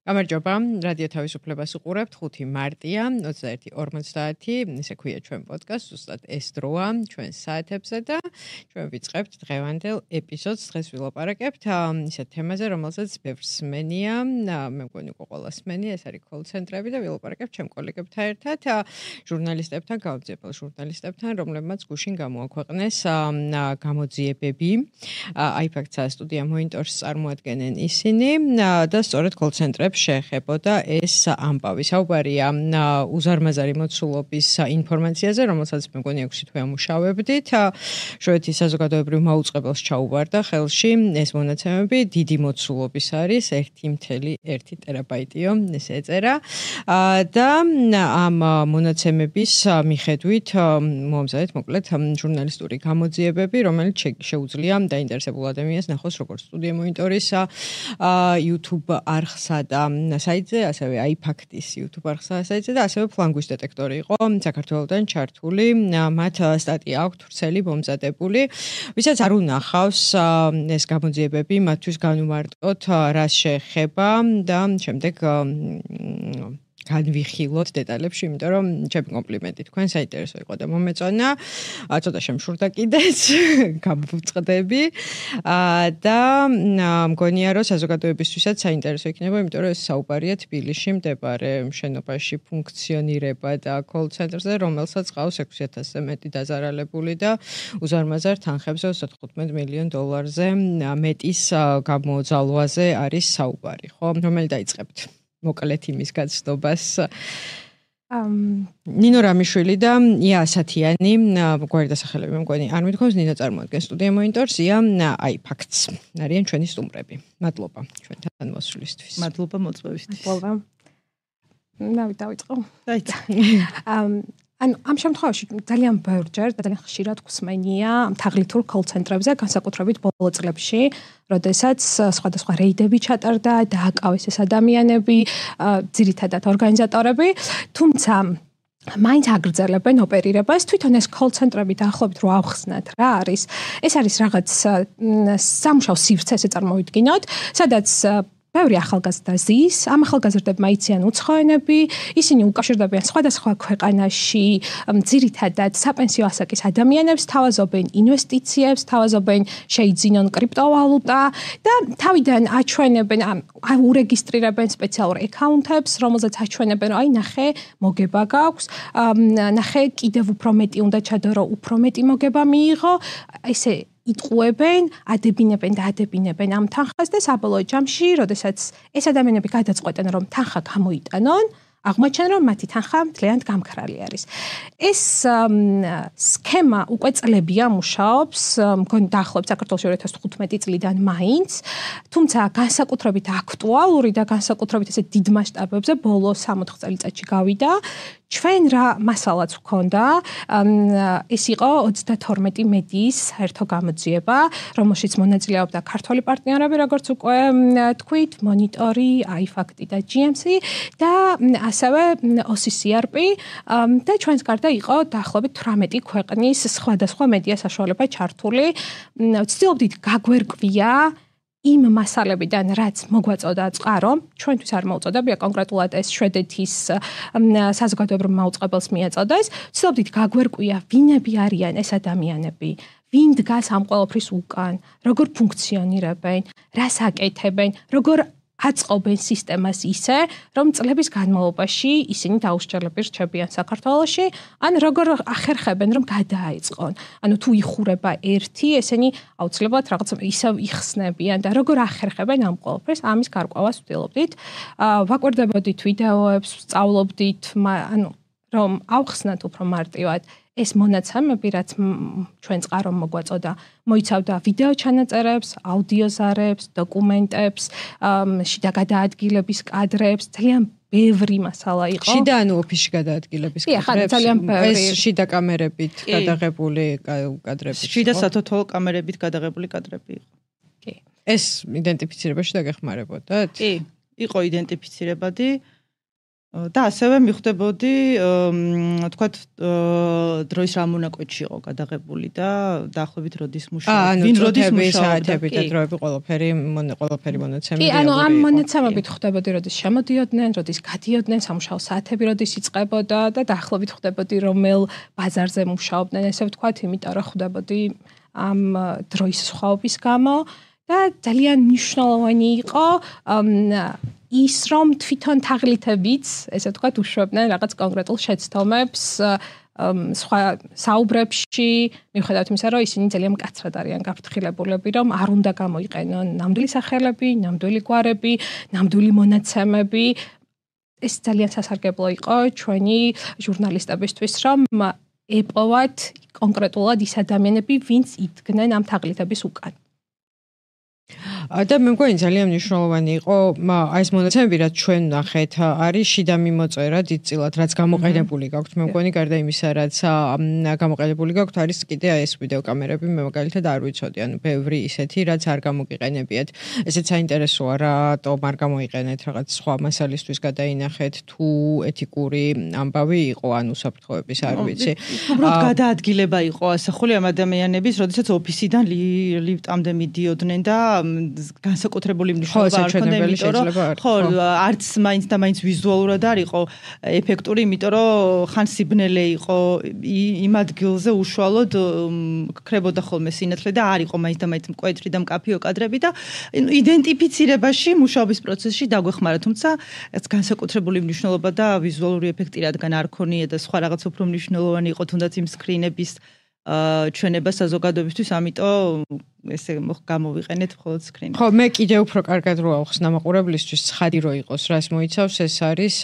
გამარჯობა, რადიო თავისუფლებას უყურებთ 5 მარტია 21:50, ესე ქვია ჩვენ პოდკასტს, ზუსტად ეს დროა ჩვენ საათებზე და ჩვენ ვიწყებთ დღევანდელ ეპიზოდს. დღეს ვილაპარაკებთ ისეთ თემაზე, რომელსაც ბევრს სმენია, მე მგონი უკვე ყველას სმენია, ეს არის კოლ-ცენტრები და ვილაპარაკებთ ჩემ კოლეგებთან ერთად, ჟურნალისტებთან, გაუძიებელ ჟურნალისტებთან, რომლებმაც გუშინ გამოაქვეყნეს გამოძიებები. iFacts-ა სტუდია Monitor-ს წარმოადგენენ ისინი და სწორედ კოლ-ცენტრებს შეეხებოდა ეს ამბავი. საუბარია უზარმაზარი მოცულობის ინფორმაციაზე, რომელსაც მე მგონი 6 თვე ამუშავებდით. შვედეთის საზოგადოებრივ მაუწყებელს ჩაუვარდა ხელში ეს მონაცემები, დიდი მოცულობის არის 1.1 ტერაბაიტიო, ეს ეწერა. და ამ მონაცემების მიხედვით მომზადეთ მოკლედ ჟურნალისტური გამოძიებები, რომელიც შეუძლია დაინტერესებულ ადამიანს ნახოს როგორც სტუდია Monitor-ის YouTube არხსა და საიტზე, ასევე iFacts-ის YouTube არხსა საიტზე და ასევე ფლანგვის დეტექტორი იყო საქართველოდან ჩართული, მათ სტატია აქვთ ვრცელი მომზადებული. ვისაც არ უნახავს ეს გამოძიებები, მათთვის განვმარტოთ რას შეეხება და შემდეგ განვიხილოთ დეტალებში, იმიტომ რომ ჩემი კომპლიმენტი თქვენ საინტერესო იყო და მომეწონა. ცოტა შემშურდა კიდეც, გამოვწყდები. და მგონია რომ საზოგადოებისთვისაც საინტერესო იქნება, იმიტომ რომ ეს საუბარია თბილისში მდებარე შენობაში ფუნქციონირება და კოლ-ცენტრზე, რომელსაც ყავს 6,000-ზე მეტი დაზარალებული და უზარმაზარ თანხებზე $35 მილიონ მეტის გამოძალვაზე არის საუბარი, ხო? რომელი დაიწყებთ? მოკლედ იმის გაცნობას. ნინო რამიშვილი და ია ასათიანი, გვარი დასახელები მე მგონი არ მithქვავს, ნინო წარმოადგენს სტუდია Monitor-ს, ია iFacts. არიან ჩვენი სტუმრები. მადლობა ჩვენთან მოსვლისთვის. მადლობა მოწვევისთვის. მადლობა. დავიწყო. დაიწყო. ანუ ამ შემთხვევაში ძალიან ბევრჯერ და ძალიან ხშირად გვსმენია თაღლითურ კოლ-ცენტრებზე, განსაკუთრებით ბოლო წლებში, როდესაც სხვადასხვა რეიდები ჩატარდა, დააკავეს ეს ადამიანები, ძირითადად ორგანიზატორები, თუმცა მაინც აგრძელებენ ოპერირებას. თვითონ ეს კოლ-ცენტრები დაახლოებით რო ავხსნათ, რა არის? ეს არის რაღაც სამუშაო სივრცე, ესე წარმოვიდგინოთ, სადაც ბევრი ახალგაზრდა ზის, ამ ახალგაზრდებმა იციან უცხო ენები, ისინი უკავშირდებიან სხვადასხვა ქვეყანაში, ძირითადად sapensio ასაკის ადამიანებს, თავაზობენ ინვესტიციებს, თავაზობენ შეიძინონ კრიპტოვალუტა და თავიდან აჩვენებენ, ურეგისტრირებენ სპეციალურ აკაუნტებს, რომელზეც აჩვენებენ, რომ აი ნახე, მოგება გაქვს, ნახე, კიდევ უფრო მეტი უნდა ჩადო, უფრო მეტი მოგება მიიღო, ესე იტყუებენ, ადებინებენ ამ თანხას და საბოლოო ჯამში, როდესაც ეს ადამიანები გადაწყვეტენ, რომ თანხა გამოიტანონ, აღმოჩნდნენ, რომ მათი თანხა მთლიანად გამქრალი არის. ეს სქემა უკვე წლებია მუშაობს, მგონი დაახლოებით საქართველოში 2015 წლიდან მაინც, თუმცა განსაკუთრებით აქტუალური და განსაკუთრებით ესე დიდ მასშტაბებზე ბოლო 60 წელიწადში გავიდა. ჩვენ რა მასალაც ვქონდა, ეს იყო 32 მედიის საერთო გამოძიება, რომელშიც მონაწილეობდა ქართველი პარტნიორები, როგორც უკვე თქვით, Monitor-ი, iFacts და GMC და ასევე OCCRP და ჩვენს გარდა იყო დაახლოებით 18 ქვეყნის სხვადასხვა მედია საშუალება ჩართული. ვცდილობდით გაგვერკვია იმ მასალებიდან, რაც მოგვაწოდა წყარო, ჩვენთვის არ მოუწოდებია კონკრეტულად ეს შვედეთის საზოგადოებრივ მაუწყებელს მიაწოდეს. ვცდილობდით გაგვერკვია, ვინები არიან ეს ადამიანები, ვინ დგას ამ ყველაფრის უკან, როგორ ფუნქციონირებენ, რას აკეთებენ, როგორ აწყობენ სისტემას ისე, რომ წლების განმავლობაში ისინი დაუსჯელები რჩებიან საქართველოში, ან როგორ ახერხებენ, რომ გადააეწყონ. ანუ თუ იხურება ერთი, ესენი აუცილებლად რაღაც ისევ იხსნებიან და როგორ ახერხებენ ამ ყველაფერს, ამის გარკვევას ვცდილობდით. ვაკვირდებოდით ვიდეოებს, ვსწავლობდით, ანუ რომ ავხსნათ უფრო მარტივად ეს მონაცემები, რაც ჩვენ წყარომ მოგვაწოდა, მოიცავდა ვიდეო ჩანაწერებს, აუდიო ზარებს, დოკუმენტებს, შიდა გადაადგილების კადრებს, ძალიან ბევრი მასალა იყო. შიდა ანუ ოფისში გადაადგილების კადრებს. ძალიან ბევრი. ეს შიდა კამერებით გადაღებული კადრები. შიდა სათვალთვალო კამერებით გადაღებული კადრები იყო. კი. ეს იდენტიფიცირებაში დაგეხმარებოდათ? კი, იყო იდენტიფიცირებადი. და ასევე მიხვდებოდი თქვათ დროის რა მონაკვეთში იყო გადაღებული და დაახლოებით როდის მუშაობდა ვინ როდის მუშაობდა და დროები ყველაფერი მონაცემები კი ანუ ამ მონაცემებით ხვდებოდი როდის შემოდიოდნენ როდის გადიოდნენ სამუშაო საათები როდის იწყებოდა და დაახლოებით ხვდებოდი რომელ ბაზარზე მუშაობდნენ ესე ვთქვათ იმიტომ რომ ხვდებოდი ამ დროის სხვაობის გამო და ძალიან მნიშვნელოვანი იყო ის რომ თვითონ თაღლითებიც ესე ვთქვათ უშვებდნენ რაღაც კონკრეტულ შეცდომებს სხვა საუბრებში მიუხედავად იმისა რომ ისინი ძალიან მკაცრად არიან გაფრთხილებულები რომ არ უნდა გამოიყენონ ნამდვილი სახელები, ნამდვილი გვარები, ნამდვილი მონაცემები ეს ძალიან სასარგებლო იყო ჩვენი ჟურნალისტებისთვის რომ ეპოვათ კონკრეტულად ის ადამიანები ვინც იდგნენ ამ თაღლითების უკან და მე მგონი ძალიან მნიშვნელოვანი იყო აი ეს მონაცემები რაც ჩვენ ნახეთ არის შიდა მიმოწერა დიდწილად რაც გამოყენებული გაქვთ მე მგონი გარდა იმისა რაც გამოყენებული გაქვთ არის კიდე აი ეს ვიდეო კამერები მე მაგალითად არ ვიცოდი ანუ ბევრი ისეთი რაც არ გამოგიყენებიათ ესეც საინტერესოა რატომ არ გამოიყენეთ რაღაც სხვა მასალისთვის გადაინახეთ თუ ეთიკური ამბავი იყო ანუ საფრთხოების არ ვიცი უბრალოდ გადაადგილება იყო ასახული ამ ადამიანების როდესაც ოფისიდან ლიფტამდე მიდიოდნენ და განსაკუთრებული მნიშვნელობა არ ჰქონდა იმიტომ რომ ხო არც მაინც და მაინც ვიზუალურად არ იყო ეფექტური იმიტომ რომ ხან სიბნელე იყო იმ ადგილზე უშუალოდ ქრებოდა ხოლმე სინათლე და არ იყო მაინც და მაინც მკვეთრი და მკაფიო კადრები და იდენტიფიცირებაში მუშაობის პროცესში დაგვეხმარა თუმცა ეს განსაკუთრებული მნიშვნელობა და ვიზუალური ეფექტი რადგან არ ქონია და სხვა რაღაც უფრო მნიშვნელოვანი იყო თუნდაც იმ სკრინების ჩვენება საზოგადოებისთვის ამიტომ ესე გამოვიყენეთ მხოლოდ სკრინი. ხო, მე კიდე უფრო კარგად რო ავხსნა მაყურებლისთვის ცხადი რო იყოს, რას მოიცავს, ეს არის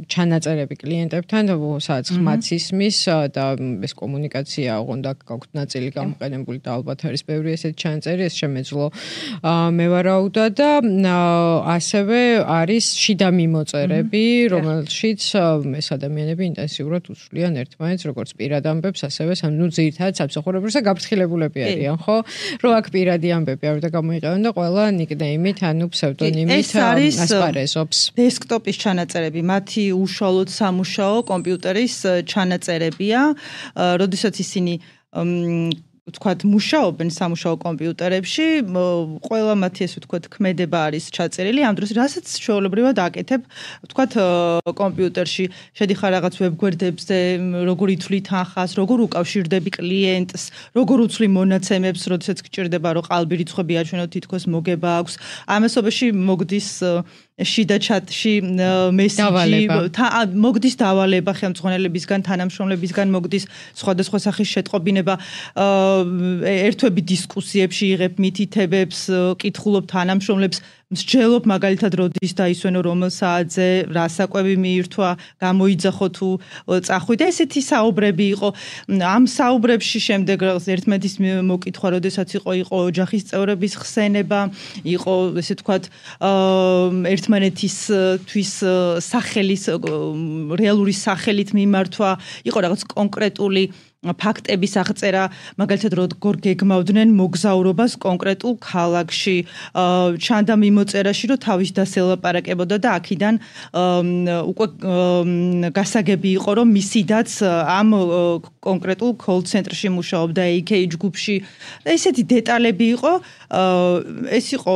ჩანაწერები კლიენტებთან, სადაც ხმაც ისმის და ეს კომუნიკაცია უნდა გაქვთ ნაწილი გამოყენებული და ალბათ არის ბევრი ესეთი ჩანაწერი, ეს შემეძლო მე ვარაუდა და ასევე არის შიდა მიმოწერები, რომელშიც ეს ადამიანები ინტენსიურად უსვლიან ერთმანეთს, როგორც პირად ამბებს, ასევე ნუ ძირითადად სამსახურებრივ და გაფრთხილებულები არიან, ხო? რო აქ პირადი ამბები არ უნდა გამოიყენონ და ყველა ნიკნეიმით, ანუ ფსევდონიმით ასპარეზობს. დესკტოპის ჩანაწერები, მათი უშუალოდ სამუშაო კომპიუტერის ჩანაწერებია, როდესაც ისინი ვთქვათ, მუშაობენ სამუშაო კომპიუტერებში, ყველა მათი ესე ვთქვათ, ქმედება არის ჩაწერილი, ამ დროს რასაც ჩვეულებრივად აკეთებ, ვთქვათ, კომპიუტერში შედიხარ რაღაც ვებგვერდებზე, როგორ ითვლი თანხას, როგორ უკავშირდები კლიენტს, როგორ უცვლი მონაცემებს, როდესაც გჭირდება, რომ ყალბი რიცხვები აჩვენო, თითქოს მოგება აქვს. ამასობაში მოგდის შიდა ჩატში მესიჯი მოგდის დავალება ხელმძღვანელებისგან თანამშრომლებისგან მოგდის სხვადასხვა სახის შეტყობინება ერთვები დისკუსიებში იღებ მითითებებს კითხულობ თანამშრომლებს მსჯელობ მაგალითად როდის დაისვენო რომელ საათზე რა საკვები მიირთვა გამოიძახო თუ წახვი და ესეთი საუბრები იყო ამ საუბრებში შემდეგ ერთმანეთის მოკითხვა როდესაც იყო ოჯახის წევრების ხსენება იყო ესე ვთქვათ ერთმანეთისთვის სახელის რეალური სახელით მიმართვა იყო რაღაც კონკრეტული ფაქტების აღწერა, მაგალითად როგორ გეგმავდნენ მოგზაურობას კონკრეტულ ქალაქში, ჩანდა მიმოწერაში, რომ თავის დასელაპარაკებოდა და აქედან უკვე გასაგები იყო, რომ მისიდაც ამ კონკრეტულ call center-ში მუშაობდა AK ჯგუფში. ესეთი დეტალები იყო, ეს იყო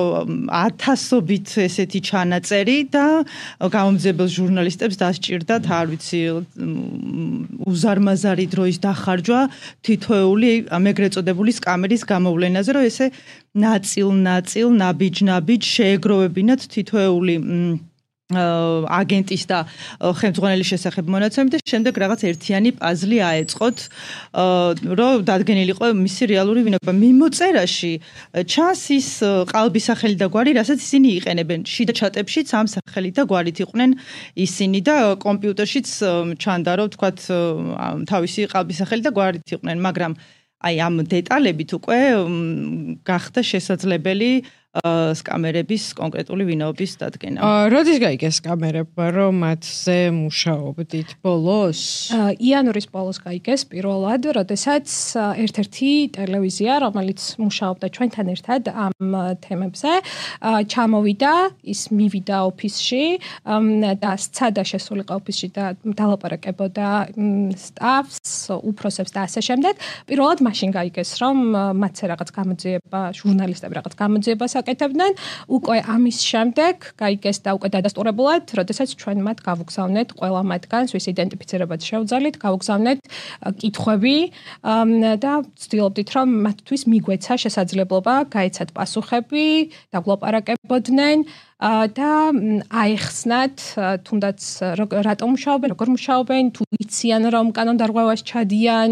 ათასობით ესეთი ჩანაწერი და გამომძიებელ ჟურნალისტებს დასჭირდათ, არ ვიცი, უზარმაზარი დროის დახარჯვა თითოეული ამეგრეთ წოდებული სკამერის გამოვლენაზე, რომ ესე ნაწილ ნაბიჯ შეეგროვებინათ თითოეული აგენტის და ხელმძღვანელის შესახებ მონაცემები და შემდეგ რაღაც ერთიანი პაზლი აეწყოთ, რომ დადგენილიყო მისი რეალური ვინება. მიმოწერაში ჩანს ის ყალბის სახელი და გვარი, რასაც ისინი იყენებენ. შიდა ჩატებშიც ამ სახელით და გვარით იყვნენ ისინი და კომპიუტერშიც ჩანდა, რომ თქვათ თავისი ყალბის სახელი და გვარით იყვნენ, მაგრამ აი ამ დეტალებით უკვე გახდა შესაძლებელი სკამერების კონკრეტული ვინაობის დადგენა. როდის გაიგეს სკამერებმა, რომ მათზე მუშაობდით ბოლოს? იანვრის ბოლოს გაიგეს პირველად, როდესაც ერთ-ერთი ტელევიზია, რომელიც მუშაობდა ჩვენთან ერთად ამ თემებზე, ჩამოვიდა, ის მივიდა ოფისში და სცადა შესულიყო ოფისში და დალაპარაკებოდა სტაფს, უფროსებს და ასე შემდეგ. პირველად მაშინ გაიგეს, რომ მათზე რაღაც გამოძიება, ჟურნალისტები რაღაც გამოძიებას აკეთებდნენ. უკვე ამის შემდეგ გაიგეს და უკვე დადასტურებულად, როდესაც ჩვენ მათ გავუგზავნეთ ყველა მათგანს, ვის იდენტიფიცირებად შევძალით, გავუგზავნეთ კითხვები და ვცდილობდით, რომ მათთვის მიგვეცა შესაძლებლობა გაეცათ პასუხები, დაგლაპარაკებოდნენ და აეხსნათ თუნდაც რატომ მუშაობენ, როგორ მუშაობენ, თუ იციან რომ კანონდარღვევას ჩადიან,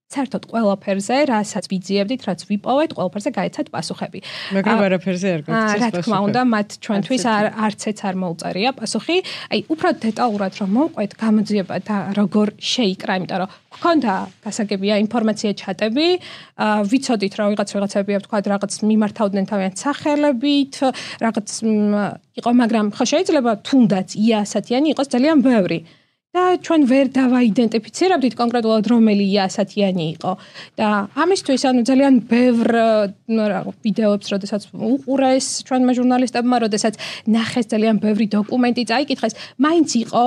საერთოდ ყველაფერზე, რასაც ვიძიებდით, რაც ვიპოვეთ, ყველაფერზე გაეცათ პასუხები. მაგრამ არაფერზე არ გაგვცეს რა თქმა უნდა, მათ ჩვენთვის არცეც არ მოუწერია პასუხი. აი, უფრო დეტალურად რომ მოვყვეთ გამოძიება და როგორ შეიკრა, იმიტომ რომ გქონდა გასაგებია ინფორმაცია ჩატები, ვიცოდით რომ ვიღაცები თქვა რაღაც მიმართავდნენ თავიანთ სახელებით, რაღაც იყო, მაგრამ ხო შეიძლება თუნდაც იასათიანი იყოს ძალიან ბევრი. და ჩვენ ვერ დავაიდენტიფიცირებდით კონკრეტულად რომელი იასათიანი იყო და ამისთვის ანუ ძალიან ბევრ ვიდეოებს როდესაც უყურეს ჩვენმა ჟურნალისტებმა, როდესაც ნახეს ძალიან ბევრი დოკუმენტი წაიკითხეს, მაინც იყო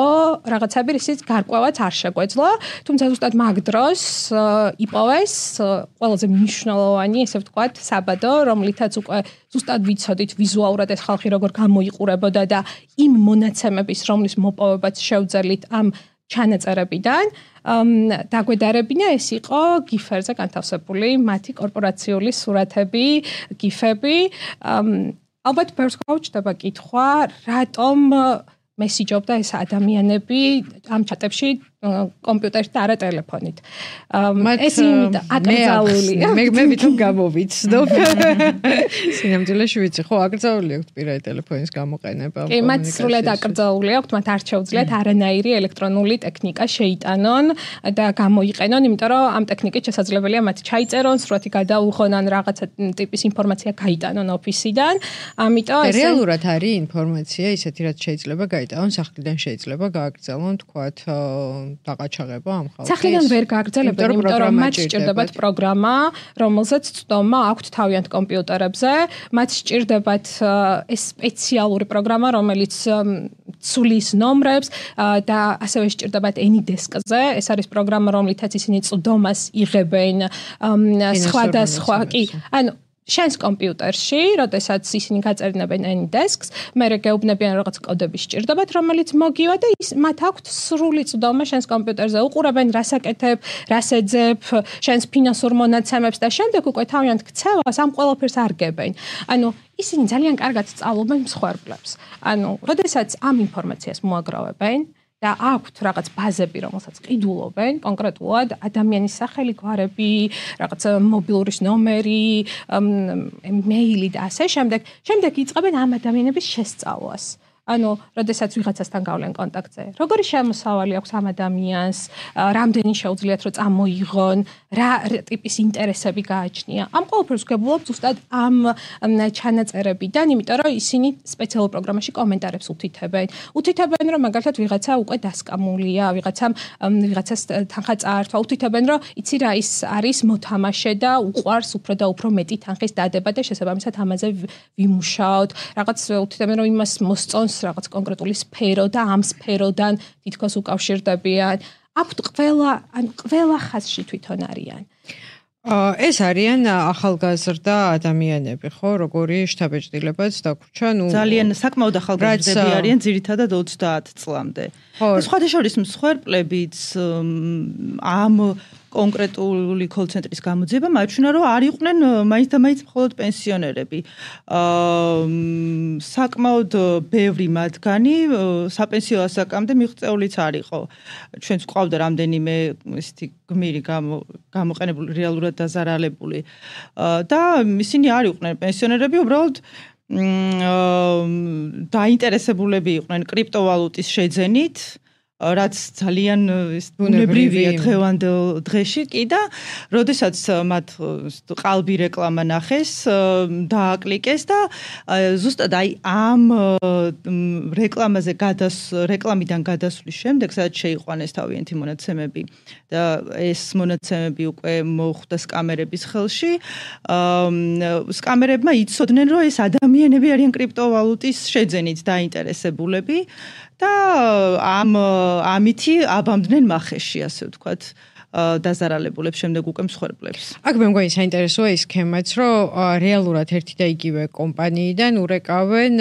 რაღაცები, რისიც გარკვევაც არ შეგვეძლო, თუმცა ზუსტად მაგ დროს იპოვეს ყველაზე მნიშვნელოვანი, ესე ვთქვათ, საბადო, რომლითაც უკვე ზუსტად ვიცოდით ვიზუალურად ეს ხალხი როგორ გამოიყურებოდა და იმ მონაცემების რომლის მოპოვებაც შევძელით ამ ჩანაწერებიდან დაგვედარებინა ეს იყო გიფერზე განთავსებული მათი კორპორაციული სურათები, გიფები. ალბათ ბევრს გაუჩნდება კითხვა, რატომ მესიჯობდა ეს ადამიანები ამ ჩატებში კომპიუტერით და არა ტელეფონით. ეს იმით აკრძალულია. მე ვითომ გამოვიცნობ. სინამდვილეში ვიცი, ხო, აკრძალული აქვს პირადი ტელეფონის გამოყენება. კი, მათ სრულად აკრძალული აქვს, მათ არ შეუძლიათ არანაირი ელექტრონული ტექნიკა შეიტანონ და გამოიყენონ, იმიტომ რომ ამ ტექნიკით შესაძლებელია მათ ჩაიწერონ, სრულად გადაუღონ ან რაღაცა ტიპის ინფორმაცია გაიტანონ ოფისიდან. ამიტომ ეს რეალურად არის ინფორმაცია ისეთი, რაც შეიძლება გაიტანონ სახლიდან, შეიძლება გააგრძელონ, თქვათ დაღაჩაღება ამ ხალხის. სახლიდან ვერ გააგრძელებენ, იმიტომ რომ მათ სჭირდებათ პროგრამა, რომელზეც ცდომა აქვთ თავიანთ კომპიუტერებზე. მათ სჭირდებათ ეს სპეციალური პროგრამა, რომელიც ცulis ნომრებს და ასევე სჭირდებათ AnyDesk-ზე. ეს არის პროგრამა, რომლითაც ისინი ცდომას იღებენ სხვადასხვა, კი, ანუ შენს კომპიუტერში, როდესაც ისინი გაწერინებენ AnyDesk-ს, მერე გეუბნებიან რაღაც კოდები სჭირდებათ, რომელიც მოგივა და მათ აქვთ სრული ცდომა შენს კომპიუტერზე. უყურებენ, რას აკეთებ, რას ეძებ, შენს ფინანსურ მონაცემებს და შემდეგ უკვე თავიანთ ქცევას ამ ყველაფერს არგებენ. ანუ ისინი ძალიან კარგად სწავლობენ მსხვერპლებს. ანუ, როდესაც ამ ინფორმაციას მოაგროვებენ და აქვთ რაღაც ბაზები, რომელსაც ყიდულობენ, კონკრეტულად ადამიანის სახელი, გვარები, რაღაც მობილურის ნომერი, მეილი და ასე შემდეგ. შემდეგ იწყებენ ამ ადამიანების შესწავლას. ანუ, როდესაც ვიღაცასთან გავლენ კონტაქტზე, როგორი შემოსავალი აქვს ამ ადამიანს, რამდენი შეუძლიათ რომ წამოიღონ, რა ტიპის ინტერესები გააჩნია. ამ ყველაფერს ვგებულობ ზუსტად ამ ჩანაწერებიდან, იმიტომ რომ ისინი სპეციალურ პროგრამაში კომენტარებს უთითებენ. უთითებენ, რომ მაგალითად ვიღაცა უკვე დასკამულია, ვიღაცას თანხა წაართვა, უთითებენ, რომ იცი რა ის არის მოთამაშე და უყვარს უფრო და უფრო მეტი თანხის დადება და შესაბამისად ამაზე ვიმუშაოთ. რაღაც უთითებენ, რომ იმას მოსწონს რაღაც კონკრეტული სფერო და ამ სფეროდან თითქოს უკავშირდებიან. აქვთ ყველა ხაზში თვითონ არიან. ეს არიან ახალგაზრდა ადამიანები, ხო, როგორი შთაბეჭდილებაც დაგვრჩა, ძალიან საკმაოდ ახალგაზრდები არიან, ძირითადად 30 წლამდე. სხვადასხვა მსხვერპლებიც ამ კონკრეტული კოლ-ცენტრის გამოძიება მაჩვენა, რომ არ იყვნენ მაინც და მაინც მხოლოდ პენსიონერები. საკმაოდ ბევრი მათგანი საპენსიო ასაკამდე მიღწეულიც არ იყო. ჩვენც გვყავდა რამდენიმე ესეთი გმირი გამოყენებული, რეალურად დაზარალებული. და ისინი არ იყვნენ პენსიონერები, უბრალოდ დაინტერესებულები იყვნენ კრიპტოვალუტის შეძენით, რაც ძალიან ბუნებრივია დღევანდელ დღეში კი და როდესაც მათ ყალბი რეკლამა ნახეს დააკლიკეს და ზუსტად აი ამ რეკლამაზე რეკლამიდან გადასვლის შემდეგ სადაც შეიყვანეს თავიანთი მონაცემები და ეს მონაცემები უკვე მოხვდა სკამერების ხელში სკამერებმა იცოდნენ რომ ეს ადამიანები არიან კრიპტოვალუტის შეძენით დაინტერესებულები და ამითი აბამდნენ მახეში, ასე ვთქვათ, დაზარალებულებს შემდეგ უკვე მსხვერპლებს. აქ მე მგონი საინტერესოა ის სქემაც, რომ რეალურად ერთი და იგივე კომპანიიდან ურეკავენ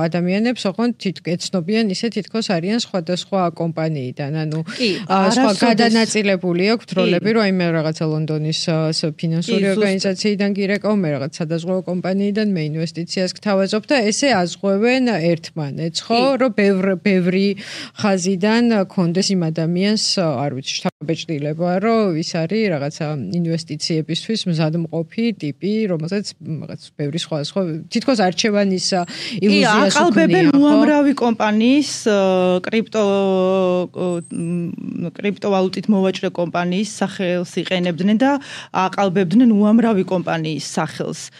ადამიანებს, ოღონდ ეცნობიან ისე თითქოს არიან სხვადასხვა კომპანიიდან. ანუ სხვა გადანაწილებული აქვს როლები, რომ აი მე რაღაცა ლონდონის ფინანსური ორგანიზაციიდან გირეკავ, მე რაღაც სადაზღვევო კომპანიიდან მე ინვესტიციას გთავაზობ და ესე აზღვევენ ერთმანეთს, ხო? რომ ბევრი ხაზიდან კონდეს იმ ადამიანს, არ ვიცი, შთაბეჭდილება რომ ის არის რაღაცა ინვესტიციებისთვის მზადმყოფი ტიპი, რომელსაც რაღაც ბევრი სხვა თითქოს არჩევანის ილუზიას უქმნია. აყალბებენ უამრავი კომპანიის კრიპტოვალუტით მოვაჭრე კომპანიის სახელს იყენებდნენ და აყალბებდნენ უამრავი კომპანიის სახელს.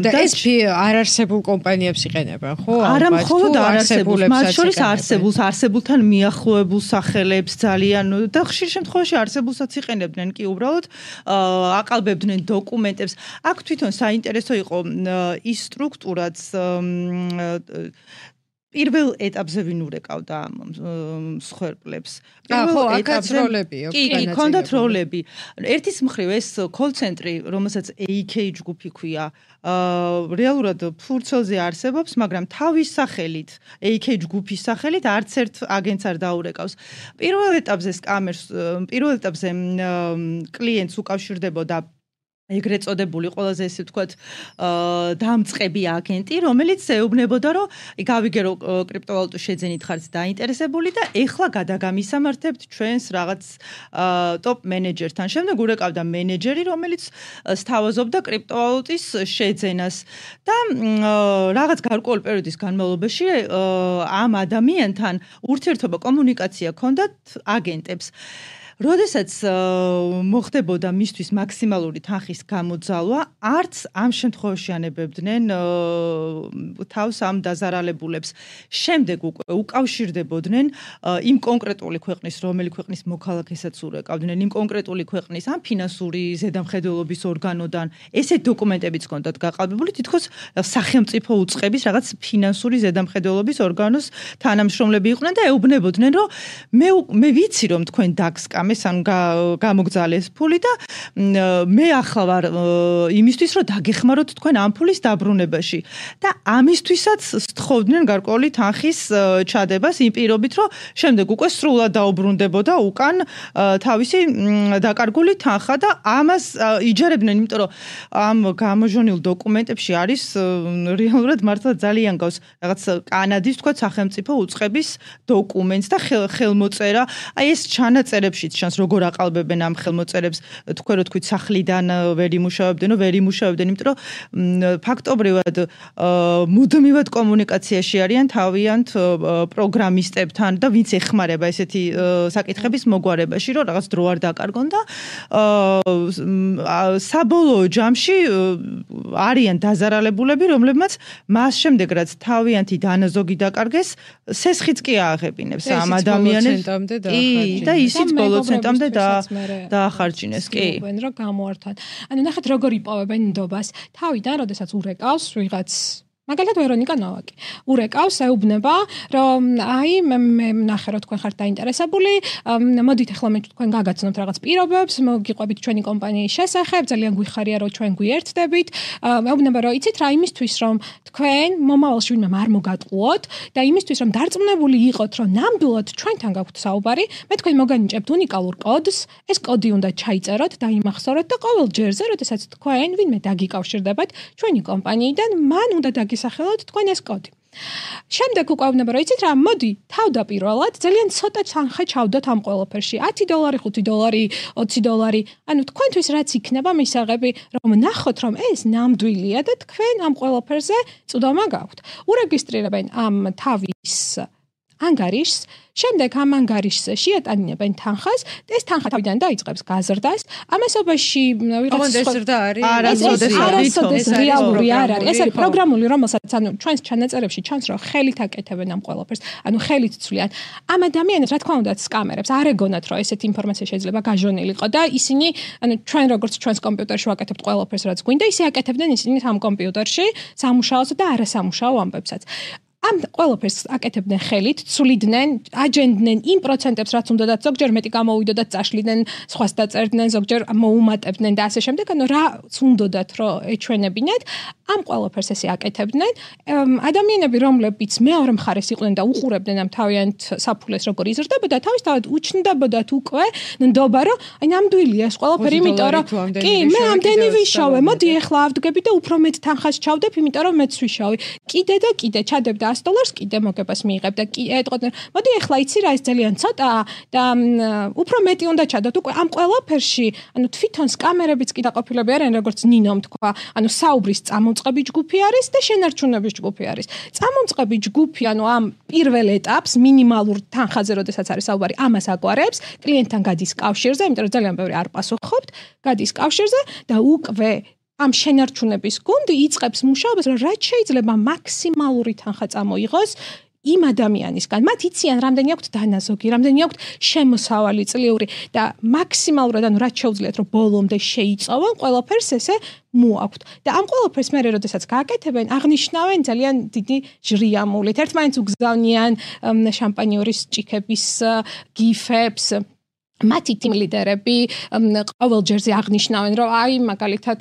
და ეს არარსებულ კომპანიებს იყენებენ, ხო? არა მხოლოდ არარსებულს, მათ შორის არსებულთან მიახლოებულ სახელებს ძალიან და ხშირ შემთხვევაში არსებულსაც იყენებდნენ კი უბრალოდ აყალბებდნენ დოკუმენტებს. აქ თვითონ საინტერესო იყო ის სტრუქტურაც პირველ ეტაპზე ვინ ურეკავდა მსხვერპლებს. ხო, აქაც როლებია. კი, ჰქონდათ როლები. ერთის მხრივ ეს კოლ-ცენტრი, რომელსაც AK ჯგუფი ქვია, რეალურად ფურცელზე არსებობს, მაგრამ თავის სახელით, AK ჯგუფის სახელით არც ერთ აგენტს არ დაურეკავს. პირველ ეტაპზე კლიენტს უკავშირდებოდა ეგრეთ წოდებული ყველაზე ესე ვთქვათ დამწყები აგენტი, რომელიც ეუბნებოდა, რომ გავიგე რომ კრიპტოვალუტის შეძენით ხართ დაინტერესებული და ეხლა გადაგამისამართებთ ჩვენს რაღაც ტოპ მენეჯერთან. შემდეგ ურეკავდა მენეჯერი, რომელიც სთავაზობდა კრიპტოვალუტის შეძენას და რაღაც გარკვეული პერიოდის განმავლობაში ამ ადამიანთან ურთიერთობა კომუნიკაცია ჰქონდათ აგენტებს. როდესაც მოხდებოდა მისთვის მაქსიმალური თანხის გამოძალვა, არც ამ შემთხვევაში ანებებდნენ თავს ამ დაზარალებულებს. შემდეგ უკვე უკავშირდებოდნენ იმ კონკრეტული ქვეყნის, რომელი ქვეყნის მოქალაქესაც ურეკავდნენ, იმ კონკრეტული ქვეყნის ამ ფინანსური ზედამხედველობის ორგანოდან. ესეთ დოკუმენტებიც ჰქონდათ გაყალბებული, თითქოს სახელმწიფო უწყების რაღაც ფინანსური ზედამხედველობის ორგანოს თანამშრომლები იყვნენ და ეუბნებოდნენ, რომ მე ვიცი რომ თქვენ დაგსკამეთ ან გამოგძალეს ფული და მე ახლა ვარ იმისთვის რომ დაგეხმაროთ თქვენ ამ ფულის დაბრუნებაში და ამისთვისაც სთხოვდნენ გარკვეული თანხის ჩადებას იმ პირობით რომ შემდეგ უკვე სრულად დაუბრუნდებოდა უკან თავისი დაკარგული თანხა და ამას იჯერებდნენ, იმიტომ რომ ამ გამოჟონილ დოკუმენტებში არის რეალურად მართლა ძალიან გავს რაღაც კანადის თქვა სახელმწიფო უწყების დოკუმენტს და ხელმოწერა. აი ეს ჩანაწერებშიც ჩანს როგორ აყალბებენ ამ ხელმოწერებს, თქვენ რო თქვით სახლიდან ვერ იმუშავებდნენ, იმიტომ რომ ფაქტობრივად მუდმივად კომუნიკაციაში არიან თავიანთ პროგრამისტებთან და ვინც ეხმარება ესეთი საკითხების მოგვარებაში, რომ რაღაც დრო არ დაკარგონ და საბოლოო ჯამში არიან დაზარალებულები, რომლებმაც მას შემდეგ რაც თავიანთი დანაზოგი დაკარგეს, სესხიც კი ააღებინებს ამ ადამიანებს. და ისიც ბოლო ცენტამდე დაახარჯინეს, კი. რომ გამოართვან. ანუ ნახეთ როგორ იპოვებენ ნდობას. თავიდან, როდესაც ურეკავს ვიღაც მაგალითად ვერონიკა ნოვაკი. ურეკავს, ეუბნება, რომ აი მე ნახე რომ თქვენ ხართ დაინტერესებული, მოდით ახლა მე თქვენ გაგაცნობთ რაღაც პირობებს, მოგიყვებით ჩვენი კომპანიის შესახებ, ძალიან გვიხარია რომ ჩვენ გვიერთდებით. ეუბნება რომ იცით რა იმისთვის რომ თქვენ მომავალში ვინმე არ მოგატყუოთ და იმისთვის რომ დარწმუნებული იყოთ რომ ნამდვილად ჩვენთან გაქვთ საუბარი, მე თქვენ მოგანიჭებთ უნიკალურ კოდს, ეს კოდი უნდა ჩაიწეროთ და იმახსოვროთ და ყოველ ჯერზე, როდესაც თქვენ ვინმე დაგიკავშირდებათ ჩვენი კომპანიიდან, მან უნდა გისახელოთ თქვენ ეს კოდი. შემდეგ უკვე ვნება რომ იცით რა, მოდი თავდაპირველად ძალიან ცოტა თანხა ჩავდოთ ამ ყველაფერში. $10, $5, $20. ანუ თქვენთვის რაც იქნება მისაღები, რომ ნახოთ რომ ეს ნამდვილია და თქვენ ამ ყველაფერზე წვდომა გაქვთ. ურეგისტრირებენ ამ თავის ანგარიშს, შემდეგ ამ ანგარიშზე შეატანინებენ თანხას და ეს თანხა თავიდან დაიწყებს გაზრდას. ამასობაში ვიღაც ზრდა არის? არასოდეს რეალური არ არის. ეს არის პროგრამული, რომელსაც ანუ ჩვენს ჩანაწერებში ჩანს, რომ ხელით აკეთებენ ამ ყველაფერს. ანუ ხელით ცვლიან. ამ ადამიანებს, რა თქმა უნდა, სკამერებს არ ეგონათ, რომ ესეთი ინფორმაცია შეიძლება გაჟონილიყო და ისინი, ანუ ჩვენ როგორც ჩვენს კომპიუტერში ვაკეთებთ ყველაფერს, რაც გვინდა, ისე აკეთებდნენ ისინი ამ კომპიუტერში, სამუშაოს და არასამუშაო ამბებსაც. ამ ყველაფერს აკეთებდნენ ხელით, ცვლიდნენ, აჯენდნენ იმ პროცენტებს, რაც უნდათ, ზოგჯერ მეტი გამოვიდოდათ, წაშლიდნენ, სხვას დაწერდნენ, ზოგჯერ მოუმატებდნენ და ასე შემდეგ, ანუ რაც უნდათ, რომ ეჩვენებინათ, ამ ყველაფერს ესე აკეთებდნენ. ადამიანები, რომლებიც მეორე მხარეს იყვნენ და უყურებდნენ ამ თავიანთ საფულეს, როგორ იზრდებოდა, თავისთავად უჩნდებოდათ უკვე ნდობა, რომ აი ნამდვილია ეს ყველაფერი, იმიტომ რომ კი, მე ამდენი ვიშოვე, მოდი ეხლა ავდგები და უფრო მეტ თანხას ჩავდებ, იმიტომ რომ მეც ვიშოვი. კიდე და კიდე ჩადებდა $100 კიდე მოგებას მიიღებ და ეტყოდნენ, მოდი ეხლა იცი რა ეს ძალიან ცოტაა და უფრო მეტი უნდა ჩადოთ. უკვე ამ ყველაფერში, ანუ თვითონ სკამერებიც კი დაყოფილები არიან, როგორც ნინომ თქვა, ანუ საუბრის წამომწყები ჯგუფი არის და შენარჩუნების ჯგუფი არის. წამომწყები ჯგუფი, ანუ ამ პირველ ეტაპს მინიმალურ თანხაზე, როდესაც არის საუბარი, ამას აგვარებს, კლიენტთან გადის კავშირზე, იმიტომ რომ ძალიან ბევრი არ პასუხობთ, გადის კავშირზე და უკვე ამ შენარჩუნების გუნდი იწყებს მუშაობას, რომ რაც შეიძლება მაქსიმალური თანხა წამოიღოს იმ ადამიანისგან. მათ იციან, რამდენი აქვთ დანაზოგი, რამდენი აქვთ შემოსავალი წლიური და მაქსიმალურად, ანუ რაც შეუძლიათ, რომ ბოლომდე შეიწოვონ, ყველაფერს ესე მოაქვთ. და ამ ყველაფერს მე როდესაც გააკეთებენ, აღნიშნავენ ძალიან დიდი ჟრიამულით. ერთმანეთს უგზავნიან შამპანიორის ჭიქების გიფებს. მათი team ლიდერები ყოველ ჯერზე აღნიშნავენ, რომ აი მაგალითად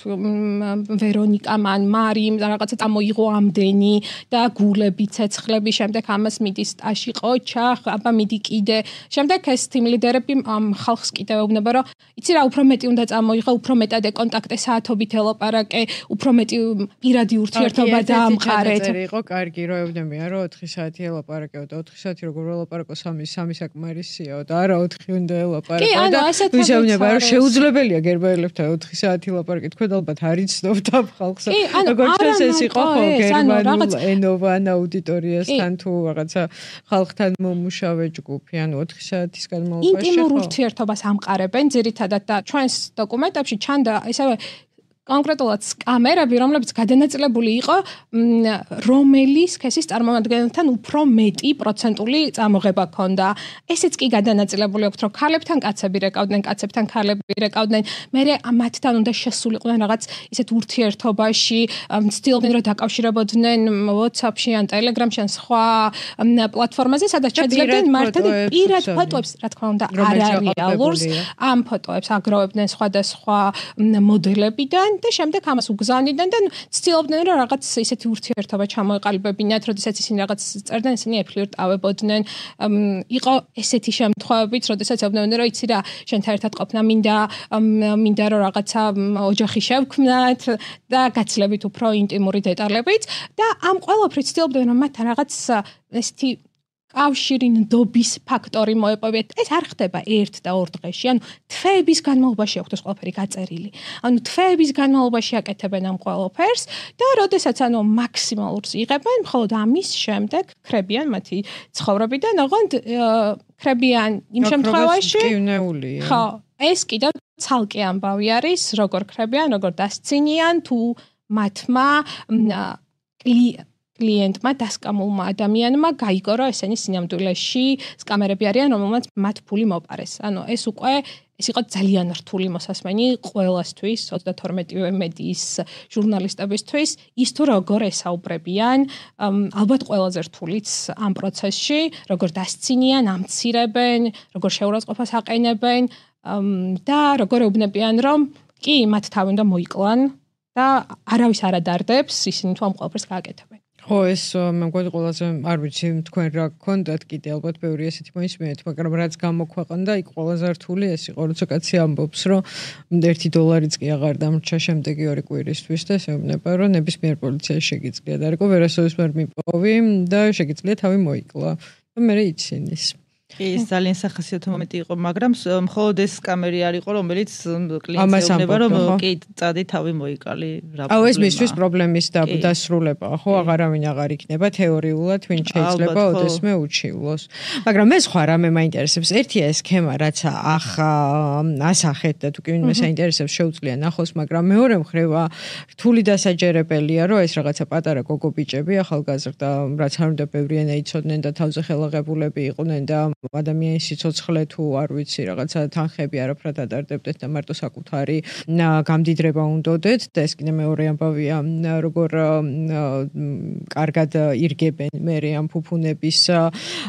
ვერონიკა მან მარიმ რაღაცა წამოიღო ამდენი და გულები, ცეცხლები, შემდეგ ამას მიდის ტაში ყოჩახ, აბა მიდი კიდე. შემდეგ ეს team ლიდერები ამ ხალხს კიდევ ეუბნება, რომ იცი რა, უფრო მეტი უნდა წამოიღო, უფრო მეტად ეკონტაქტე საათობით ელაპარაკე, უფრო მეტი პირადი ურთიერთობა დაამყარეთ. იყო კარგი, რომ ეუბნებიან, რომ 4 საათი ელაპარაკეო და 4 საათი როგორ ელაპარაკო 3 საკმარისიაო და არა 4 უნდა ელაპარაკო. კი, ანუ ასეთ ვისეუბნება, რომ შეუძლებელია გერმანელებთან 4 საათი ლაპარაკი. თქვენ ალბათ არ იცნობთ ამ ხალხს. როგორც ჩანს ეს იყო ხო გერმანულ ენოვან აუდიტორიასთან თუ რაღაცა ხალხთან მომუშავე ჯგუფი, ანუ 4 საათის განმავლობაში. ინტიმურ ურთიერთობას ამყარებენ ძირითადად და ჩვენს დოკუმენტებში ჩანდა ესევე კონკრეტულად სკამერები, რომლებიც გადანაწილებული იყო რომელი სქესის წარმომადგენელთან უფრო მეტი პროცენტული წამოღება ჰქონდა. ესეც კი გადანაწილებული აქვს, რომ ქალებთან კაცები რეკავდნენ, კაცებთან ქალები რეკავდნენ. მერე მათთან უნდა შესულიყვნენ რაღაც ისეთ ურთიერთობაში, ცდილობდნენ რომ დაკავშირებოდნენ WhatsApp-ში ან Telegram-ში ან სხვა პლატფორმაზე, სადაც შეძლებდნენ მართად პირად ფოტოებს, რა თქმა უნდა, არარეალურს. ამ ფოტოებს აგროვებდნენ სხვადასხვა მოდელებიდან და შემდეგ ამას უგზავნიდნენ და ცდილობდნენ რომ რაღაც ისეთი ურთიერთობა ჩამოეყალიბებინათ, როდესაც ისინი რაღაც წერდნენ, ისინი ეფლირტავებოდნენ. იყო ესეთი შემთხვევებიც, როდესაც ეუბნებოდნენ რომ იცი რა, შენთან ერთად ყოფნა მინდა რომ რაღაცა ოჯახი შევქმნათ და გაცლებით უფრო ინტიმური დეტალებით და ამ ყველაფრით ცდილობდნენ რომ მათთან რაღაც ესეთი კავშირი ნდობის ფაქტორი მოეპოვეთ. ეს არ ხდება 1 და 2 დღეში. ანუ თვეების განმავლობაში აქვს ეს ყველაფერი გაწერილი. ანუ თვეების განმავლობაში აკეთებენ ამ ყველაფერს და როდესაც ანუ მაქსიმალურს იღებენ, მხოლოდ ამის შემდეგ ხრებიან მათი ცხოვრებიდან, ოღონდ ხრებიან იმ შემთხვევაში. ხო, ეს კიდევ ცალკე ამბავი არის, როგორ ხრებიან, როგორ დასცინიან თუ მათმა კლიენტმა დასკამულმა ადამიანმა გაიგო, რომ ესენი სინამდვილეში სკამერები არიან, რომელმაც მათ ფული მოპარეს. ანუ ეს უკვე ეს იყო ძალიან რთული მოსასმენი ყველასთვის, 32 მედიის ჟურნალისტებისთვის, ის თუ როგორ ესაუბრებიან, ალბათ ყველაზე რთულიც ამ პროცესში, როგორ დასცინიან, ამცირებენ, როგორ შეურაცხყოფას აყენებენ და როგორ ეუბნებიან, რომ კი, მათ თავი უნდა მოიკლან და არავის არ ადარდებს ისინი თუ ამ ყველაფერს გააკეთებენ. ხო, ეს მე მგონი ყველაზე არ ვიცი თქვენ რა გქონდათ კიდე ალბათ ბევრი ესეთი მოისმენთ, მაგრამ რაც გამოქვეყნდა, იქ ყველაზე რთული ეს იყო, როცა კაცი ამბობს, რომ $1 კი აღარ დამრჩა შემდეგი 2 კვირისთვის და შეუბნება, რომ ნებისმიერ პოლიციაში შეგიძლია და რეკო ვერასოდეს ვერ მიპოვი და შეგიძლია თავი მოიკლა. და მე იცინის. ის ძალიან სახასიათო მომენტი იყო, მაგრამ მხოლოდ ეს კამერი არ იყო, რომელიც კლიენტს ეუბნება, რომ კი წადი თავი მოიკალი რა პრობლემაა. ეს მისთვის პრობლემის დასრულებაა, ხო, აღარავინ აღარ იქნება თეორიულად, ვინ შეიძლება ოდესმე უჩივლოს. მაგრამ მე სხვა რამე მაინტერესებს, ერთია ეს სქემა, რაც ასახეთ და თუ კი ვინმე საინტერესებს შეუძლია ნახოს, მაგრამ მეორე მხრევა რთული დასაჯერებელია, რომ ეს რაღაცა პატარა გოგო ბიჭები ახალგაზრდა, რაც არ უნდა ბევრი ენა იცოდნენ და თავზე ხელაღებულები იყვნენ და ადამიანის სიცოცხლე თუ არ ვიცი რაღაცა თანხები არაფრად ადარდებდეთ და მარტო საკუთარი გამდიდრება უნდოდეთ და ეს კიდე მეორე ამბავია როგორ კარგად ირგებენ მერე ამ ფუფუნების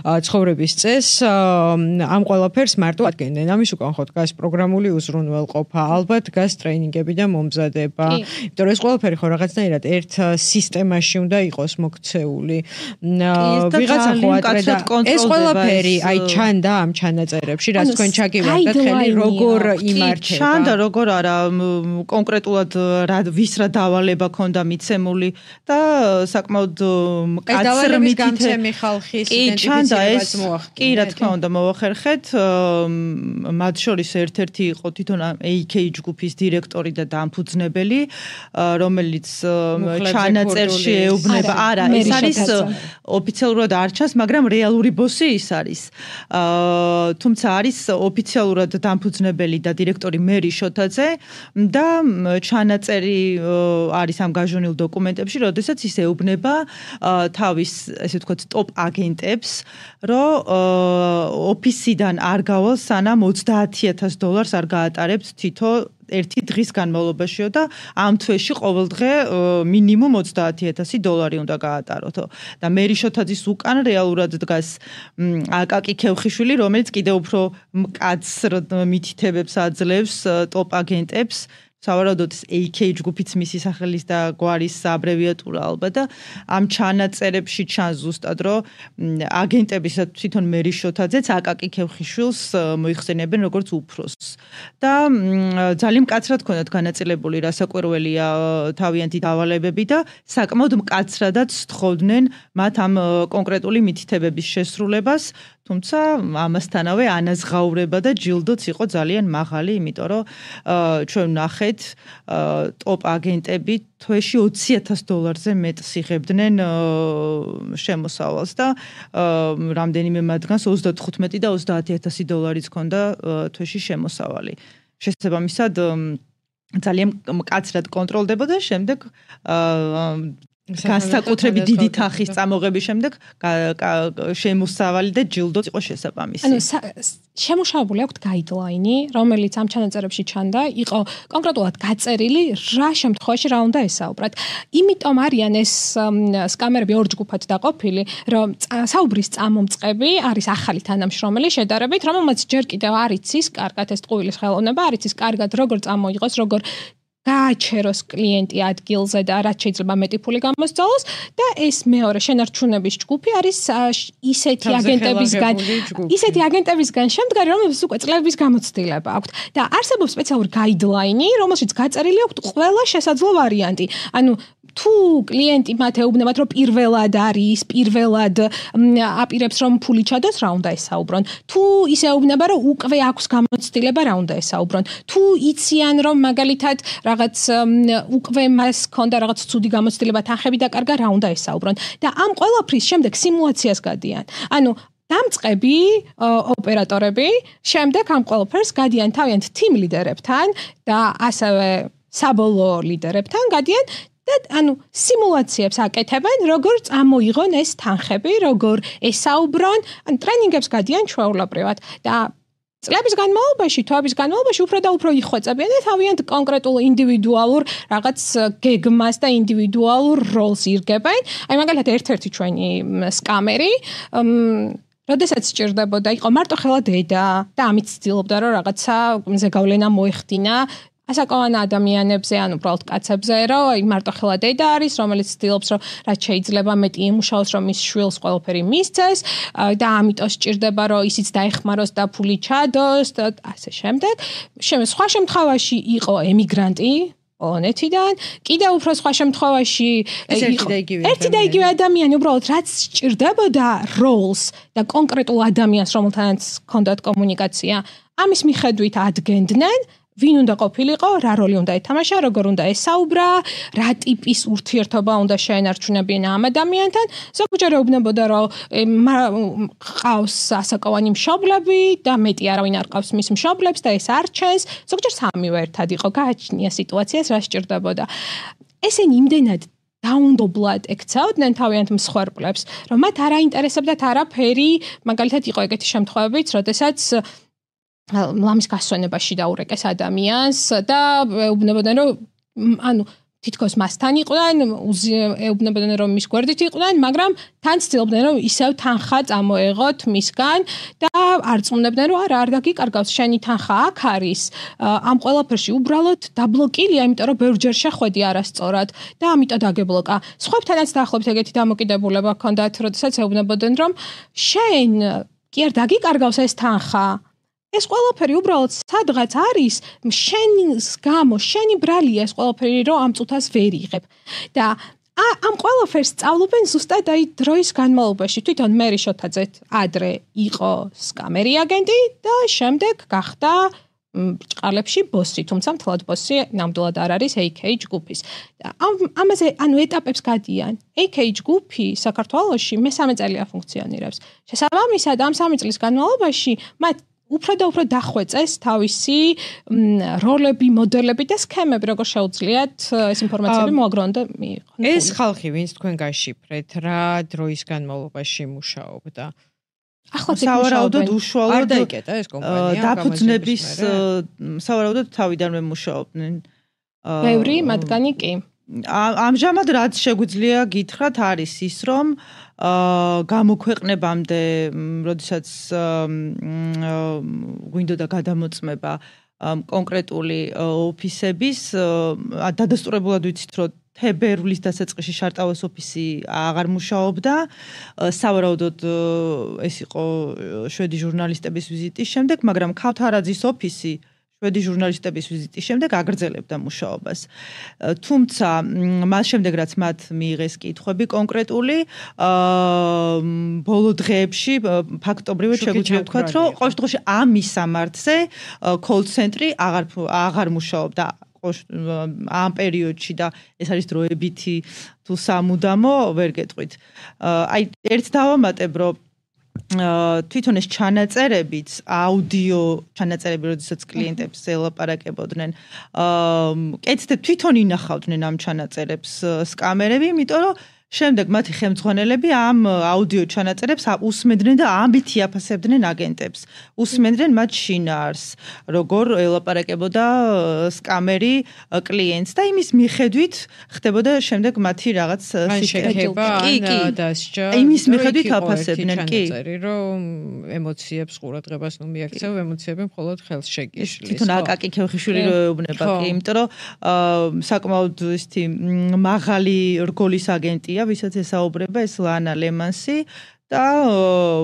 ცხოვრების წესს ამ ყველაფერს მარტო ადგენენ ამის უკან ხო დგას პროგრამული უზრუნველყოფა ალბათ დგას ტრეინინგები და მომზადება იმიტომ რომ ეს ყველაფერი ხო რაღაცნაირად ერთ სისტემაში უნდა იყოს მოქცეული ვიღაცა ხო აკრე და ეს ყველაფერი აი ჩანდა ამ ჩანაწერებში რაც თქვენ ჩაგივარდათ ხელი როგორ იმართება ჩანდა როგორ არა კონკრეტულად ვის რა დავალება ქონდა მიცემული და საკმაოდ მკაცრი გამცემი ხალხის იდენტიფიცირებას მოახდინეთ კი რა თქმა უნდა მოახერხეთ მათ შორის ერთ-ერთი იყო თვითონ AK ჯგუფის დირექტორი და დამფუძნებელი რომელიც ჩანაწერში ეუბნება არა ეს არის ოფიციალურად არ ჩანს მაგრამ რეალური ბოსი ის არის თუმცა არის ოფიციალურად დამფუძნებელი და დირექტორი მერი შოთაძე და ჩანაწერი არის ამ გაჟონილ დოკუმენტებში, როდესაც ის ეუბნება თავის, ესე ვთქვათ, ტოპ აგენტებს, რომ ოფისიდან არ გავალ სანამ $30,000 არ გაატარებთ თითო ერთი დღის განმავლობაშიო და ამ თვეში ყოველდღე მინიმუმ $30,000 უნდა გაატაროთო და მერი შოთაძის უკან რეალურად დგას აკაკი ქევხიშვილი რომელიც კიდევ უფრო მკაცრ მითითებებს აძლევს ტოპ აგენტებს სავარაუდოდ AK ჯგუფიც მისი სახელის და გვარის აბრევიატურა ალბათ და ამ ჩანაწერებში ჩანს ზუსტად რომ აგენტების თვითონ მერი შოთაძეც აკაკი ქევხიშვილს მოიხსენებენ როგორც უფროსს და ძალიან მკაცრად ქონდათ განაწილებული რასაკვირველია თავიანთი დავალებები და საკმაოდ მკაცრადაც სთხოვდნენ მათ ამ კონკრეტული მითითებების შესრულებას თუმცა ამასთანავე ანაზღაურება და ჯილდოც იყო ძალიან მაღალი იმიტომ რომ ჩვენ ნახეთ ტოპ აგენტები თვეში $20,000-ზე მეტს იღებდნენ შემოსავალს და რამდენიმე მათგანს 35 და $30,000-იც ჰქონდა თვეში შემოსავალი. შესაბამისად ძალიან მკაცრად კონტროლდებოდა შემდეგ განსაკუთრებით დიდი თანხის წამოღების შემდეგ შემოსავალი და ჯილდოც იყო შესაბამისი. ანუ შემუშავებული აქვს გაიდლაინი, რომელიც ამ ჩანაწერებში ჩანდა, იყო კონკრეტულად გაწერილი რა შემთხვევაში რა უნდა ესაუბრათ. იმიტომ არიან ეს სკამერები ორ ჯგუფად დაყოფილი, რომ საუბრის წამომწყები არის ახალი თანამშრომელი შედარებით, რომელმაც ჯერ კიდევ არ იცის კარგად ეს ტყუილის ხელოვნება, არ იცის კარგად როგორ წამოიღოს, როგორ გააჩეროს კლიენტი ადგილზე და რაც შეიძლება მეტი ფული გამოსწავლოს და ეს მეორე შენარჩუნების ჯგუფი არის ისეთი აგენტებისგან შემდგარი რომელსაც უკვე წლების გამოცდილება აქვთ და არსებობს სპეციალური გაიდლაინი რომელშიც გაწერილი აქვს ყველა შესაძლო ვარიანტი ანუ თუ კლიენტი მათ ეუბნებათ რომ პირველად არის პირველად აპირებს რომ ფული ჩადოს რა უნდა ესაუბრონ თუ ის ეუბნება რომ უკვე აქვს გამოცდილება რა უნდა ესაუბრონ თუ იციან რომ მაგალითად რაღაც უკვე მას ქონდა რაღაც ცუდი გამოცდილება თანხები დაკარგა რა უნდა ესაუბრონ და ამ ყველაფრის შემდეგ სიმულაციას გადიან ანუ დამწყები ოპერატორები შემდეგ ამ ყველაფერს გადიან თავიანთ team ლიდერებთან და ასევე საბოლოო ლიდერებთან გადიან ანუ სიმულაციებს აკეთებენ, როგორ წამოიღონ ეს თანხები, როგორ ესაუბრონ, ან ტრენინგებს გადიან ჩვეულებრივად და წლების განმავლობაში, თვეების განმავლობაში უფრო და უფრო იხვეწებიან და თავიანთ კონკრეტულ ინდივიდუალურ რაღაც გეგმას და ინდივიდუალურ როლს ირგებენ. აი მაგალითად ერთ-ერთი ჩვენი სკამერი როდესაც სჭირდებოდა, იყო მარტო ხელა დედა და ამით ცდილობდა რომ რაღაცა ზეგავლენა მოეხდინა ასაკოვან ადამიანებზე, ან უბრალოდ კაცებზე, რომ მარტო ხელა დედა არის, რომელიც ცდილობს, რომ რაც შეიძლება მეტი იმუშაოს, რომ მის შვილს ყველაფერი მისცეს და ამიტომ სჭირდება, რომ ისიც დაეხმაროს და ფული ჩადოს და ასე შემდეგ. სხვა შემთხვევაში იყო ემიგრანტი, პოლონეთიდან, კიდევ უფრო სხვა შემთხვევაში ერთი და იგივე ადამიანი უბრალოდ რაც სჭირდებოდა roles და კონკრეტულ ადამიანს, რომელთანაც ჰქონდათ კომუნიკაცია, ამის მიხედვით ადგენდნენ, ვინ უნდა ყოფილიყო, რა როლი უნდა ეთამაშა, როგორ უნდა ესაუბრა, რა ტიპის ურთიერთობა უნდა შეენარჩუნებინა ამ ადამიანთან. ზოგჯერ ეუბნებოდა, რომ ყავს ასაკოვანი მშობლები და მეტი არავინ არ ყავს მის მშობლებს და ეს არ ჩენს. ზოგჯერ სამივე ერთად იყო, გააჩნია სიტუაციას, რა სჭირდებოდა. ესენი იმდენად დაუნდობლად ექცეოდნენ თავიანთ მსხვერპლებს, რომ მათ არ აინტერესებდათ არაფერი, მაგალითად იყო ეგეთი შემთხვევებიც, როდესაც ლამის გასვენებაში დაურეკეს ადამიანს და ეუბნებოდნენ რომ ანუ თითქოს მასთან იყვნენ, ეუბნებოდნენ რომ მის გვერდით იყვნენ, მაგრამ თან ცდილობდნენ რომ ისევ თანხა წამოეღოთ მისგან და არ წუნებდნენ რომ არ დაგიკარგავს შენი თანხა აქ არის. ამ ყველაფერში უბრალოდ დაბლოკილია, იმიტომ რომ ბევრჯერ შეხვედი არასწორად და ამიტომ დაგებლოკა. სხვებთანაც დაახლოებით ეგეთი დამოკიდებულება ჰქონდათ, როდესაც ეუბნებოდნენ რომ შენ კი არ დაგიკარგავს ეს თანხა. ეს ყველაფერი უბრალოდ სადღაც არის შენის გამო, შენი ბრალია ეს ყველაფერი, რომ ამ წუთას ვერ იღებ. და ამ ყველაფერს სწავლობენ ზუსტად აი დროის განმავლობაში. თვითონ მერი შოთაძე ადრე იყო სკამერი აგენტი და შემდეგ გახდა ბრჭყალებში ბოსი, თუმცა მთლად ბოსი ნამდვილად არ არის AK ჯგუფის. ამაზე ანუ ეტაპებს გადიან. AK ჯგუფი საქართველოში მე-3 წელია ფუნქციონირებს. შესაბამისად ამ 3 წლის განმავლობაში მათ უფრო და უფრო დახვეწეს თავისი როლები, მოდელები და სქემები, როგორ შეუძლიათ ეს ინფორმაციები მოაგროვონ და მიიღონ. ეს ხალხი, ვინც თქვენ გაშიფრეთ, რა დროის განმავლობაში მუშაობდა? ახლა სავარაუდოდ უშუალოდ არ დაიკეტა ეს კომპანია. დაფუძნების სავარაუდოდ თავიდანვე მუშაობდნენ. ბევრი მათგანი კი. ამჟამად რაც შეგვიძლია გითხრათ არის ის, რომ გამოქვეყნებამდე, როდესაც გვინდოდა გადამოწმება კონკრეტული ოფისების, დადასტურებულად ვიცით, რომ თებერვლის დასაწყისში შარტაუეს ოფისი აღარ მუშაობდა. სავარაუდოდ ეს იყო შვედი ჟურნალისტების ვიზიტის შემდეგ, მაგრამ ქავთარაძის ოფისი შვედი ჟურნალისტების ვიზიტის შემდეგ აგრძელებდა მუშაობას. თუმცა მას შემდეგ რაც მათ მიიღეს კითხვები კონკრეტული, ბოლო დღეებში ფაქტობრივად შეგვიძლია ვთქვათ, რომ ყოველ შემთხვევაში ამ მისამართზე კოლ-ცენტრი აღარ მუშაობდა ამ პერიოდში და ეს არის დროებითი თუ სამუდამო, ვერ გეტყვით. აი ერთ დავამატებ, რომ თვითონ ეს ჩანაწერებიც, აუდიო ჩანაწერები, როდესაც კლიენტებს ელაპარაკებოდნენ, კეთდეთ თვითონ ინახავდნენ ამ ჩანაწერებს სკამერები, იმიტომ რომ შემდეგ მათი ხელმძღვანელები ამ აუდიო ჩანაწერებს უსმენდნენ და ამით იაფასებდნენ აგენტებს. უსმენდნენ მათ შინაარს, როგორ ელაპარაკებოდა სკამერი კლიენტს და იმის მიხედვით ხდებოდა შემდეგ მათი რაღაც შეკება ან დასჯა. იმის მიხედვით აფასებდნენ, კი. რომ ემოციებს ყურადღებას ნუ მიაქცევ, ემოციები მხოლოდ ხელს შეგიშლის. თვითონ აკაკი ქევხიშვილი რო ეუბნება, კი, იმიტომ რომ საკმაოდ ისეთი მაღალი რგოლის აგენტია, ვისაც ესაუბრება ეს ლანა ლემანსი და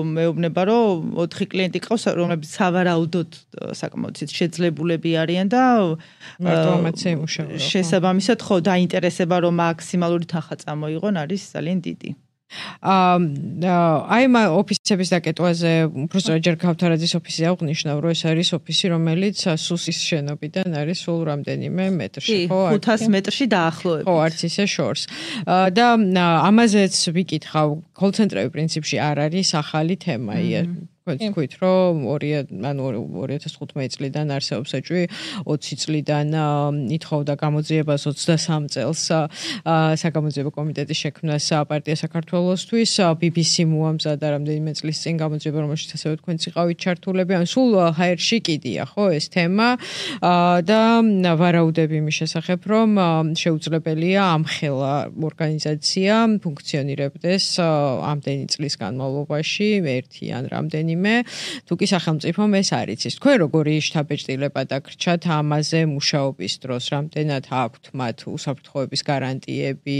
მეუბნება რომ 4 კლიენტი ყავს, რომლებიც სავარაუდოდ საკმაოდ შეძლებულები არიან და მარტო ამაცე იმუშავა. შესაბამისად ხო დაინტერესება რომ მაქსიმალური თანხა წამოიღონ არის ძალიან დიდი. აი ამ ოფისების დაკეტვაზე უბრალოდ ჯერ ქავთარაძის ოფისი აღნიშნავ, რომ ეს არის ოფისი, რომელიც სუსის შენობიდან არის სულ რამდენიმე მეტრში, ხო? 500 მეტრში დაახლოებით. ხო, არც ისე შორს. და ამაზეც ვიკითხავ, კოლ-ცენტრები პრინციპში არ არის ახალი თემაა. თქვით, რომ 2015 წლიდან არსებობს ეჭვი, 20 წლიდან ითხოვდა გამოძიებას 23 წელს საგამოძიებო კომიტეტის შექმნას პარტია საქართველოსთვის, BBC მოამზადა რამდენიმე წლის წინ გამოძიება, რომელშიც ასევე თქვენც იყავით ჩართულები, ან სულ ჰაერში კიდია, ხო, ეს თემა და ვარაუდები იმის შესახებ, რომ შეუძლებელია ამხელა ორგანიზაცია ფუნქციონირებდეს ამდენი წლის განმავლობაში, ერთი ან რამდენიმე რაიმე თუ კი სახელმწიფომ ეს არ იცის. თქვენ როგორი შთაბეჭდილება დაგრჩათ ამაზე მუშაობის დროს, რამდენად აქვთ მათ უსაფრთხოების გარანტიები?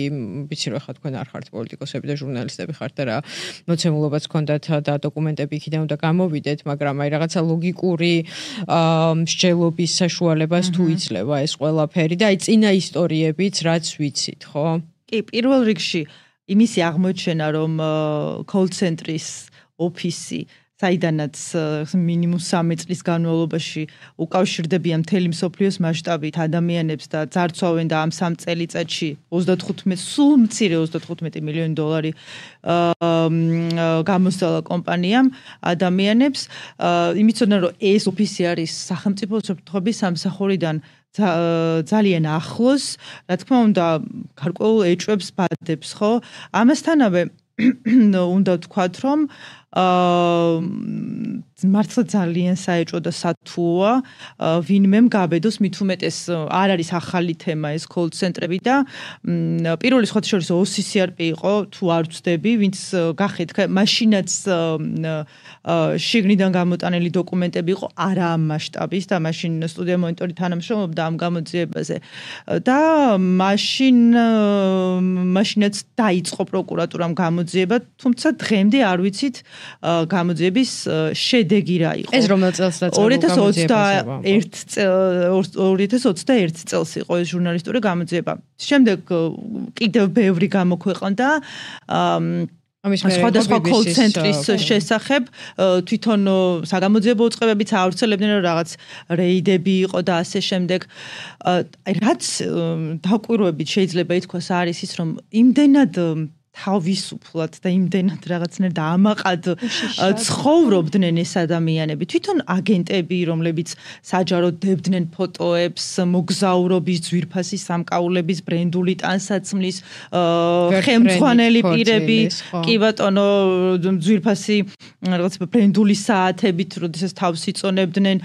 ვიცი რომ ხა თქვენ არ ხართ პოლიტიკოსები და ჟურნალისტები ხართ და რა მოცემულობაც გქონდათ და დოკუმენტები იქიდან უნდა გამოვიდეთ, მაგრამ აი რაღაცა ლოგიკური მსჯელობის საშუალებას თუ იძლევა ეს ყველაფერი და აი წინა ისტორიებიც რაც ვიცით, ხო? კი, პირველ რიგში იმისი აღმოჩენა, რომ კოლ-ცენტრის ოფისი საიდანაც მინიმუმ 3 წლის განმავლობაში უკავშირდებიან მთელი მსოფლიოს მასშტაბით ადამიანებს და ძარცვავენ და ამ 3 წელიწადში 35 სულ მცირე 35 მილიონი დოლარი გამოსცალა კომპანიამ ადამიანებს. იმიცოდნა რომ ეს ოფისი არის სახელმწიფო უსაფრთხოების სამსახურიდან ძალიან ახლოს, რა თქმა უნდა, გარკვეულ ეჭვებს ბადებს, ხო? ამასთანავე უნდა ვთქვათ, რომ მართლა ძალიან საეჭვო და სათუოა ვინმემ გაბედოს, მით უმეტეს არ არის ახალი თემა ეს კოლ-ცენტრები და პირველი სხვათა შორის OCCRP იყო, თუ არ ვცდები, ვინც გახეთ, მაშინაც შიგნიდან გამოტანილი დოკუმენტები იყო არა ამ მასშტაბის და მაშინ სტუდია მონიტორი თანამშრომლობდა ამ გამოძიებაზე და მაშინაც დაიწყო პროკურატურამ გამოძიება, თუმცა დღემდე არ ვიცით გამოძიების შედეგი რა იყო. ეს რომელ წელს დაწყო? 2021 წელს იყო ეს ჟურნალისტური გამოძიება. შემდეგ კიდევ ბევრი გამოქვეყნდა სხვადასხვა კოლ-ცენტრის შესახებ, თვითონ საგამოძიებო უწყებებიც ავრცელებდნენ რომ რაღაც რეიდები იყო და ასე შემდეგ. რაც დაკვირვებით შეიძლება ითქვას არის ის, რომ იმდენად თავისუფლად და იმდენად რაღაცნაირად ამაყად ცხოვრობდნენ ეს ადამიანები. თვითონ აგენტები, რომლებიც საჯაროდ დებდნენ ფოტოებს, მოგზაურობის, ძვირფასი სამკაულების, ბრენდული ტანსაცმლის, ხელმძღვანელი პირები, კი ბატონო, ძვირფასი რაღაც ბრენდული საათებით, როდესაც თავს იწონებდნენ.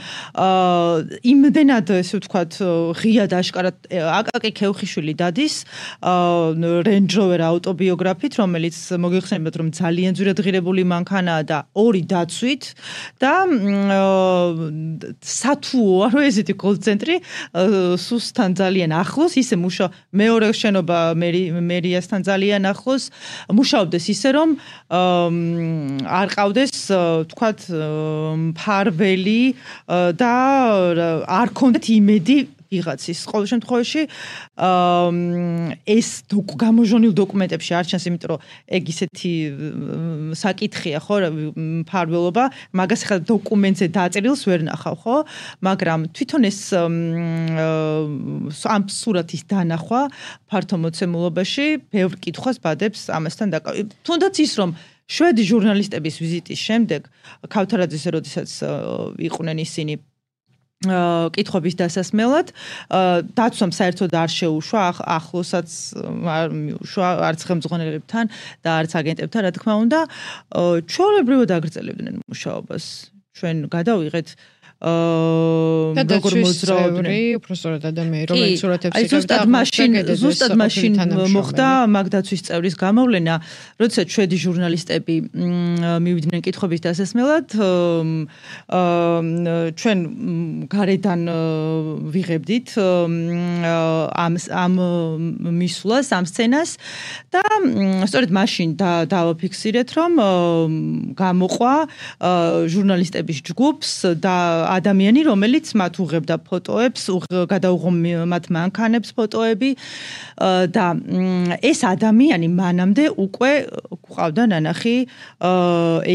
იმდენად ესე ვთქვათ, ღიად აშკარად აკაკი ქევხიშვილი დადის Range Rover ავტობიოგრაფია რომელიც მოგეხსენებათ რომ ძალიან ძვირადღირებული მანქანაა და 2 დაცვით და სათუოა რომ ესეთი კოლ-ცენტრი სუსთან ძალიან ახლოს ისე მეორე შენობა მერიასთან ძალიან ახლოს მუშაობდეს ისე რომ არ ყავდეს თქვათ მფარველი და არ ქონდეთ იმედი ვიღაცის. ყოველ შემთხვევაში ეს გამოჟონილ დოკუმენტებში არ ჩანს, იმიტომ რომ ეგ ისეთი საკითხია, ხო, მფარველობა, მაგას ხა დოკუმენტზე დაწერილს ვერ ნახავ, ხო? მაგრამ თვითონ ეს ამ სურათის დანახვა ფართო მოცემულობაში ბევრ კითხვას ბადებს ამასთან დაკავშირებით. თუნდაც ის რომ შვედი ჟურნალისტების ვიზიტის შემდეგ ქავთარაძეს როდესაც იყვნენ ისინი კითხვების დასასმელად დაცვამ საერთოდ არ შეუშვა ახლოსაც არ მიუშვა არც ხელმძღვანელებთან და არც აგენტებთან რა თქმა უნდა ჩვეულებრივად აგრძელებდნენ მუშაობას ჩვენ გადავიღეთ როგორ მოძრაობდნენ უბრალოდ ადამიანი რომელიც სურათებს იღებდა ზუსტად მაშინ მოხდა მაგდაცვის წევრის გამოვლენა როდესაც შვედი ჟურნალისტები მივიდნენ კითხვების დასასმელად ჩვენ გარედან ვიღებდით ამ მისვლას ამ სცენას და სწორედ მაშინ დავაფიქსირეთ რომ გამოყვა ჟურნალისტების ჯგუფს და ადამიანი რომელიც მათ უღებდა ფოტოებს, გადაუღო მათ მანქანებს ფოტოები და ეს ადამიანი მანამდე უკვე ყავდა ნანახი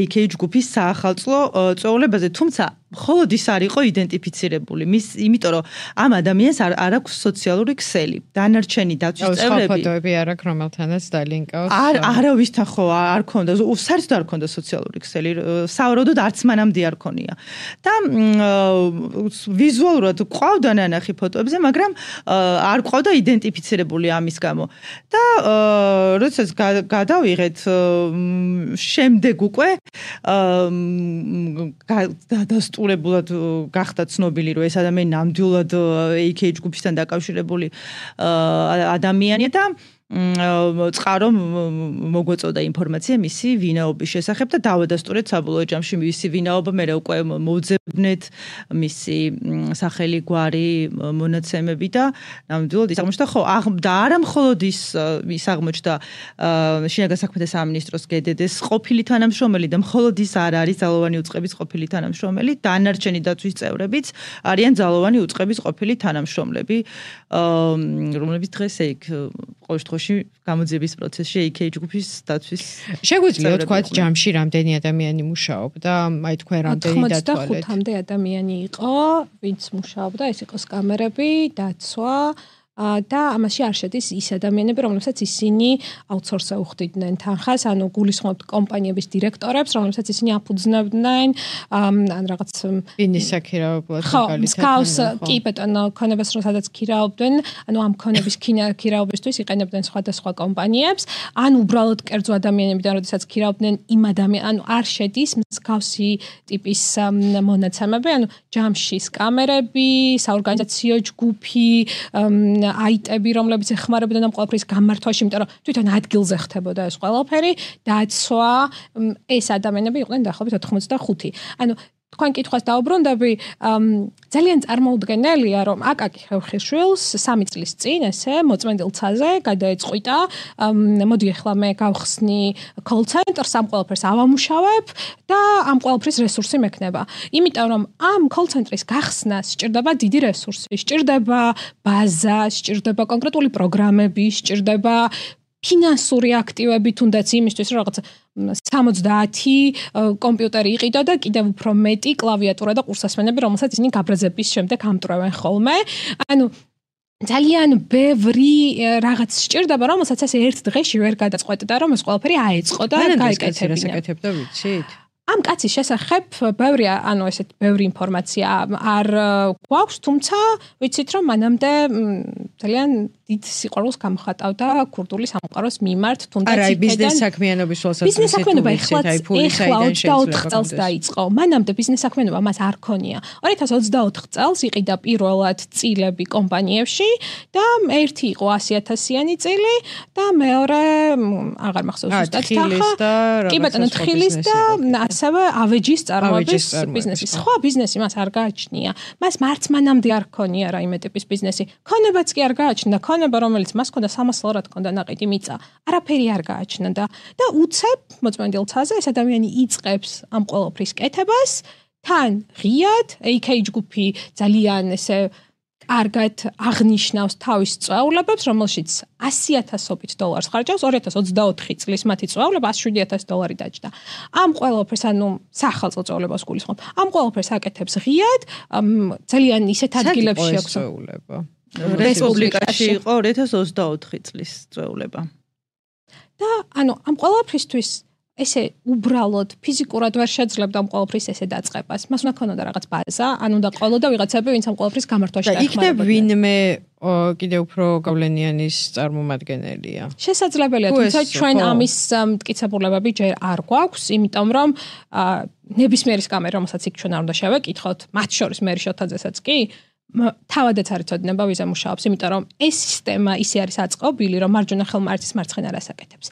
AK ჯგუფის საახალწლო წვეულებაზე, თუმცა მხოლოდ ის არ იყო იდენტიფიცირებული. იმიტომ რომ ამ ადამიანს არ აქვს სოციალური ქსელი. დანარჩენი დაცვის წევრები ფოტოები არ აქვს რომელთანაც დალინკავს. არავისთან ხო არ ქონდა, საერთოდ არ ქონდა სოციალური ქსელი. საავადმყოფოდ არც მანამდე არ ქონია. და ვიზუალურად ყავდა ნანახი ფოტოებზე, მაგრამ არ ყავდა იდენტიფიცირებული ამის გამო. და როდესაც გადავიღეთ შემდეგ უკვე დადასტურებულად გახდა ცნობილი, რომ ეს ადამიანი ნამდვილად AK ჯგუფისთან დაკავშირებული ადამიანია და წყარო მოგვეწოდა ინფორმაცია მისი ვინაობის შესახებ და დავადასტურეთ საბოლოო ჯამში მისი ვინაობა, მე უკვე მოვძებნეთ მისი სახელი, გვარი, მონაცემები და ნამდვილად ის აღმოჩნდა, ხო, და არა მხოლოდ ის აღმოჩნდა შინაგან საქმეთა სამინისტროს GDD-ს ყოფილი თანამშრომელი და მხოლოდ ის არ არის ძალოვანი უწყების ყოფილი თანამშრომელი, დანარჩენი დაცვის წევრებიც არიან ძალოვანი უწყების ყოფილი თანამშრომლები, რომლებიც დღეს იქ ყოველ შემთხვევაში გამოძიების პროცესში AK ჯგუფის დაცვის შეგვიძლია თქვა ჯამში რამდენი ადამიანი მუშაობდა, აი თქვენ რამდენი დათვალეთ? 95-მდე ადამიანი იყო, ვინც მუშაობდა, ეს იყო კამერები, დაცვა და ამაში არ შედის ის ადამიანები, რომლებსაც ისინი აუთსორსზე უხდიდნენ თანხას, ანუ გულისხმობთ კომპანიების დირექტორებს, რომლებსაც ისინი აფუძნებდნენ, ან რაღაც ბიზნეს აქირავებლად მაგალითად. კი ბატონო, ქონებას რომ სადაც ქირაობდნენ, ანუ ამ ქონების ქირაობისთვის იყენებდნენ სხვადასხვა კომპანიებს, ან უბრალოდ კერძო ადამიანებიდან, როდესაც ქირაობდნენ იმ ანუ არ შედის მსგავსი ტიპის მონაცემები, ანუ ჯამში კამერები, საორგანიზაციო ჯგუფი, აიტები, რომლებიც ეხმარებოდნენ ამ ყველაფრის გამართვაში, იმიტომ რომ თვითონ ადგილზე ხდებოდა ეს ყველაფერი, დაცვა, ეს ადამიანები იყვნენ დაახლოებით 85. ანუ თქვენ კითხვას დაუბრუნდები, ძალიან წარმოუდგენელია, რომ აკაკი ხევხიშვილს 3 წლის წინ ესე მოწმენდილ ცაზე გადაეწყვიტა, მოდი ახლა მე გავხსნი call center-ს, ამ ყველაფერს ავამუშავებ და ამ ყველაფრის რესურსი მექნება. იმიტომ რომ ამ call center-ის გახსნას სჭირდება დიდი რესურსი, სჭირდება ბაზა, სჭირდება კონკრეტული პროგრამები, სჭირდება ფინანსური აქტივები, თუნდაც იმისთვის, რომ რაღაც 70 კომპიუტერი იყიდო და კიდევ უფრო მეტი კლავიატურა და ყურსასმენები, რომელსაც ისინი გაბრაზების შემდეგ ამტვრევენ ხოლმე. ანუ ძალიან ბევრი რაღაც სჭირდება, რომელსაც ასე ერთ დღეში ვერ გადაწყვეტდა, რომ ეს ყველაფერი აეწყო და გაიკეთებინა. ვიცით? ამ კაცის შესახებ ბევრი, ანუ ესეთ ბევრი ინფორმაცია არ გვაქვს, თუმცა ვიცით, რომ მანამდე ძალიან დიდ სიყვარულს გამხატავდა ქურდული სამყაროს მიმართ, თუნდაც იქიდან ბიზნეს საქმიანობის ვალსაც ბიზნეს საქმიანობა ეხლა 24 წელს დაიწყო. მანამდე ბიზნეს საქმიანობა მას არ ქონია. 2024 წელს იყიდა პირველად წილები კომპანიებში და ერთი იყო 100,000-იანი წილი და მეორე აღარ მახსოვს ზუსტად თანხა. კი ბატონო, თხილის და ასევე ავეჯის წარმოების ბიზნესი. სხვა ბიზნესი მას არ გააჩნია. მას მარც მანამდე არ ქონია რაიმე ტიპის ბიზნესი. ქონებაც კი არ გააჩნდა. ქონება, რომელიც მას ქონდა 300 ლარად ქონდა ნაყიდი მიწა. არაფერი არ გააჩნდა და უცებ მოწმენდილ ცაზე ეს ადამიანი იწყებს ამ ყველაფრის კეთებას. თან ღიად AK ჯგუფი ძალიან ესე კარგად აღნიშნავს თავის წვეულებებს, რომელშიც $100,000 ხარჯავს, 2024 წლის მათი წვეულება $107,000 დაჯდა. ამ ყველაფერს, ანუ სახალხო წვეულებას გულისხმობ. ამ ყველაფერს აკეთებს ღიად, ძალიან ისეთ ადგილებში აქვს წვეულება. რესპუბლიკაში იყო 2024 წლის წვეულება. და ანუ ამ ყველაფრისთვის ესე უბრალოდ ფიზიკურად ვერ შეძლებდა ამ ყველაფრის ესე დაწყებას. მას უნდა ქონოდა რაღაც ბაზა, ან უნდა ყოლოდა ვიღაცები, ვინც ამ ყველაფრის გამართვაში დაეხმარებოდა. და იქნებ ვინმე კიდევ უფრო გავლენიანის წარმომადგენელია. შესაძლებელია, თუმცა ჩვენ ამის მტკიცებულებები ჯერ არ გვაქვს, იმიტომ რომ ნებისმიერის კამერა, რომელსაც იქ ჩვენ არ უნდა შევეკითხოთ, მათ შორის მე რიშოთაძესაც კი თავადაც არ იცოდნენ ვიზა მუშაობს, იმიტომ რომ ეს სისტემა ისე არის აწყობილი, რომ მარჯვენა ხელმა არც მარცხენა რას აკეთებს.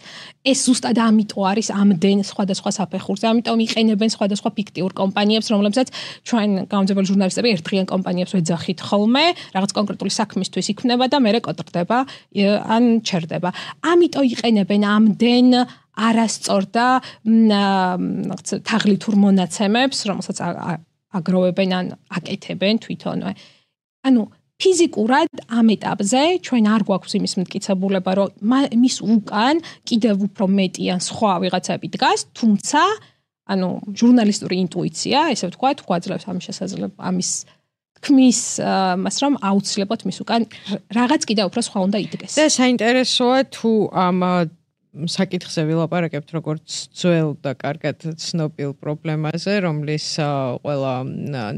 ეს ზუსტად ამიტომ არის ამდენ სხვადასხვა საფეხურზე, ამიტომ იყენებენ სხვადასხვა ფიქტიურ კომპანიებს, რომლებსაც ჩვენ გამომძებელი ჟურნალისტები ერთდღიან კომპანიებს ვეძახით ხოლმე, რაღაც კონკრეტული საქმისთვის იქმნება და მერე კოტრდება, ან ჩერდება. ამიტომ იყენებენ ამდენ არასწორ და თაღლითურ მონაცემებს, რომელსაც აგროვებენ ან აკეთებენ თვითონვე. ანუ ფიზიკურად ამ ეტაპზე ჩვენ არ გვაქვს იმის მტკიცებულება, რომ მის უკან კიდევ უფრო მეტი ან სხვა ვიღაცები დგას, თუმცა ანუ ჟურნალისტური ინტუიცია, ესე ვთქვათ, გვაძლევს ამის შესაძლებლობა, ამის თქმის მას, რომ აუცილებლად მის უკან რაღაც კიდევ უფრო სხვა უნდა იდგეს. და საინტერესოა თუ ამ საკითხზე ვილაპარაკებთ როგორც ძველ და კარგად ცნობილ პრობლემაზე, რომლის ყველა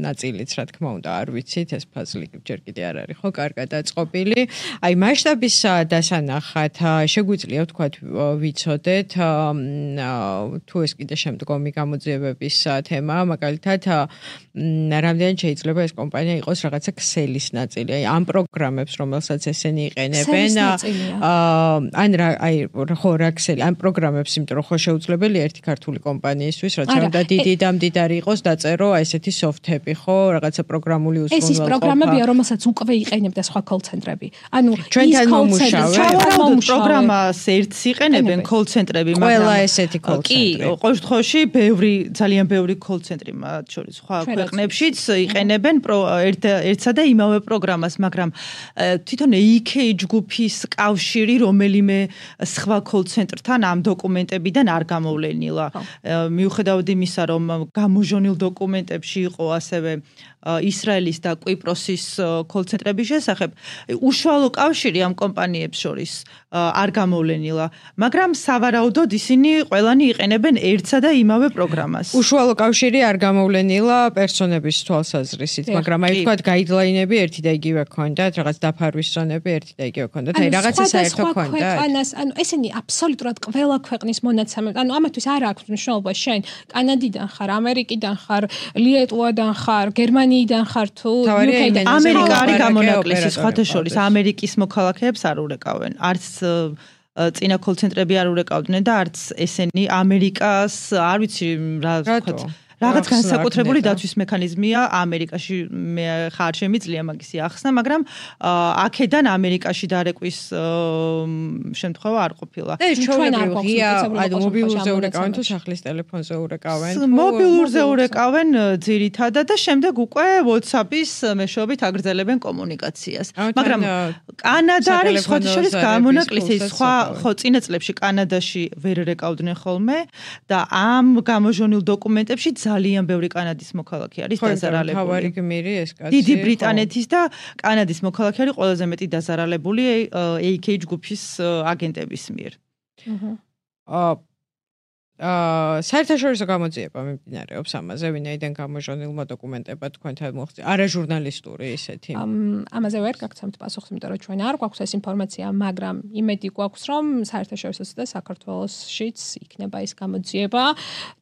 ნაწილიც, რა თქმა უნდა, არ ვიცით, ეს ფაზლი ჯერ კიდე არ არის ხო კარგად აწყობილი. აი მასშტაბის დასანახად შეგვიძლია ვთქვათ ვიცოდეთ თუ ეს კიდე შემდგომი გამოძიებების თემაა, მაგალითად რამდენად შეიძლება ეს კომპანია იყოს რაღაცა ქსელის ნაწილი, აი ამ პროგრამებს, რომელსაც ესენი იყენებენ, ან რა ქსელი, ამ პროგრამებს, იმიტომ რომ ხო შეუძლებელია ერთი ქართული კომპანიისთვის, რაც უნდა დიდი და მდიდარი იყოს, დაწერო ესეთი სოფთები, ხო, რაღაცა პროგრამული უზრუნველყოფა. ეს ის პროგრამებია, რომელსაც უკვე იყენებდა სხვა კოლ-ცენტრები. ანუ ჩვენთან მომუშავე პროგრამას ერთს იყენებენ კოლ-ცენტრები, მაგრამ ყველა ესეთი კი, კოლ-ცენტრი. ყოველ შემთხვევაში ძალიან ბევრი კოლ-ცენტრი მათ შორის სხვა ქვეყნებშიც იყენებენ ერთსა და იმავე პროგრამას, მაგრამ თვითონ AK ჯგუფის კავშირი რომელიმე სხვა კოლ-ცენტრთან ამ დოკუმენტებიდან არ გამოვლენილა. მიუხედავად იმისა, რომ გამოჟონილ დოკუმენტებში იყო ასევე ისრაელის და კვიპროსის კოლ-ცენტრების შესახებ, უშუალო კავშირი ამ კომპანიებს შორის არ გამოვლენილა, მაგრამ სავარაუდოდ ისინი ყველანი იყენებენ ერთსა და იმავე პროგრამას. უშუალო კავშირი არ გამოვლენილა პერსონების თვალსაზრისით, მაგრამ აი ვთქვათ გაიდლაინები ერთი და იგივე ჰქონდათ, რაღაც დაფარვის ზონები ერთი და იგივე ჰქონდათ, აი რაღაცა საერთო ჰქონდათ. ანუ ესენი აბსოლუტურად ყველა ქვეყნის მონაცემები, ანუ ამათვის არ აქვს მნიშვნელობა შენ კანადიდან ხარ, ამერიკიდან ხარ, ლიეტუვიდან ხარ, გერმანიიდან ხარ თუ UK-დან. ამერიკა არის გამონაკლისი, სხვათა შორის ამერიკის მოქალაქეებს არ ურეკავენ. არც წინა კოლ-ცენტრები არ ურეკავდნენ და არც ესენი ამერიკას, არ ვიცი რა ვთქვათ, რაღაც განსაკუთრებული დაცვის მექანიზმია ამერიკაში, მე ხარ შემიძლია მაგისი ახსნა, მაგრამ აქედან ამერიკაში დარეკვის შემთხვევა არ ყოფილა. და ეს ჩვეულებრივია, ანუ მობილურზე ურეკავენ თუ სახლის ტელეფონზე ურეკავენ? მობილურზე урეკავენ ძირითადად და შემდეგ უკვე WhatsApp-ის მეშვეობით აგრძელებენ კომუნიკაციას. მაგრამ კანადა არის სხვათა შორის გამონაკლისი, ხო წინა წლებში კანადაში ვერ რეკავდნენ ხოლმე და ამ გამოჟონილ დოკუმენტებში ძალიან ბევრი კანადის მოქალაქე არის დაზარალებული. თავარი გმირი ეს კაცი. დიდი ბრიტანეთის და კანადის მოქალაქე არის ყველაზე მეტი დაზარალებული AK ჯგუფის აგენტების მიერ. საერთაშორისო გამოძიება მიმდინარეობს ამაზე, ვინაიდან გამოჟონილმა დოკუმენტებად თქვენთან მოხდა არაჟურნალისტური ისეთი. ამაზე ვერ გაგცემთ პასუხს, იმიტომ რომ ჩვენ არ გვაქვს ეს ინფორმაცია, მაგრამ იმედი გვაქვს, რომ საერთაშორისო და საქართველოსშიც იქნება ეს გამოძიება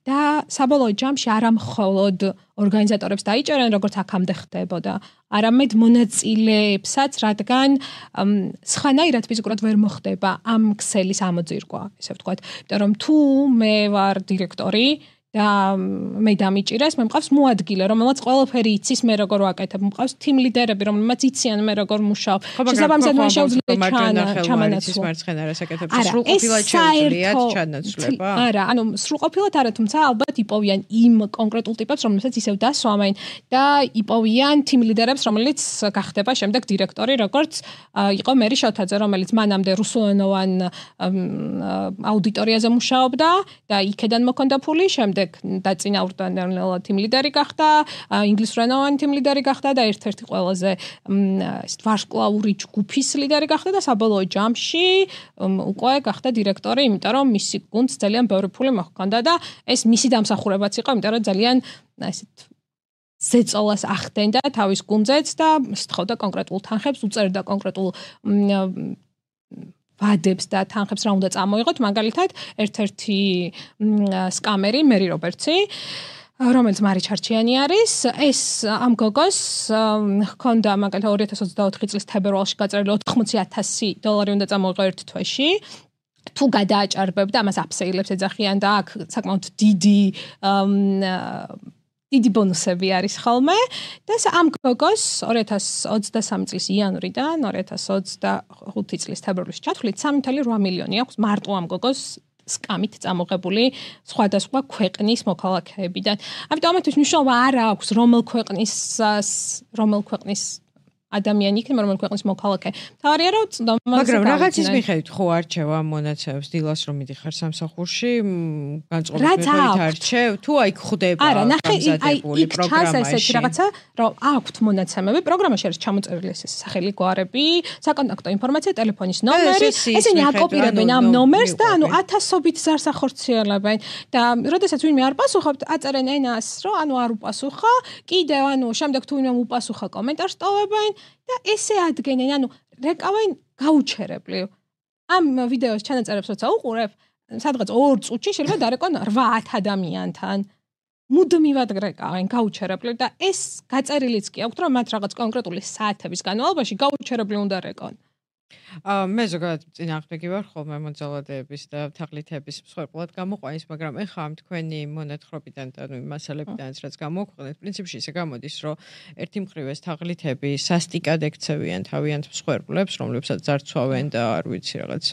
და საბოლოო ჯამში არა მხოლოდ ორგანიზატორებს დაიჭერენ, როგორც აქამდე ხდებოდა, არამედ მონაწილეებსაც, რადგან სხვანაირად ფიზიკურად ვერ მოხდება ამ ქსელის ამოძირკვა, ესე ვთქვათ. იმიტომ რომ თუ მე ვარ დირექტორი და მე დამიჭირეს, მე მყავს მოადგილე, რომელსაც ყველაფერი იცის, მე როგორ ვაკეთებ, მყავს team leaderები, რომელმაც იციან მე როგორ მუშაობ. შესაბამისად მან შეუძლია ჩამანაცვლა. მარცხენა რასაკეთებს, სრულყოფილად შეუძლიათ ჩანაცვლება? არა, ანუ სრულყოფილად არა, თუმცა ალბათ იპოვიან იმ კონკრეტულ ტიპებს, რომელსაც ისევ დასვამენ და იპოვიან team leaderებს, რომელიც გახდება შემდეგ დირექტორი, როგორც იყო მერი შოთაძე, რომელიც მანამდე რუსულენოვან აუდიტორიაზე მუშაობდა და იქედან მოქონდა ფული, შემდეგ დაწინაურდა team leader-ი გახდა, ინგლისურენოვანი team leader-ი გახდა და ერთ-ერთი ყველაზე ვარსკვლავური ჯგუფის ლიდერი გახდა და საბოლოო ჯამში უკვე გახდა დირექტორი, იმიტომ რომ მისი გუნდს ძალიან ბევრი ფული მოჰქონდა და ეს მისი დამსახურებაც იყო, იმიტომ რომ ძალიან ესეთ ზეწოლას ახდენდა თავის გუნდზეც და სთხოვდა კონკრეტულ თანხებს, უწერდა კონკრეტულ ვადებს და თანხებს რა უნდა წამოიღოთ, მაგალითად, ერთ-ერთი სკამერი, მერი რობერტსი, რომელიც მარი ჩარჩიანი არის, ეს ამ გოგოს ჰქონდა მაგალითად 2024 წლის თებერვალში გაწერილი $80,000 უნდა წამოიღო ერთ თვეში. თუ გადააჭარბებდა, ამას აფსეილებს ეძახიან და აქ საკმაოდ დიდი ბონუსები არის ხოლმე და ამ გოგოს 2023 წლის იანვრიდან 2025 წლის თებერვალში ჩათვლით 3.8 მილიონი აქვს მარტო ამ გოგოს სკამით წამოღებული სხვადასხვა ქვეყნის მოქალაქეებიდან. ამიტომ ამათვის მნიშვნელობა არ აქვს რომელ ქვეყნის ადამიანი იქნება, რომელიც ქვეყნის მოქალაქე. თავარია რომ მაგრამ რაღაცის მიხედვით ხო არჩევა მონაცემებს დილას რომ მიდიხარ სამსახურში, განწყობილებით არჩევ, თუ აი ხდება გამზადებული პროგრამა ესეთი რაღაცა, რომ აქვთ მონაცემები, პროგრამაში არის ჩამოწერილი ეს სახელი, გვარები, საკონტაქტო ინფორმაცია, ტელეფონის ნომერი, ესენი აკოპირებენ ამ ნომერს და ანუ 1000-ობით ზარს ახორციელებენ და როდესაც ვინმე არ პასუხობთ, აწერენ ენას, რომ ანუ არ უპასუხა, კიდევ ანუ შემდეგ თუ ვინმე უპასუხა კომენტარს ტოვებენ და ესე ადგენენ, ანუ რეკავენ გაუჩერებლივ. ამ ვიდეოს ჩანაწერებს როცა უყურებ, სადღაც 2 წუთში შეიძლება დარეკონ 8-10 ადამიანთან. მუდმივად რეკავენ გაუჩერებლივ და ეს გაწერილიც კი აქვთ, რომ მათ რაღაც კონკრეტული საათების განმავლობაში გაუჩერებლივ უნდა რეკონ. მე ზოგადად წინააღმდეგი ვარ ხოლმე მოძალადეების და თაღლითების მსხვერპლად გამოყვანის, მაგრამ ეხლა ამ თქვენი მონათხრობიდან და ნუ მასალებიდანაც რაც გამოგვიყენეთ, პრინციპში ისე გამოდის, რომ ერთი მხრივ ეს თაღლითები სასტიკად ექცევიან თავიანთ მსხვერპლებს, რომლებსაც ძარცვავენ და არ ვიცი რაღაც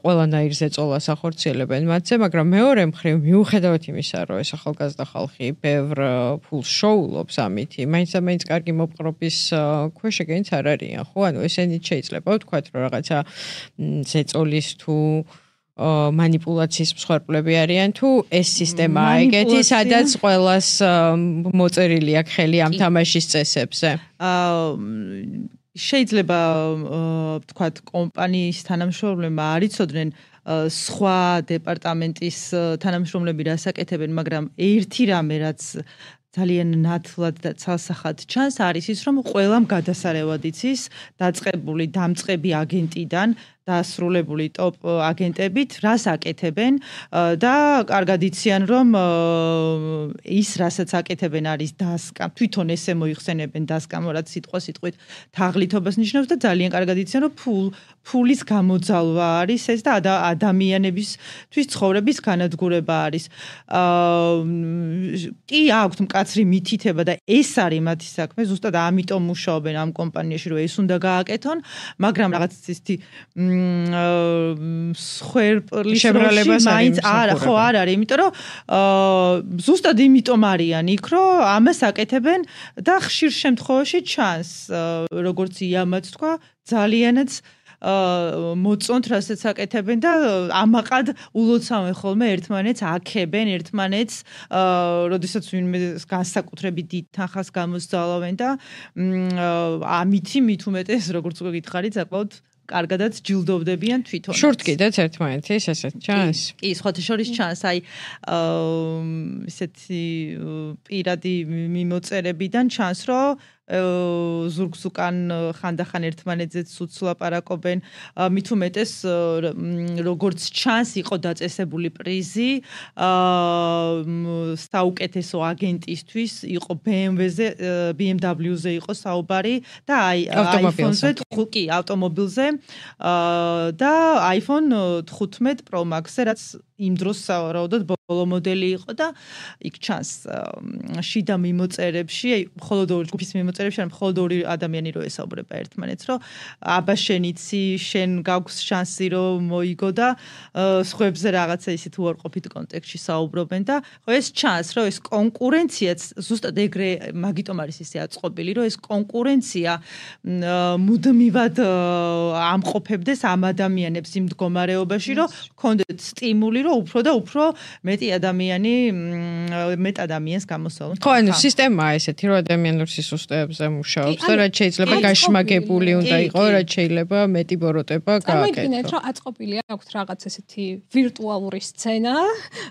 ყველანაირ ზეწოლას ახორციელებენ მათზე, მაგრამ მეორე მხრივ მიუხედავად იმისა, რომ ეს ახალგაზრდა ხალხი ბევრ ფულს შოულობს ამით, მაინც კარგი მოპყრობის ქვეშ ეგენიც არ არიან, ხო? ანუ ესენიც შეიძლება ვთქვათ, რომ რაღაცა ზეწოლის თუ მანიპულაციის მსხვერპლები არიან, თუ ეს სისტემაა ეგეთი, სადაც ყველას მოწერილი აქვს ხელი ამ თამაშის წესებზე. შეიძლება ვთქვათ, კომპანიის თანამშრომლებმა არ იცოდნენ სხვა დეპარტამენტის თანამშრომლები რას აკეთებენ, მაგრამ ერთი რამე რაც ძალიან ნათლად და ცალსახად ჩანს არის ის, რომ ყველამ გადასარევად იცის დაწყებული დამწყები აგენტიდან დასრულებული ტოპ აგენტებით რას აკეთებენ და კარგად იციან რომ ის რასაც აკეთებენ არის დასკამ თვითონ ესე მოიხსენებენ დასკამ რაც სიტყვით თაღლითობას ნიშნავს და ძალიან კარგად იციან რომ ფულის გამოძალვა არის ეს და ადამიანებისთვის ცხოვრების განადგურება არის კი აქვთ მკაცრი მითითება და ეს არის მათი საქმე ზუსტად ამიტომ მუშაობენ ამ კომპანიაში რომ ეს უნდა გააკეთონ მაგრამ რაღაც ისეთი სხვერპლის შებრალებას მაინც არა ხო არ არის იმიტომ რომ ზუსტად იმიტომ არიან იქ რომ ამას აკეთებენ და ხშირ შემთხვევაში ჩანს როგორც იამაც თქვა ძალიანაც მოწონთ რასაც აკეთებენ და ამაყად ულოცავენ ხოლმე ერთმანეთს აქებენ ერთმანეთს როდესაც ვინმე განსაკუთრებით დიდ თანხას გამოსძალავენ და ამითი მით უმეტეს როგორც გითხარით საკმაოდ კარგადაც ჯილდოვდებიან თვითონ. შურთ კიდეც ერთმანეთის ესეთ ჩანს? კი, სხვათა შორის ჩანს, აი ესეთი პირადი მიმოწერებიდან ჩანს, რომ ზურგს უკან ხანდახან ერთმანეთზეც ვლაპარაკობენ, მით უმეტეს როგორც ჩანს იყო დაწესებული პრიზი საუკეთესო აგენტისთვის, იყო BMW-ზე იყო საუბარი და აი iPhone-ზე, კი, ავტომობილზე და iPhone 15 Pro Max-ზე, რაც იმ დროს სავარაუდოდ ბოლო მოდელი იყო და იქ ჩანს შიდა მიმოწერებში, მხოლოდ ორი ჯგუფის მიმოწერებში, ან მხოლოდ ორი ადამიანი რო ესაუბრება ერთმანეთს, რომ აბა შენიცი, შენ გაქვს შანსი რომ მოიგო და სხვებზე რაღაცა ისეთ უარყოფით კონტექსტში საუბრობენ და ხო ეს ჩანს, რომ ეს კონკურენციაც ზუსტად ეგრე მაგიტომ არის ისე აწყობილი, რომ ეს კონკურენცია მუდმივად ამყოფებდეს ამ ადამიანებს იმ მდგომარეობაში, რომ ქონდეთ სტიმული უფრო და უფრო მეტ ადამიანს გამოსავლონ. ხო, ანუ სისტემაა ესეთი, რომ ადამიანურ სისუსტეებზე მუშაობს და რაც შეიძლება გაშმაგებული უნდა იყოს, რაც შეიძლება მეტი ბოროტება გააკეთოს. წარმოიდგინეთ, რომ აწყობილი აქვს რაღაც ესეთი ვირტუალური სცენა,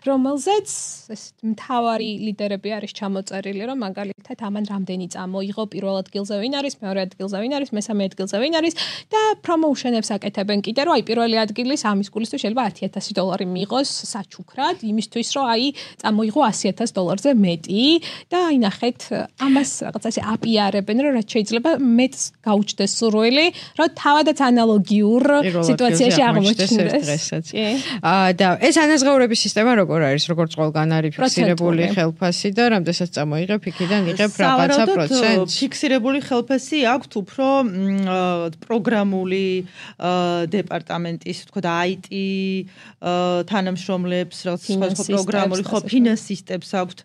რომელზეც ესეთ მთავარი ლიდერები არის ჩამოწერილი, რომ მაგალითად ამან რამდენი წამოიღო, პირველ ადგილზე ვინ არის, მეორე ადგილზე ვინ არის, მესამე ადგილზე ვინ არის და პრომოუშენებს აკეთებენ კიდე, რომ აი პირველი ადგილის ამის გულისთვის შეიძლება $10,000 მიიღოს საჩუქრად იმისთვის რომ აი წამოიღო $100,000-ზე მეტი და აი ნახეთ ამას რაღაცა ესე აპიარებენ რომ რაც შეიძლება მეტს გაუჩნდეს სურვილი რომ თავადაც ანალოგიურ სიტუაციაში აღმოჩნდეს. და ეს ანაზღაურების სისტემა როგორ არის? როგორც ყველგან არის ფიქსირებული ხელფასი და რამდენსაც წამოიღებ იქიდან იღებ რაღაცა პროცენტს. ფიქსირებული ხელფასი აქვთ უფრო პროგრამული დეპარტამენტის, თქო და IT თანამშრომლებს, სხვადასხვა პროგრამული ხო ფინანსისტებს აქვთ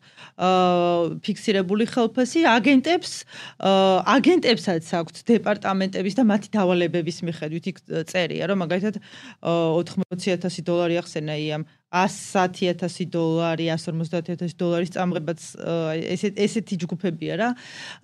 ფიქსირებული ხელფასი, აგენტებსაც აქვთ დეპარტამენტების და მათი დავალებების მიხედვით იქ წერია, რომ მაგალითად $80,000 ახსენა იამ $110,000, $150,000 წამღებაც ესეთი ჯგუფებია რა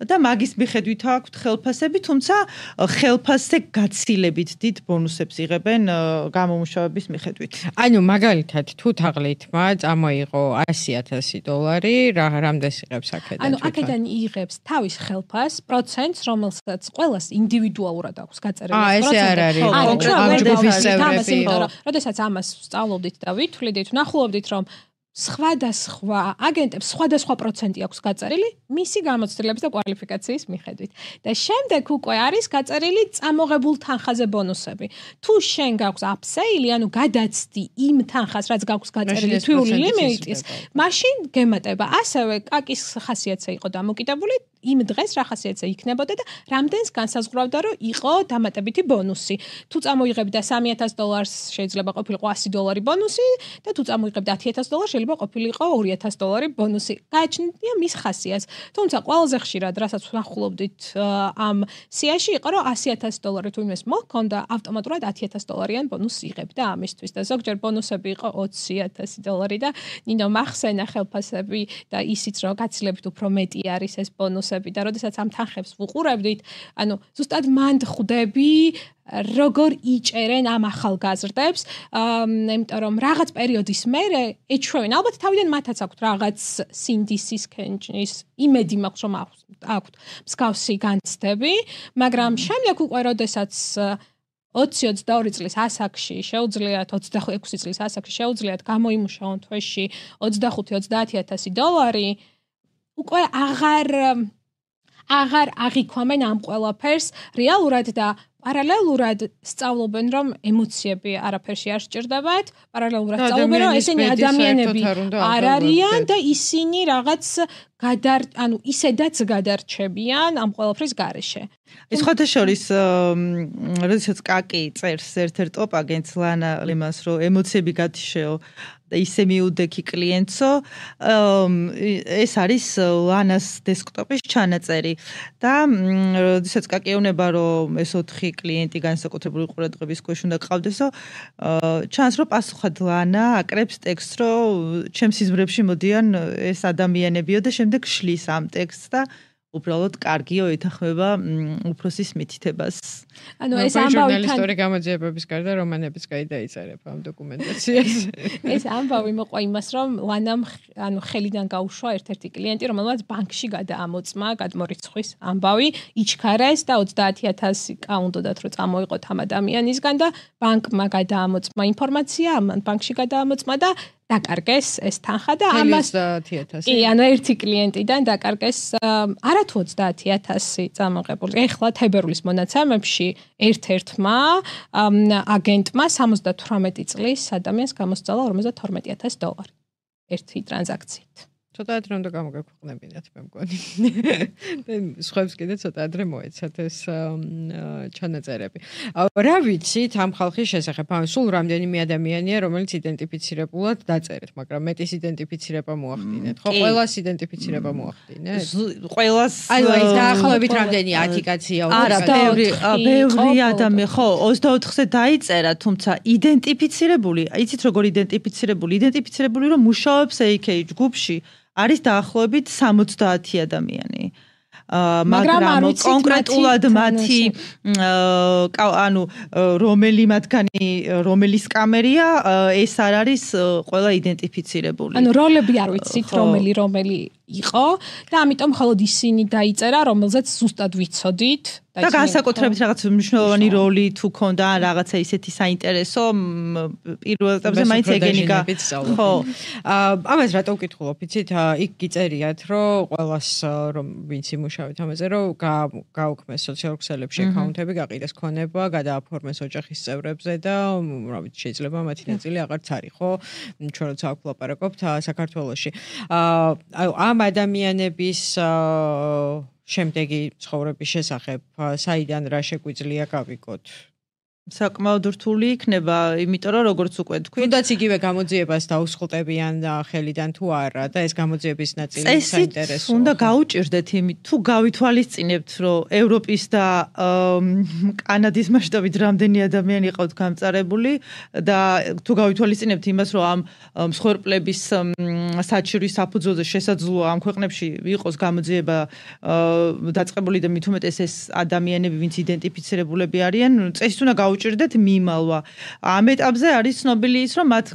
და მაგის მიხედვით აქვთ ხელფასები, თუმცა ხელფასზე გაცილებით დიდ ბონუსებს იღებენ გამომუშავების მიხედვით. ანუ მაგალითად თუ თაღლითმა წამოიღო $100,000, რამდენს იღებს აქედან? ანუ აქედან იღებს თავის ხელფას, პროცენტს, რომელსაც ყველას ინდივიდუალურად აქვს გაწერილი ეს არ არის. როდესაც ამას სწავლობდით და ვითვლით ვნახულობდით, რომ სხვადასხვა აგენტებს სხვადასხვა პროცენტი აქვს გაწერილი მისი გამოცდილების და კვალიფიკაციის მიხედვით. და შემდეგ უკვე არის გაწერილი წამოღებულ თანხაზე ბონუსები. თუ შენ გაქვს upsell-ი, ანუ გადაცდი იმ თანხას, რაც გაქვს გაწერილი თვიური ლიმიტის, მაშინ გემატება. ასევე კაკის ხასიათზე იყო დამოკიდებული იმ დღეს რა ხასიათზე იქნებოდა და რამდენს განსაზღვრავდა, რომ იყო დამატებითი ბონუსი. თუ წამოიღებდა $3,000 შეიძლება ყოფილიყო $100 ბონუსი და თუ წამოიღებდა $10,000 შეიძლება ყოფილიყო $2,000 ბონუსი. გააჩნია მის ხასიათს. თუმცა ყველაზე ხშირად, რასაც ვნახულობდით ამ სიაში იყო, რომ $100,000 თუ იმეს მოჰქონდა, ავტომატურად $10,000-იან ბონუსს იღებდა ამისთვის და ზოგჯერ ბონუსები იყო $20,000 და ნინო მახსენა ხელფასები და ისიც რომ გაცილებით უფრო მეტი არის ეს ბონუსი და როდესაც ამ თანხებს ვუყურებდით, ანუ ზუსტად მანდ ხვდები როგორ იჭერენ ამ ახალგაზრდებს, იმიტომ რომ რაღაც პერიოდის მერე ეჩვევენ, ალბათ თავიდან მათაც აქვთ რაღაც სინდისის კენჭის იმედი მაქვს რომ აქვთ მსგავსი განცდები, მაგრამ შემდეგ უკვე როდესაც 20-22 წლის ასაკში შეუძლიათ 26 წლის ასაკში შეუძლიათ გამოიმუშაონ თვეში $25,000-30,000 უკვე აღარ აღიქვამენ ამ ყველაფერს რეალურად და პარალელურად სწავლობენ, რომ ემოციები არაფერში არ სჭირდებათ, პარალელურად სწავლობენ, რომ ესენი ადამიანები არ არიან და ისინი რაღაც ანუ ისედაც გადარჩებიან ამ ყველაფრის გარეშე. ეს ხოთაშორის როდესაც კაკი წერს ერთ-ერთ ტოპ აგენტს ლანა იმას, რომ ემოციები გათიშეო და ისე მიუდექი კლიენტსო, ეს არის ლანას დესკტოპის ჩანაწერი და როდესაც კაკი ეუბნება, რომ ეს 4 კლიენტი განსაკუთრებული ყურადღების ქვეშ უნდა გყავდესო, ჩანს რომ პასუხად ლანა აკრებს ტექსტს, რომ ჩემს სიზმრებში მოდიან ეს ადამიანებიო და შემდეგ შლის ამ ტექსტს და უბრალოდ კარგიო ეთახმება უფროსის მითითებას. ანუ ეს ამბავი ჟურნალისტური გამოძიებების გარდა რომანებიც გაიწერება ამ დოკუმენტაციას. ეს ამბავი მოყვა იმას, რომ ლანამ ანუ ხელიდან გაუშვა ერთ-ერთი კლიენტი, რომელმაც ბანკში გადაამოწმა გადმორიცხვის ამბავი, იჩქარეს და 30,000 კაუნდოდათ რომ წამოიყოთ ამ ადამიანისგან და ბანკმა გადაამოწმა ინფორმაცია, ამან ბანკში გადაამოწმა და დაკარგეს ეს თანხა და ამას 30,000. კი, ანუ ერთი კლიენტიდან დაკარგეს არათუ 30,000 წამოღებული. ეხლა თებერვლის მონაცემებში ერთ-ერთმა აგენტმა 78 წლის ადამიანს გამოსცალა $52,000 ერთი ტრანზაქციით. ცოტა ადრე უნდა გამოგაქვეყნებინათ მე მგონი. სხვებს კიდე ცოტა ადრე მოეცათ ეს ჩანაწერები. რა ვიცით ამ ხალხის შესახებ? სულ რამდენიმე ადამიანია, რომელიც იდენტიფიცირებულად დაწერეთ, მაგრამ მეტის იდენტიფიცირება მოახდინეთ. ხო, ყველას იდენტიფიცირება მოახდინეთ? ყველას ანუ ეს დაახლოებით რამდენი 10 კაცია უკვე? არა, ბევრი ადამიანი, ხო, 24-ზე დაიწერა, თუმცა იდენტიფიცირებული, იცით როგორ იდენტიფიცირებული, რომ მუშაობს AK ჯგუფში არის დაახლოებით 70 ადამიანი. მაგრამ კონკრეტულად მათი ანუ რომელი მათგანი რომელის კამერია ეს არ არის ყველა იდენტიფიცირებული. ანუ როლები არ ვიცით რომელი იყო და ამიტომ მხოლოდ ისინი დაიწერა, რომელზეც ზუსტად ვიცოდით და განსაკუთრებით რაღაც მნიშვნელოვანი როლი თუ ქონდა ან რაღაცა ისეთი საინტერესო პირველ ეტაპზე მაინც ეგენიკა. ხო. ამას რატო ვკითხულობ, იცით, იქ გიწერიათ, რომ ყველას რომ ვინც იმუშავეთ ამაზე, რომ გაუქმეს სოციალურ ქსელებში აკაუნტები, გაყიდეს ქონება, გადააფორმეს ოჯახის წევრებზე და რა ვიცი, შეიძლება მათი ნაწილი აღარც არის, ხო? ჩვენ როცა აქ ვლაპარაკობთ საქართველოში. ამ ადამიანების შემდეგი ცხოვრების შესახებ საიდან რა შეგვიძლია გავიგოთ? საკმაოდ რთული იქნება, იმიტომ რომ როგორც უკვე თქვი, თუნდაც იგივე გამოძიებას დაუსხლტებიან ხელიდან თუ არა და ეს გამოძიების ნაწილი საინტერესოა. უნდა გაუჭირდეთ იმით, თუ გავითვალისწინებთ, რომ ევროპის და კანადის მასშტაბით რამდენი ადამიანი იყავთ გამწარებული და თუ გავითვალისწინებთ იმას, რომ ამ მსხვერპლების საჭირის საფუძველზე შესაძლოა ამ ქვეყნებში იყოს გამოძიება დაწყებული და მით უმეტეს ეს ადამიანები, ვინც იდენტიფიცირებულები არიან, წესით უნდა გაუჭირდეთ მიმალვა. ამ ეტაპზე არის ცნობილი ის, რომ მათ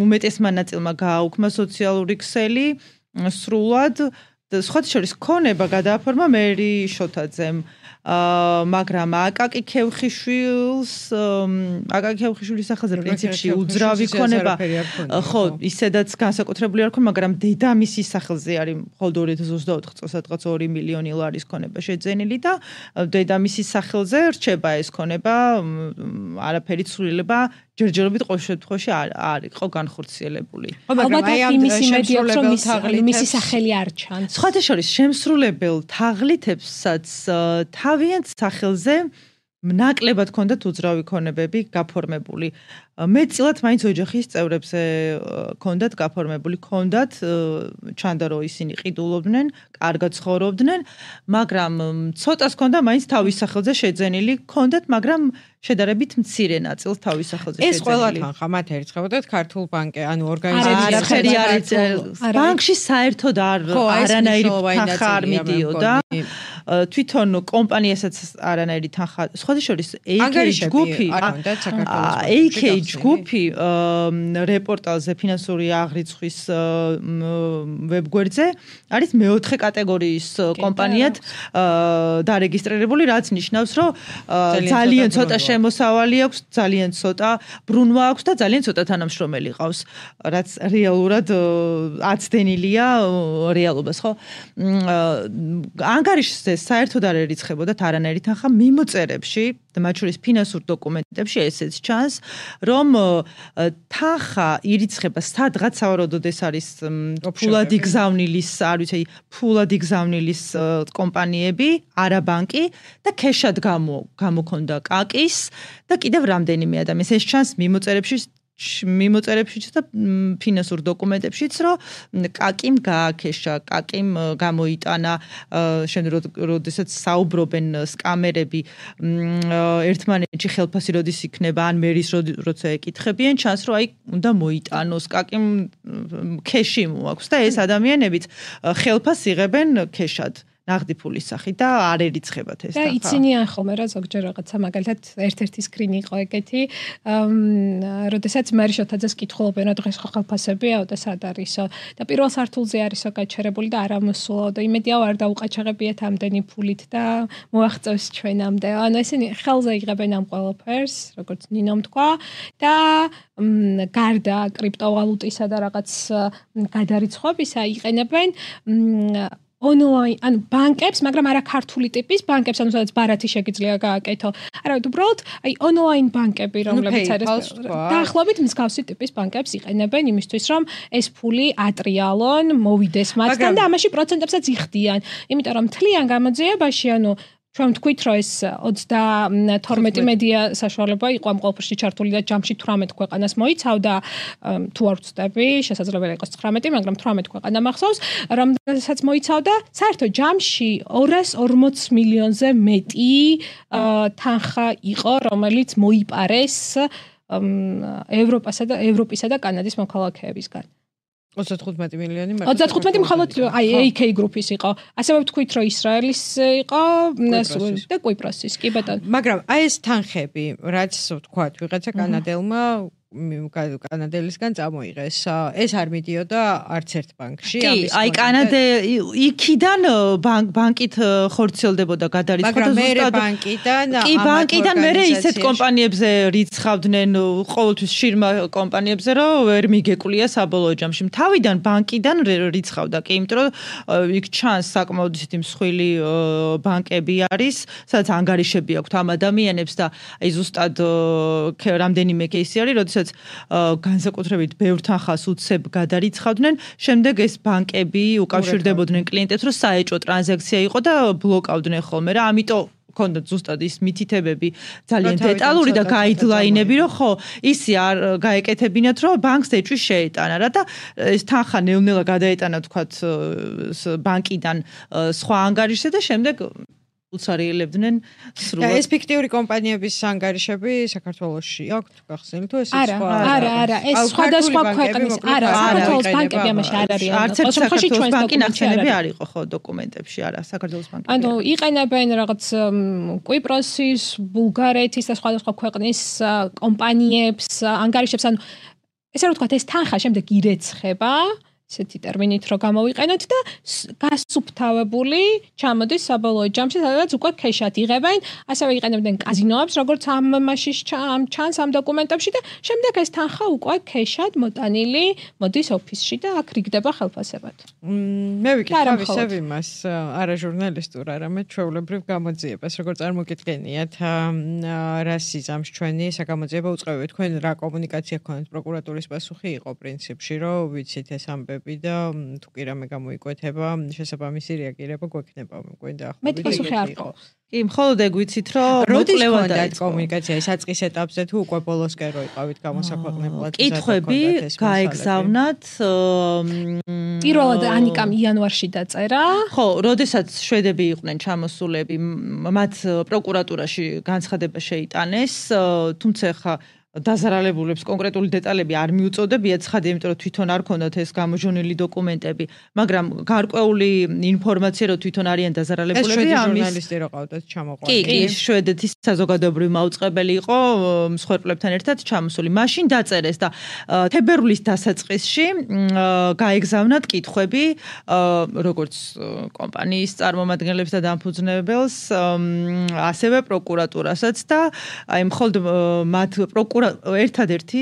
უმეტესმა ნაწილმა გააუქმა სოციალური ქსელი სრულად. სხვათა შორის ქონება გადააფორმა მერი შოთაძემ, მაგრამ აკაკი ქევხიშვილის სახელზე პრინციპში უძრავი ქონება, ხო, ისედაც განსაკუთრებული არ ქონა, მაგრამ დედამისის სახელზე არის მხოლოდ 2024 წელს სადღაც 2 მილიონი ლარის ქონება შეძენილი და დედამისის სახელზე რჩება ეს ქონება, არაფერი ცვლილება ჯერჯერობით ყოველ შემთხვევაში არ იყო განხორციელებული. ალბათ იმისი მედიაც რომ მისი სახელი არ ჩანს. სხვათა შორის შემსრულებელ თაღლითებსაც თავიანთ სახელზე ნაკლებად ჰქონდათ უძრავი ქონებები გაფორმებული. მეტწილად მაინც ოჯახის წევრებზე ჰქონდათ გაფორმებული, ჰქონდათ ჩანდა რომ ისინი ყიდულობდნენ, კარგად ცხოვრობდნენ, მაგრამ ცოტას ჰქონდა მაინც თავის სახელზე შეძენილი, ჰქონდათ, მაგრამ შედარებით მცირე ნაწილს თავის სახელზე შეძენილი. ეს ყველა თანხა მათ ერთხებოდათ ქართულ ბანკზე, ანუ ორგანიზაციაში. არაფერი არის ბანკში საერთოდ არანაირი თანხა არ მიდიოდა. თვითონ კომპანიასაც არანაირი თანხა. სხვათა შორის AK ჯგუფი რეპორტალზე ფინანსური აღრიცხვის ვებგვერდზე არის მეოთხე კატეგორიის კომპანიად დარეგისტრირებული, რაც ნიშნავს, რომ ძალიან ცოტა შემოსავალი აქვს, ძალიან ცოტა ბრუნვა აქვს და ძალიან ცოტა თანამშრომელი ყავს, რაც რეალურად აცდენილია რეალობას, ხო? ანგარიშზე საერთოდ არ ერიცხებოდათ არანაირი თანხა მიმოწერებში და მათ შორის ფინანსურ დოკუმენტებში ესეც ჩანს, რომ თანხა ირიცხება სადღაც სავარაუდოდ ეს არის ფულად იგზავნილის, არ ვიცი, ფულად იგზავნილის კომპანიები, არა ბანკი და ქეშად გამოქონდა კაკის და კიდევ რამდენიმე ადამიანს. ეს ჩანს მიმოწერებშიც და ფინანსურ დოკუმენტებშიც, რომ კაკიმ გააქეშა, კაკიმ გამოიტანა, შემდეგ როდესაც საუბრობენ სკამერები ერთმანეთში ხელფასი როდის იქნება, ან მერის როცა ეკითხებიან, ჩანს რომ აი უნდა მოიტანოს, კაკიმ ქეში მოაქვს და ეს ადამიანებიც ხელფასს იღებენ ქეშად. ნაღდი ფულის სახით და არ ერიცხებათ ეს თანხა. და იცინიან ხოლმე რა ზოგჯერ რაღაცა მაგალითად ერთ-ერთი სკრინი იყო ეგეთი, როდესაც მერი შოთაძეს კითხულობენ რა დღეს ხელფასებია და სად არისო და პირველ სართულზე არისო გაჩერებული და არ ამოსულა და იმედია არ დაუყაჩაღებიათ ამდენი ფულით და მოაღწევს ჩვენამდე. ანუ ესენი ხელზე იღებენ ამ ყველაფერს, როგორც ნინომ თქვა და გარდა კრიპტოვალუტისა და რაღაც გადარიცხვებისა იყენებენ ონლაინ, ანუ ბანკებს, მაგრამ არა ქართული ტიპის ბანკებს, ანუ სადაც ბარათი შეგიძლია გააკეთო. არა, უბრალოდ აი ონლაინ ბანკები, რომლებიც არის დაახლოებით მსგავსი ტიპის ბანკებს იყენებენ იმისთვის, რომ ეს ფული ატრიალონ, მოვიდეს მათთან და ამაში პროცენტებსაც იხდიან. იმიტომ რომ მთლიან გამოძიებაში, ანუ ჩვენ თქვით, რომ ეს 32 მედია საშუალება იყო ამ ყველაფერში ჩართული და ჯამში 18 ქვეყანას მოიცავდა, თუ არ ვცდები, შესაძლებელი იყოს 19, მაგრამ 18 ქვეყანა მახსოვს, რომელსაც მოიცავდა საერთოდ ჯამში 240 მილიონზე მეტი თანხა იყო, რომელიც მოიპარეს ევროპისა და კანადის მოქალაქეებისგან. 35 მილიონი 35 მხოლოდ აი AK გრუპის იყო. ასევე ვთქვით, რომ ისრაელის იყო და კვიპროსის, კი ბატონო. მაგრამ აი ეს თანხები, რაც ვთქვათ, ვიღაცა კანადელმა კანადელისგან წამოიღეს. ეს არ მიდიოდა არც ერთ ბანკში. კი, აი კანადე იქიდან ბანკით ხორციელდებოდა გადარიცხვა ზუსტად ბანკიდან. კი, ბანკიდან მერე ისეთ კომპანიებზე რიცხავდნენ, ყოველთვის შირმა კომპანიებზე, რომ ვერ მიგეკვლია საბოლოო ჯამში. თავიდან ბანკიდან რიცხავდა, კი, იმიტომ რომ იქ ჩანს საკმაოდ ისეთი მსხვილი ბანკები არის, სადაც ანგარიშები აქვთ ამ ადამიანებს და აი ზუსტად რამდენიმე кейსი არის, როდესაც განსაკუთრებით ბევრ თანხას უცებ გადარიცხავდნენ, შემდეგ ეს ბანკები უკავშირდებოდნენ კლიენტებს, რომ საეჭვო ტრანზაქცია იყო და ბლოკავდნენ ხოლმე რა, ამიტომ ჰქონდათ ზუსტად ის მითითებები ძალიან დეტალური და გაიდლაინები, რომ ხო, ისი არ გაეკეთებინათ, რომ ბანკს ეჭვი შეეტანა რა და ეს თანხა ნელ-ნელა გადაეტანა თქვათ ბანკიდან სხვა ანგარიშზე და შემდეგ უცარიელებდნენ სრულად. ეს ფიქტიური კომპანიების ანგარიშები საქართველოში აქვს გახსნილი თუ ეს სხვა? არა, ეს სხვადასხვა ქვეყნის. არა, საქართველოს ბანკები ამაში არ არის. არც ერთ საქართველოს ბანკი ნახსენები არ იყო ხო დოკუმენტებში, არა, საქართველოს ბანკი. ანუ იყენებენ რაღაც კვიპროსის, ბულგარეთის და სხვადასხვა ქვეყნის კომპანიებს, ანგარიშებს, ანუ ესე რომ ვთქვათ, ეს თანხა შემდეგ ირეცხება. ესეთი ტერმინით რო გამოვიყენოთ და გასუფთავებული ჩამოდის საბოლოო ჯამში, სადაც უკვე ქეშად იღებენ, ასევე იყენებდნენ კაზინოებს, როგორც ამაში ჩანს ამ დოკუმენტებში და შემდეგ ეს თანხა უკვე ქეშად მოტანილი მოდის ოფისში და აქ რიგდება ხელფასებად. მე ვიკითხავ ისევ იმას, არა ჟურნალისტურ, არამედ ჩვეულებრივ გამოძიებას, როგორც წარმოგიდგენიათ, რა სიზამს ჩვენი საგამოძიება უწყევია, თქვენ რა კომუნიკაცია გქონდათ პროკურატურის პასუხი იყო პრინციპში, რომ ვიცით ეს ამბები და თუ კი რამე გამოიკვეთება, შესაბამისი რეაგირება გვექნება, მგონი და მე პასუხი არ ყავს. კი, მხოლოდ ეგ ვიცით, რომ მოკლევა დაიწყო კომუნიკაცია ის საწყის ეტაპზე თუ უკვე ბოლოსკენ რო იყავით გამოსაქვეყნებლად. კითხვები გაეგზავნათ. პირველად ანიკამ იანვარში დაწერა. ხო, როდესაც შვედები იყვნენ ჩამოსულები, მათ პროკურატურაში განცხადება შეიტანეს, თუმცა ხა დაზარალებულებს კონკრეტული დეტალები არ მიუწოდებიათ ცხადი, იმიტომ რომ თვითონ არ ქონდათ ეს გამოჟონილი დოკუმენტები, მაგრამ გარკვეული ინფორმაცია რომ თვითონ არიან დაზარალებულები, ამის ჟურნალისტი რო ყავდათ ჩამოყვანილი. კი, შვედეთის საზოგადოებრივი მაუწყებელი იყო მსხვერპლებთან ერთად ჩამოსული. მაშინ დაწერეს და თებერვლის დასაწყისში გაეგზავნათ კითხვები როგორც კომპანიის წარმომადგენლებს და დამფუძნებელს, ასევე პროკურატურასაც და აი მხოლოდ მათ ერთადერთი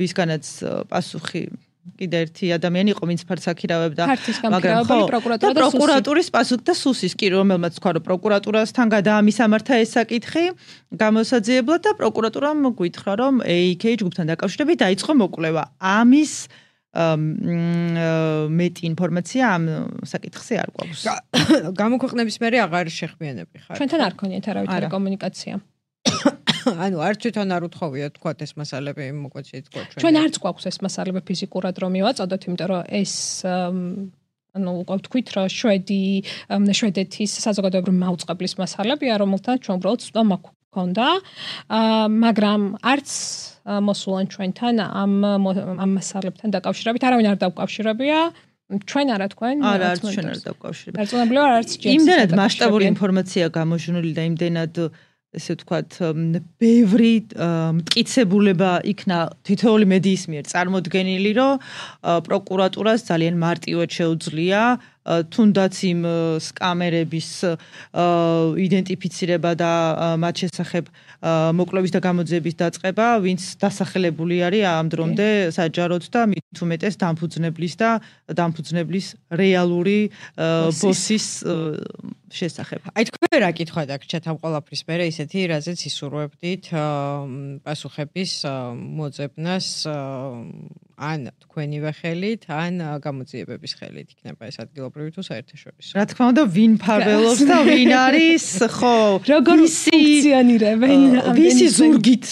ვისგანაც პასუხი კიდე ერთი ადამიანი იყო, ვინც ფარც აქირავებდა, მაგრამ ხო, პროკურატურის პასუხი და სუსის კი, რომელმაც თქვა, რომ პროკურატურასთან გადაამისამართა ეს საკითხი გამოსაძიებლად და პროკურატურამ გვითხრა, რომ AK ჯგუფთან დაკავშირებით დაიწყო მოკვლევა. ამის მეტი ინფორმაცია ამ საკითხზე არ გვაქვს. გამოქვეყნების მერე აღარ შეხმიანები ხარ. ჩვენთან არ ქონიათ არავითარი კომუნიკაცია. ანუ არ თვითონ არ უთხოვიათ თქვა ეს მასალები მოგვეცით თქვა ჩვენ არც გვაქვს ეს მასალები ფიზიკურად რომ მივაწოდოთ, იმიტომ რომ ეს ანუ უკვე ვთქვით რომ შვედეთის საზოგადოებრივი მაუწყებლის მასალებია, რომელთან ჩვენ უბრალოდ ცოტა მაქონდა, მაგრამ არც მოსულან ჩვენთან ამ მასალებთან დაკავშირებით არავინ არ დავკავშირებია. ჩვენ არა თქვენ არც ჩვენ არ დავკავშირებია. დარწმუნებულად არც ჯერ იმდენად მასშტაბური ინფორმაცია გამოჟონილი და იმდენად ესე ვთქვათ, ბევრი მტკიცებულება იქნა თითოეული მედიის მიერ წარმოდგენილი, რომ პროკურატურას ძალიან მარტივად შეუძლია თუნდაც იმ სკამერების იდენტიფიცირება და მათ შესახებ მოკვლევის და გამოძიების დაწყება, ვინც დასახელებული არის ამ დრომდე საჯაროდ და მით უმეტეს დამფუძნებლის რეალური ბოსის შესახებ. აი თქვენ რა კითხვა დაგჭათ ამ ყველაფრის მერე ისეთი, რაზეც ისურვებდით პასუხების მოძებნას ან თქვენივე ხელით, ან გამოძიებების ხელით იქნება ეს ადგილობრივი თუ საერთაშორისო. რა თქმა უნდა, ვინ ფარველობს და ვინ არის, ხო, როგორ ფუნქციონირებენ, ვისი ზურგით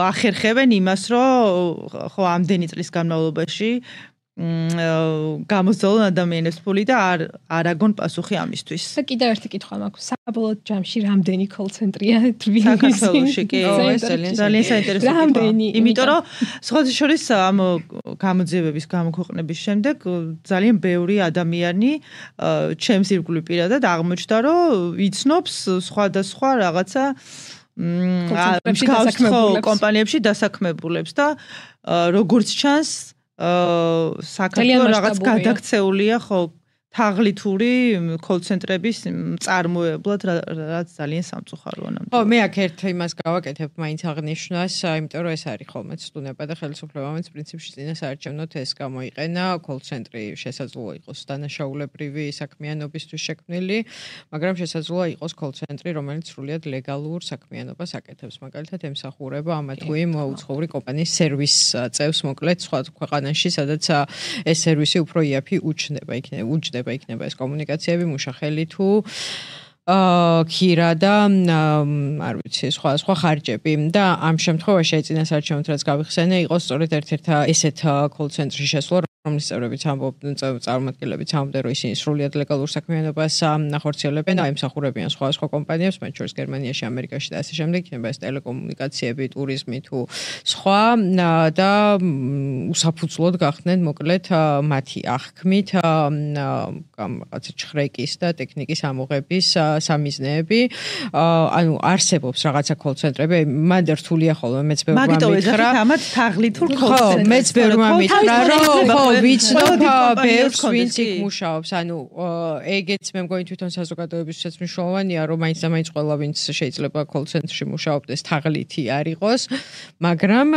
ახერხებენ იმას, რომ ხო ამდენი წლის განმავლობაში გამოსწავლონ ადამიანებს ფული და არ აგონ პასუხი ამისთვის. და კიდევ ერთი კითხვა მაქვს. საბოლოო ჯამში რამდენი კოლ-ცენტრია საქართველოში? კი, ძალიან საინტერესო კითხვა. იმიტომ რომ სხვათა შორის ამ გამოძიებების გამოქვეყნების შემდეგ ძალიან ბევრი ადამიანი ჩემს ირგვლივ პირადად აღმოჩნდა, რომ იცნობს სხვადასხვა რაღაცა კომპანიებში დასაქმებულებს და როგორც ჩანს საქართველოს რაღაც გადაქცეულია ხო თაღლითური კოლ-ცენტრების წარმოებლად, რაც ძალიან სამწუხაროა ნამდვილად. ხო, მე აქ ერთ იმას გავაკეთებ მაინც აღნიშნას, იმიტომ რომ ეს არის ხოლმე ცდუნება და ხელისუფლებამაც პრინციპში წინასაარჩევნოდ ეს გამოიყენა, კოლ-ცენტრი შესაძლოა იყოს დანაშაულებრივი საქმიანობისთვის შექმნილი, მაგრამ შესაძლოა იყოს კოლ-ცენტრი, რომელიც სრულიად ლეგალურ საქმიანობას აკეთებს. მაგალითად, ემსახურება ამა თუ იმ უცხოური კომპანიის სერვის წევს, მოკლედ სხვა ქვეყანაში, სადაც ეს სერვისი უფრო იაფი უჯდება იქნება ეს კომუნიკაციები მუშახელი თუ ქირა და არ ვიცი, სხვა ხარჯები და ამ შემთხვევაში ეწინას არჩევანთ რაც გავიხსენე, იყო სწორედ ერთ-ერთ ესეთ call center-ში შესვლა, რომლის წევრებიც ამბობდნენ, წარმომადგენლებიც ამბობდნენ, რომ ისინი სრულიად ლეგალურ საქმიანობას ახორციელებენ და ემსახურებიან სხვა კომპანიებს, მათ შორის გერმანიაში, ამერიკაში და ასე შემდეგ, იქნება ეს ტელეკომუნიკაციები, ტურიზმი თუ სხვა და უსაფუძვლოდ გახდნენ მოკლედ მათი აღქმით რაღაცა ჩხრეკის და ტექნიკის ამოღების სამიზნეები. ანუ არსებობს რაღაცა call center-ები, მანდ რთულია ხოლმე მეც ბევრმა მითხრა. მაგიტო ეძახით ამათ თაღლითურ call center-ს. მეც ბევრმა მითხრა, რომ ვიცნობ ბევრს ვინც იქ მუშაობს, ანუ ეგეც მე მგონი თვითონ საზოგადოებისთვისაც მნიშვნელოვანია, რომ მაინც და მაინც ყველა ვინც შეიძლება call center-ში მუშაობდეს თაღლითი არ იყოს, მაგრამ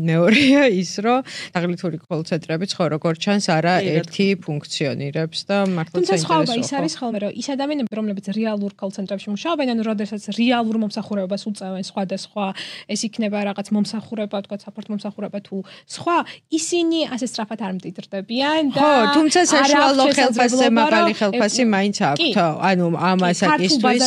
მეორეა ის, რომ თაღლითური call center-ებიც ხო როგორ ჩანს არა ერთი ფუნქციონირებს და მართლა საინტერესოა. ის არის ხოლმე, რომ ის ადამიანები, რომლებიც რეალურ call center-ებში მუშაობენ, ანუ როდესაც რეალურ მომსახურებას უწევენ სხვადასხვა, ეს იქნება რაღაც მომსახურება, თქვა საპორტ მომსახურება თუ სხვა, ისინი ასე სწრაფად არ მდიდრდებიან და ხო, თუმცა საშუალო ხელფასზე მაღალი ხელფასი მაინც აქვთ. ანუ ამ ასაკისთვის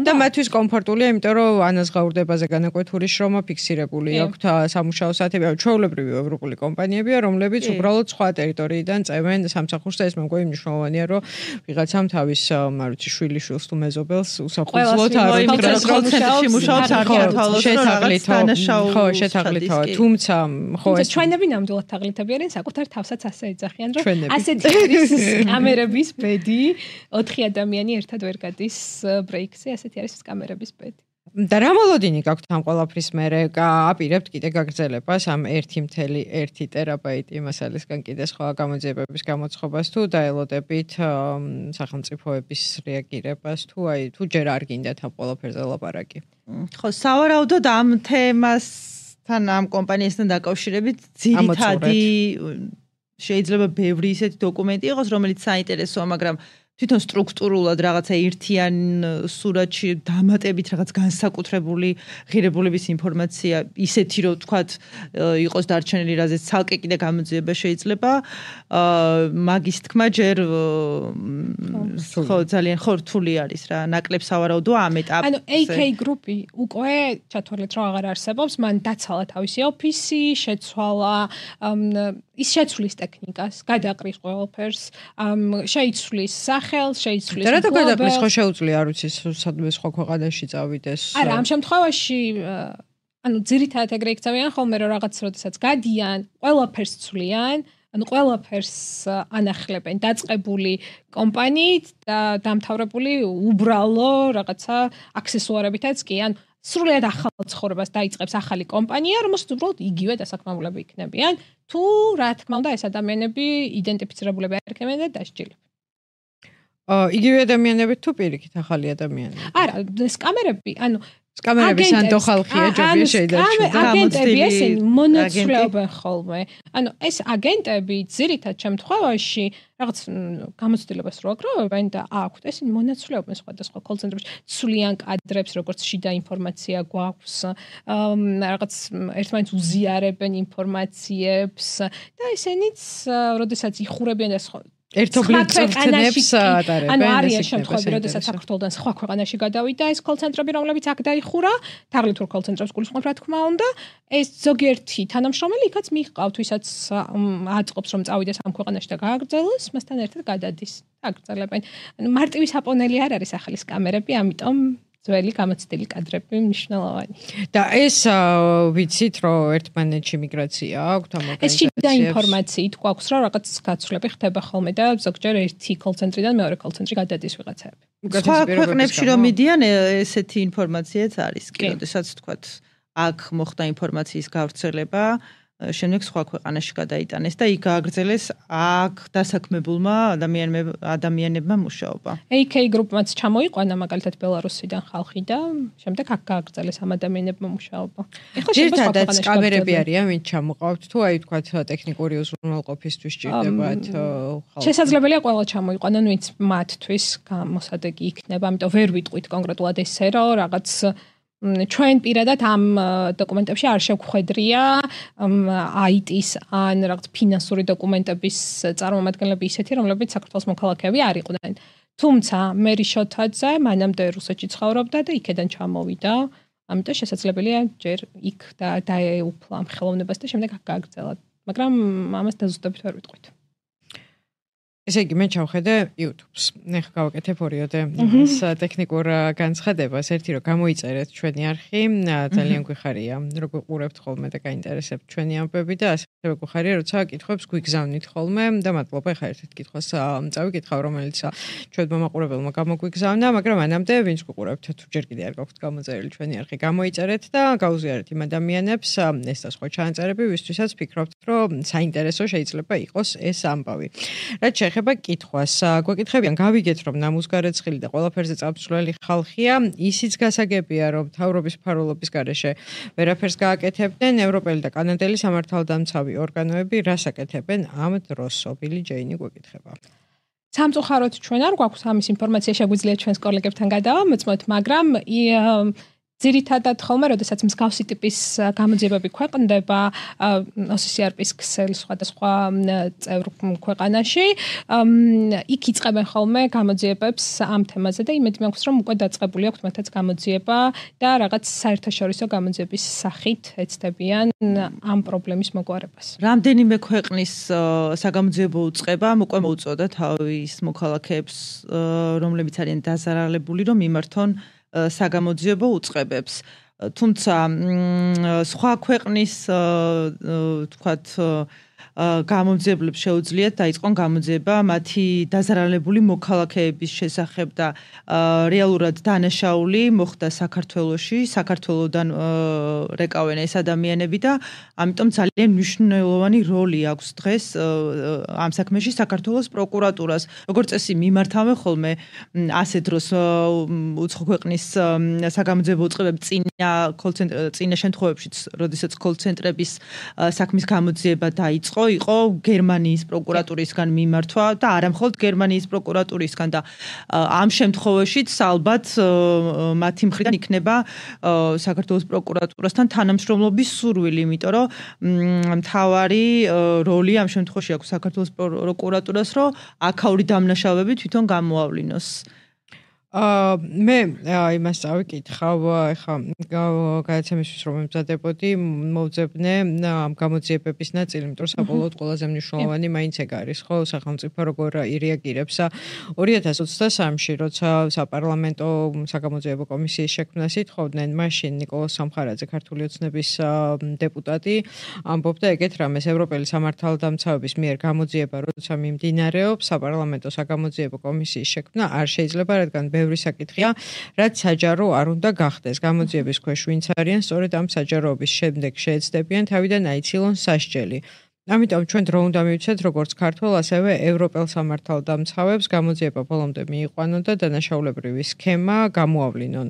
და მათთვის კომფორტულია, იმიტომ რომ ანაზღაურდებაზე განაკვეთური შრომა ფიქსირებული აქვთ სამუშაო საათები. ჩვეულებრივი ევროპული კომპანიებია, რომლებიც უბრალოდ სხვა ტერიტორიიდან წევენ სამსახურს და ეს მე მგონი მნიშვნელოვანია, რომ ვიღაცამ თავის, არ ვიცი, შვილიშვილს თუ მეზობელს უსაფუძვლოდ არ უთხრას, რომ call-center-ში მუშაობს არ გათავალოს, რომ რაღაც თანაშაულო. ხო, შეთაღლითოა. თუმცა ხო ეს ჩვენები ნამდვილად თაღლითები არიან, საკუთარ თავსაც ასე ეძახიან, რომ ასეთი არის კამერების ბედი, 4 ადამიანი ერთად ვერ გადის ბრეიქზე, ასეთი არის კამერების ბედი. და რა მოლოდინი გაქვთ ამ ყველაფრის მერე? აპირებთ კიდე გაგრძელებას ამ 1.1 ტერაბაიტი მასალისგან კიდე სხვა გამოძიებების გამოცხობას თუ დაელოდებით სახელმწიფოების რეაგირებას თუ თუ ჯერ არ გინდათ ამ ყველაფერზე ლაპარაკი? ხო, სავარაუდოდ ამ თემასთან ამ კომპანიასთან დაკავშირებით ძირითადი შეიძლება ბევრი ისეთი დოკუმენტი იყოს, რომელიც საინტერესოა, მაგრამ თვითონ სტრუქტურულად რაღაცა ერთიან სურათში დამატებით რაღაც განსაკუთრებული ღირებულების ინფორმაცია ისეთი რომ თქვათ იყოს დარჩენილი რაზეც ცალკე კიდე გამოძიება შეიძლება მაგის თქმა ჯერ ხო ძალიან ხორთული არის რა ნაკლებ სავარაუდოა ამ ეტაპზე ანუ AK გრუპი უკვე ჩათვალეთ რომ აღარ არსებობს მან დაცალა თავისი ოფისი შეცვალა ის შეცვლის ტექნიკას გადაყრის ყველაფერს შეიცვლის ხელს შეიცვლის. რა გადაყრის ხო შეუძლია არ ვიცი სადმე სხვა ქვეყანაში წავიდეს. არა, ამ შემთხვევაში ანუ ძირითადად ეგრე იქცევიან ხოლმე რომ რაღაც როდესაც გადიან, ყველაფერს ცვლიან, ანუ ყველაფერს ანახლებენ დაწყებული კომპანიით და დამთავრებული უბრალო რაღაცა აქსესუარებითაც კი, ან სრულიად ახალ ცხოვრებას დაიწყებს ახალი კომპანია, რომელსაც უბრალოდ იგივე დასაქმებულები იქნებიან, თუ რა თქმა უნდა ეს ადამიანები იდენტიფიცირებულები არ იქნებიან და დასჯილები. იგივე ადამიანები თუ პირიქით ახალი ადამიანები? არა, ეს კამერები, ანუ კამერები სანდო ხალხია ჯობია შეიძლება აგენტები ესენი მონაცვლეობენ ხოლმე. ანუ ეს აგენტები ძირითად შემთხვევაში რაღაც გამოცდილებას რო აგროვებენ და აქვთ ესენი მონაცვლეობენ სხვადასხვა call center-ებში ცვლიან კადრებს როგორც შიდა ინფორმაცია გვაქვს რაღაც ერთმანეთს უზიარებენ ინფორმაციებს და ესენიც როდესაც იხურებიან და ერთობლივ წვრთნებს ატარებენ. ანუ არის შემთხვევები, როდესაც საქართველოდან სხვა ქვეყანაში გადავიდა ეს call center-ები, რომლებიც აქ დაიხურა, თაღლითურ call center-ებს გულისხმობ რა თქმა უნდა, ეს ზოგიერთი თანამშრომელი იქაც მიჰყავთ, ვისაც აწყობს რომ წავიდეს ამ ქვეყანაში და გააგრძელოს, მასთან ერთად გადადის. აგრძელებენ. ანუ მარტივი საპონელი არ არის ახალის კამერები, ამიტომ ძველი გამოცდილი კადრები მნიშვნელოვანი. და ეს ვიცით რომ ერთმანეთში მიგრაცია აქვს ამ ორგანიზაციებს. ეს შიდა ინფორმაციით გვაქვს რომ რაღაც გაცვლები ხდება ხოლმე და ზოგჯერ ერთი call center-დან მეორე call center-ში გადადის ვიღაცები. სხვა ქვეყნებში რომ მიდიან ესეთი ინფორმაციაც არის კი, როდესაც თქვათ აქ მოხდა ინფორმაციის გავრცელება შემდეგ სხვა ქვეყანაში გადაიტანეს და იქ გააგრძელეს აქ დასაქმებულმა ადამიანებმა მუშაობა. AK გრუპმაც ჩამოიყვანა მაგალითად ბელარუსიდან ხალხი და შემდეგ აქ გააგრძელეს ამ ადამიანებმა მუშაობა. ერთადაც კამერები არიან, ვინც ჩამოყავთ თუ აი თქვათ ტექნიკური უზრუნველყოფისთვის ჭირდებათ ხალხი. შესაძლებელია ყველა ჩამოიყვანონ, ვინც მათთვის გამოსადეგი იქნება, ამიტომ ვერ ვიტყვით კონკრეტულად ესე რომ რაღაც ჩვენ პირადად ამ დოკუმენტებში არ შევხვედრია IT-ის ან რაღაც ფინანსური დოკუმენტების წარმომადგენლები ისეთი, რომლებიც საქართველოს მოქალაქეები არ იყვნენ. თუმცა მერი შოთაძე მანამდე რუსეთში ცხოვრობდა და იქედან ჩამოვიდა. ამიტომ შესაძლებელია ჯერ იქ დაეუფლა ამ ხელოვნებას და შემდეგ აქ გააგრძელა. მაგრამ ამას დაზუსტებით ვერ ვიტყვით. ესე იგი მე ჩავხედე YouTube-ს. ეხლა გავაკეთებ ორიოდე ეს ტექნიკურ განცხადებას. ერთი რომ გამოიწერეთ ჩვენი არხი, ძალიან გვიხარია, როგორ ყურებთ ხოლმე და გაინტერესებთ ჩვენი ამბები და ასევე გვიხარია, როცა კითხვებს გვიგზავნით ხოლმე და მადლობა ეხლა ერთ-ერთ კითხვას წავიკითხავ, რომელიც ჩვენ მომაყურებელმა გამოგვიგზავნა, მაგრამ მანამდე ვინც გვყურებთ, თუ ჯერ კიდე არ გაქვთ გამოწერილი ჩვენი არხი, გამოიწერეთ და გაუზიარეთ იმ ადამიანებს ეს და სხვა ჩანაწერები, ვისთვისაც ფიქრობთ, რომ საინტერესო შეიძლება იყოს ეს ამბავი. რაც ეხება კითხვას. გვეკითხებიან, გავიგეთ, რომ ნამუსგარეცხილი და ყველაფერზე წამსვლელი ხალხია, ისიც გასაგებია, რომ მთავრობის ფარულობის გარეშე ვერაფერს გააკეთებდნენ, ევროპელი და კანადელი სამართალდამცავი ორგანოები რას აკეთებენ ამ დროს? ობილი ჯეინი გვეკითხება. სამწუხაროდ ჩვენ არ გვაქვს ამის ინფორმაცია, შეგვიძლია ჩვენს კოლეგებთან გადავამოწმოთ, მაგრამ ძირითადად ხოლმე, როდესაც მსგავსი ტიპის გამოძიებები ქვეყნდება OCCRP-ის ქსელ სხვადასხვა წევრ ქვეყანაში, იქ იწყებენ ხოლმე გამოძიებებს ამ თემაზე და იმედი მაქვს, რომ უკვე დაწყებული აქვს მათაც გამოძიება და რაღაც საერთაშორისო გამოძიების სახით ეცდებიან ამ პრობლემის მოგვარებას. რამდენიმე ქვეყნის საგამოძიებო უწყებამ უკვე მოუწოდა თავის მოქალაქეებს, რომლებიც არიან დაზარალებული, რომ მიმართონ საგამოძიებო უწყებებს. თუმცა სხვა ქვეყნის თქვათ გამომძიებლებს შეუძლიათ დაიწყონ გამოძიება მათი დაზარალებული მოქალაქეების შესახებ და რეალურად დანაშაული მოხდა საქართველოში, საქართველოდან რეკავენ ეს ადამიანები და ამიტომ ძალიან მნიშვნელოვანი როლი აქვს დღეს ამ საქმეში საქართველოს პროკურატურას. როგორც წესი მიმართავენ ხოლმე ასე დროს უცხო ქვეყნის საგამოძიებო უწყებები წინა შემთხვევებშიც, როდესაც კოლ-ცენტრების საქმის გამოძიება დაიწყო, იყო გერმანიის პროკურატურისგან მიმართვა და არა მხოლოდ გერმანიის პროკურატურისგან და ამ შემთხვევაშიც ალბათ მათი მხრიდან იქნება საქართველოს პროკურატურასთან თანამშრომლობის სურვილი, იმიტომ რომ მთავარი როლი ამ შემთხვევაში აქვს საქართველოს პროკურატურას, რომ აქაური დამნაშავეები თვითონ გამოავლინოს. მე იმას წავიკითხავ, ეხა გადაცემისთვის რომ ემზადებოდი, მოვძებნე ამ გამოძიებების ნაწილი, იმიტომ რომ საბოლოოდ ყველაზე მნიშვნელოვანი მაინც ეგ არის, ხო, სახელმწიფო როგორ ირეაგირებს 2023-ში, როცა საპარლამენტო საგამოძიებო კომისიის შექმნას ითხოვდნენ, მაშინ ნიკოლოზ სამხარაძე, ქართული ოცნების დეპუტატი, ამბობდა ეგეთ რამეს, ევროპელი სამართალდამცავების მიერ გამოძიება, როცა მიმდინარეობს, საპარლამენტო საგამოძიებო კომისიის შექმნა არ შეიძლება, რადგან ბევრი საკითხია, რაც საჯარო არ უნდა გახდეს. გამოძიების ქვეშ ვინც არიან, სწორედ ამ საჯაროების შემდეგ შეეცდებიან თავიდან აიცილონ სასჯელი. ამიტომ ჩვენ დრო უნდა მივცეთ როგორც ქართველ, ასევე ევროპელ სამართალდამცავებს გამოძიება ბოლომდე მიიყვანონ და დანაშაულებრივი სქემა გამოავლინონ.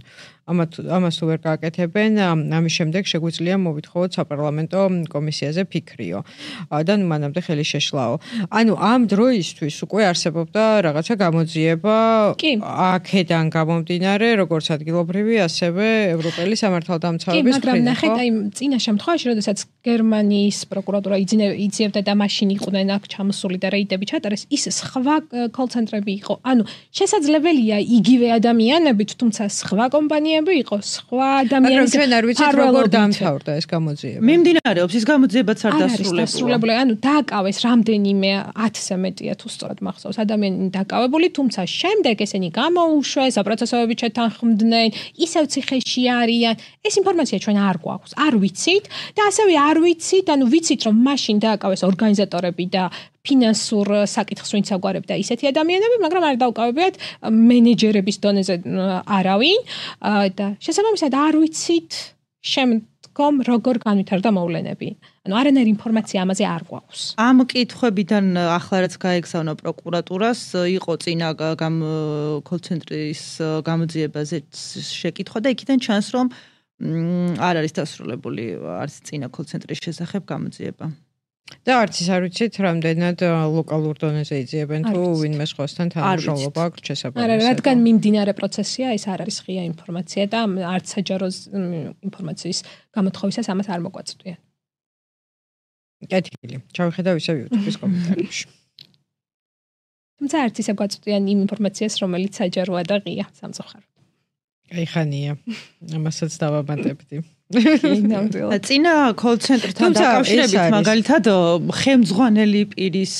ამას თუ ვერ გააკეთებენ, ამის შემდეგ შეგვიძლია მოვითხოვოთ საპარლამენტო კომისიაზე ფიქრიო. და მანამდე ხელი შეშლაო. ანუ ამ დროისთვის უკვე არსებობდა რაღაცა გამოძიება აქედან გამომდინარე, როგორც ადგილობრივი, ასევე ევროპელი სამართალდამცავების მხრიდან. მაგრამ ნახეთ, აი წინა შემთხვევაში, როდესაც გერმანიის პროკურატურა იძიებდა და მაშინ იყვნენ აქ ჩამოსული და რეიდები ჩატარეს, ის სხვა კოლ-ცენტრები იყო. ანუ შესაძლებელია იგივე ადამიანები, თუმცა სხვა კომპანიები იყო, სხვა ადამიანები. ჩვენ არ ვიცით როგორ დამთავრდა ეს გამოძიება. მიმდინარეობს ის გამოძიებაც არ დასრულებული. ანუ დააკავეს რამდენიმე 1000-ზე მეტია თუ სწორად მახსოვს ადამიანი დააკავებული, თუმცა შემდეგ ესენი გამოუშვეს, საპროცესოები ჩეთანხმდნენ, ისევ ციხეში არიან. ეს ინფორმაცია ჩვენ არ გვაქვს, არ ვიცით და ასევე არ ვიცით, ანუ ვიცით რომ მაშინ დააკავეს ორგანიზატორები და ფინანსურ საკითხს ვინც აგვარებდა ისეთი ადამიანები, მაგრამ არ დაუკავებიათ მენეჯერების დონეზე არავინ და შესაბამისად არ ვიცით შემდგომ როგორ განვითარდა მოვლენები. ანუ არანაირი ინფორმაცია ამაზე არ გვაქვს. ამ კითხვებიდან ახლა რაც გაეგზავნა პროკურატურას, იყო წინა კოლ-ცენტრის გამოძიებაზე შეკითხვა და იქიდან ჩანს რომ არ არის დასრულებული არც წინა კოლ-ცენტრის შესახებ გამოძიება. და არც ის არ ვიცით, რამდენად ლოკალურ დონეზე იძიებენ თუ ვინმე სხვასთან თანამშრომლობა აქვს შესაბამისად. არა, რადგან მიმდინარე პროცესია, ეს არ არის ღია ინფორმაცია და არც საჯარო ინფორმაციის გამოთხოვისას ამას არ მოგვაწვდიან. კეთილი. ჩავიხედავ ისევ YouTube-ის კომენტარებში. თუმცა არც ისე გვაწვდიან იმ ინფორმაციას, რომელიც საჯაროა და ღია სამწუხაროდ. აი ხანია. ამასაც დავაბანდებდი. წინა კოლ-ცენტრთან დაკავშირებით მაგალითად ხელმძღვანელი პირის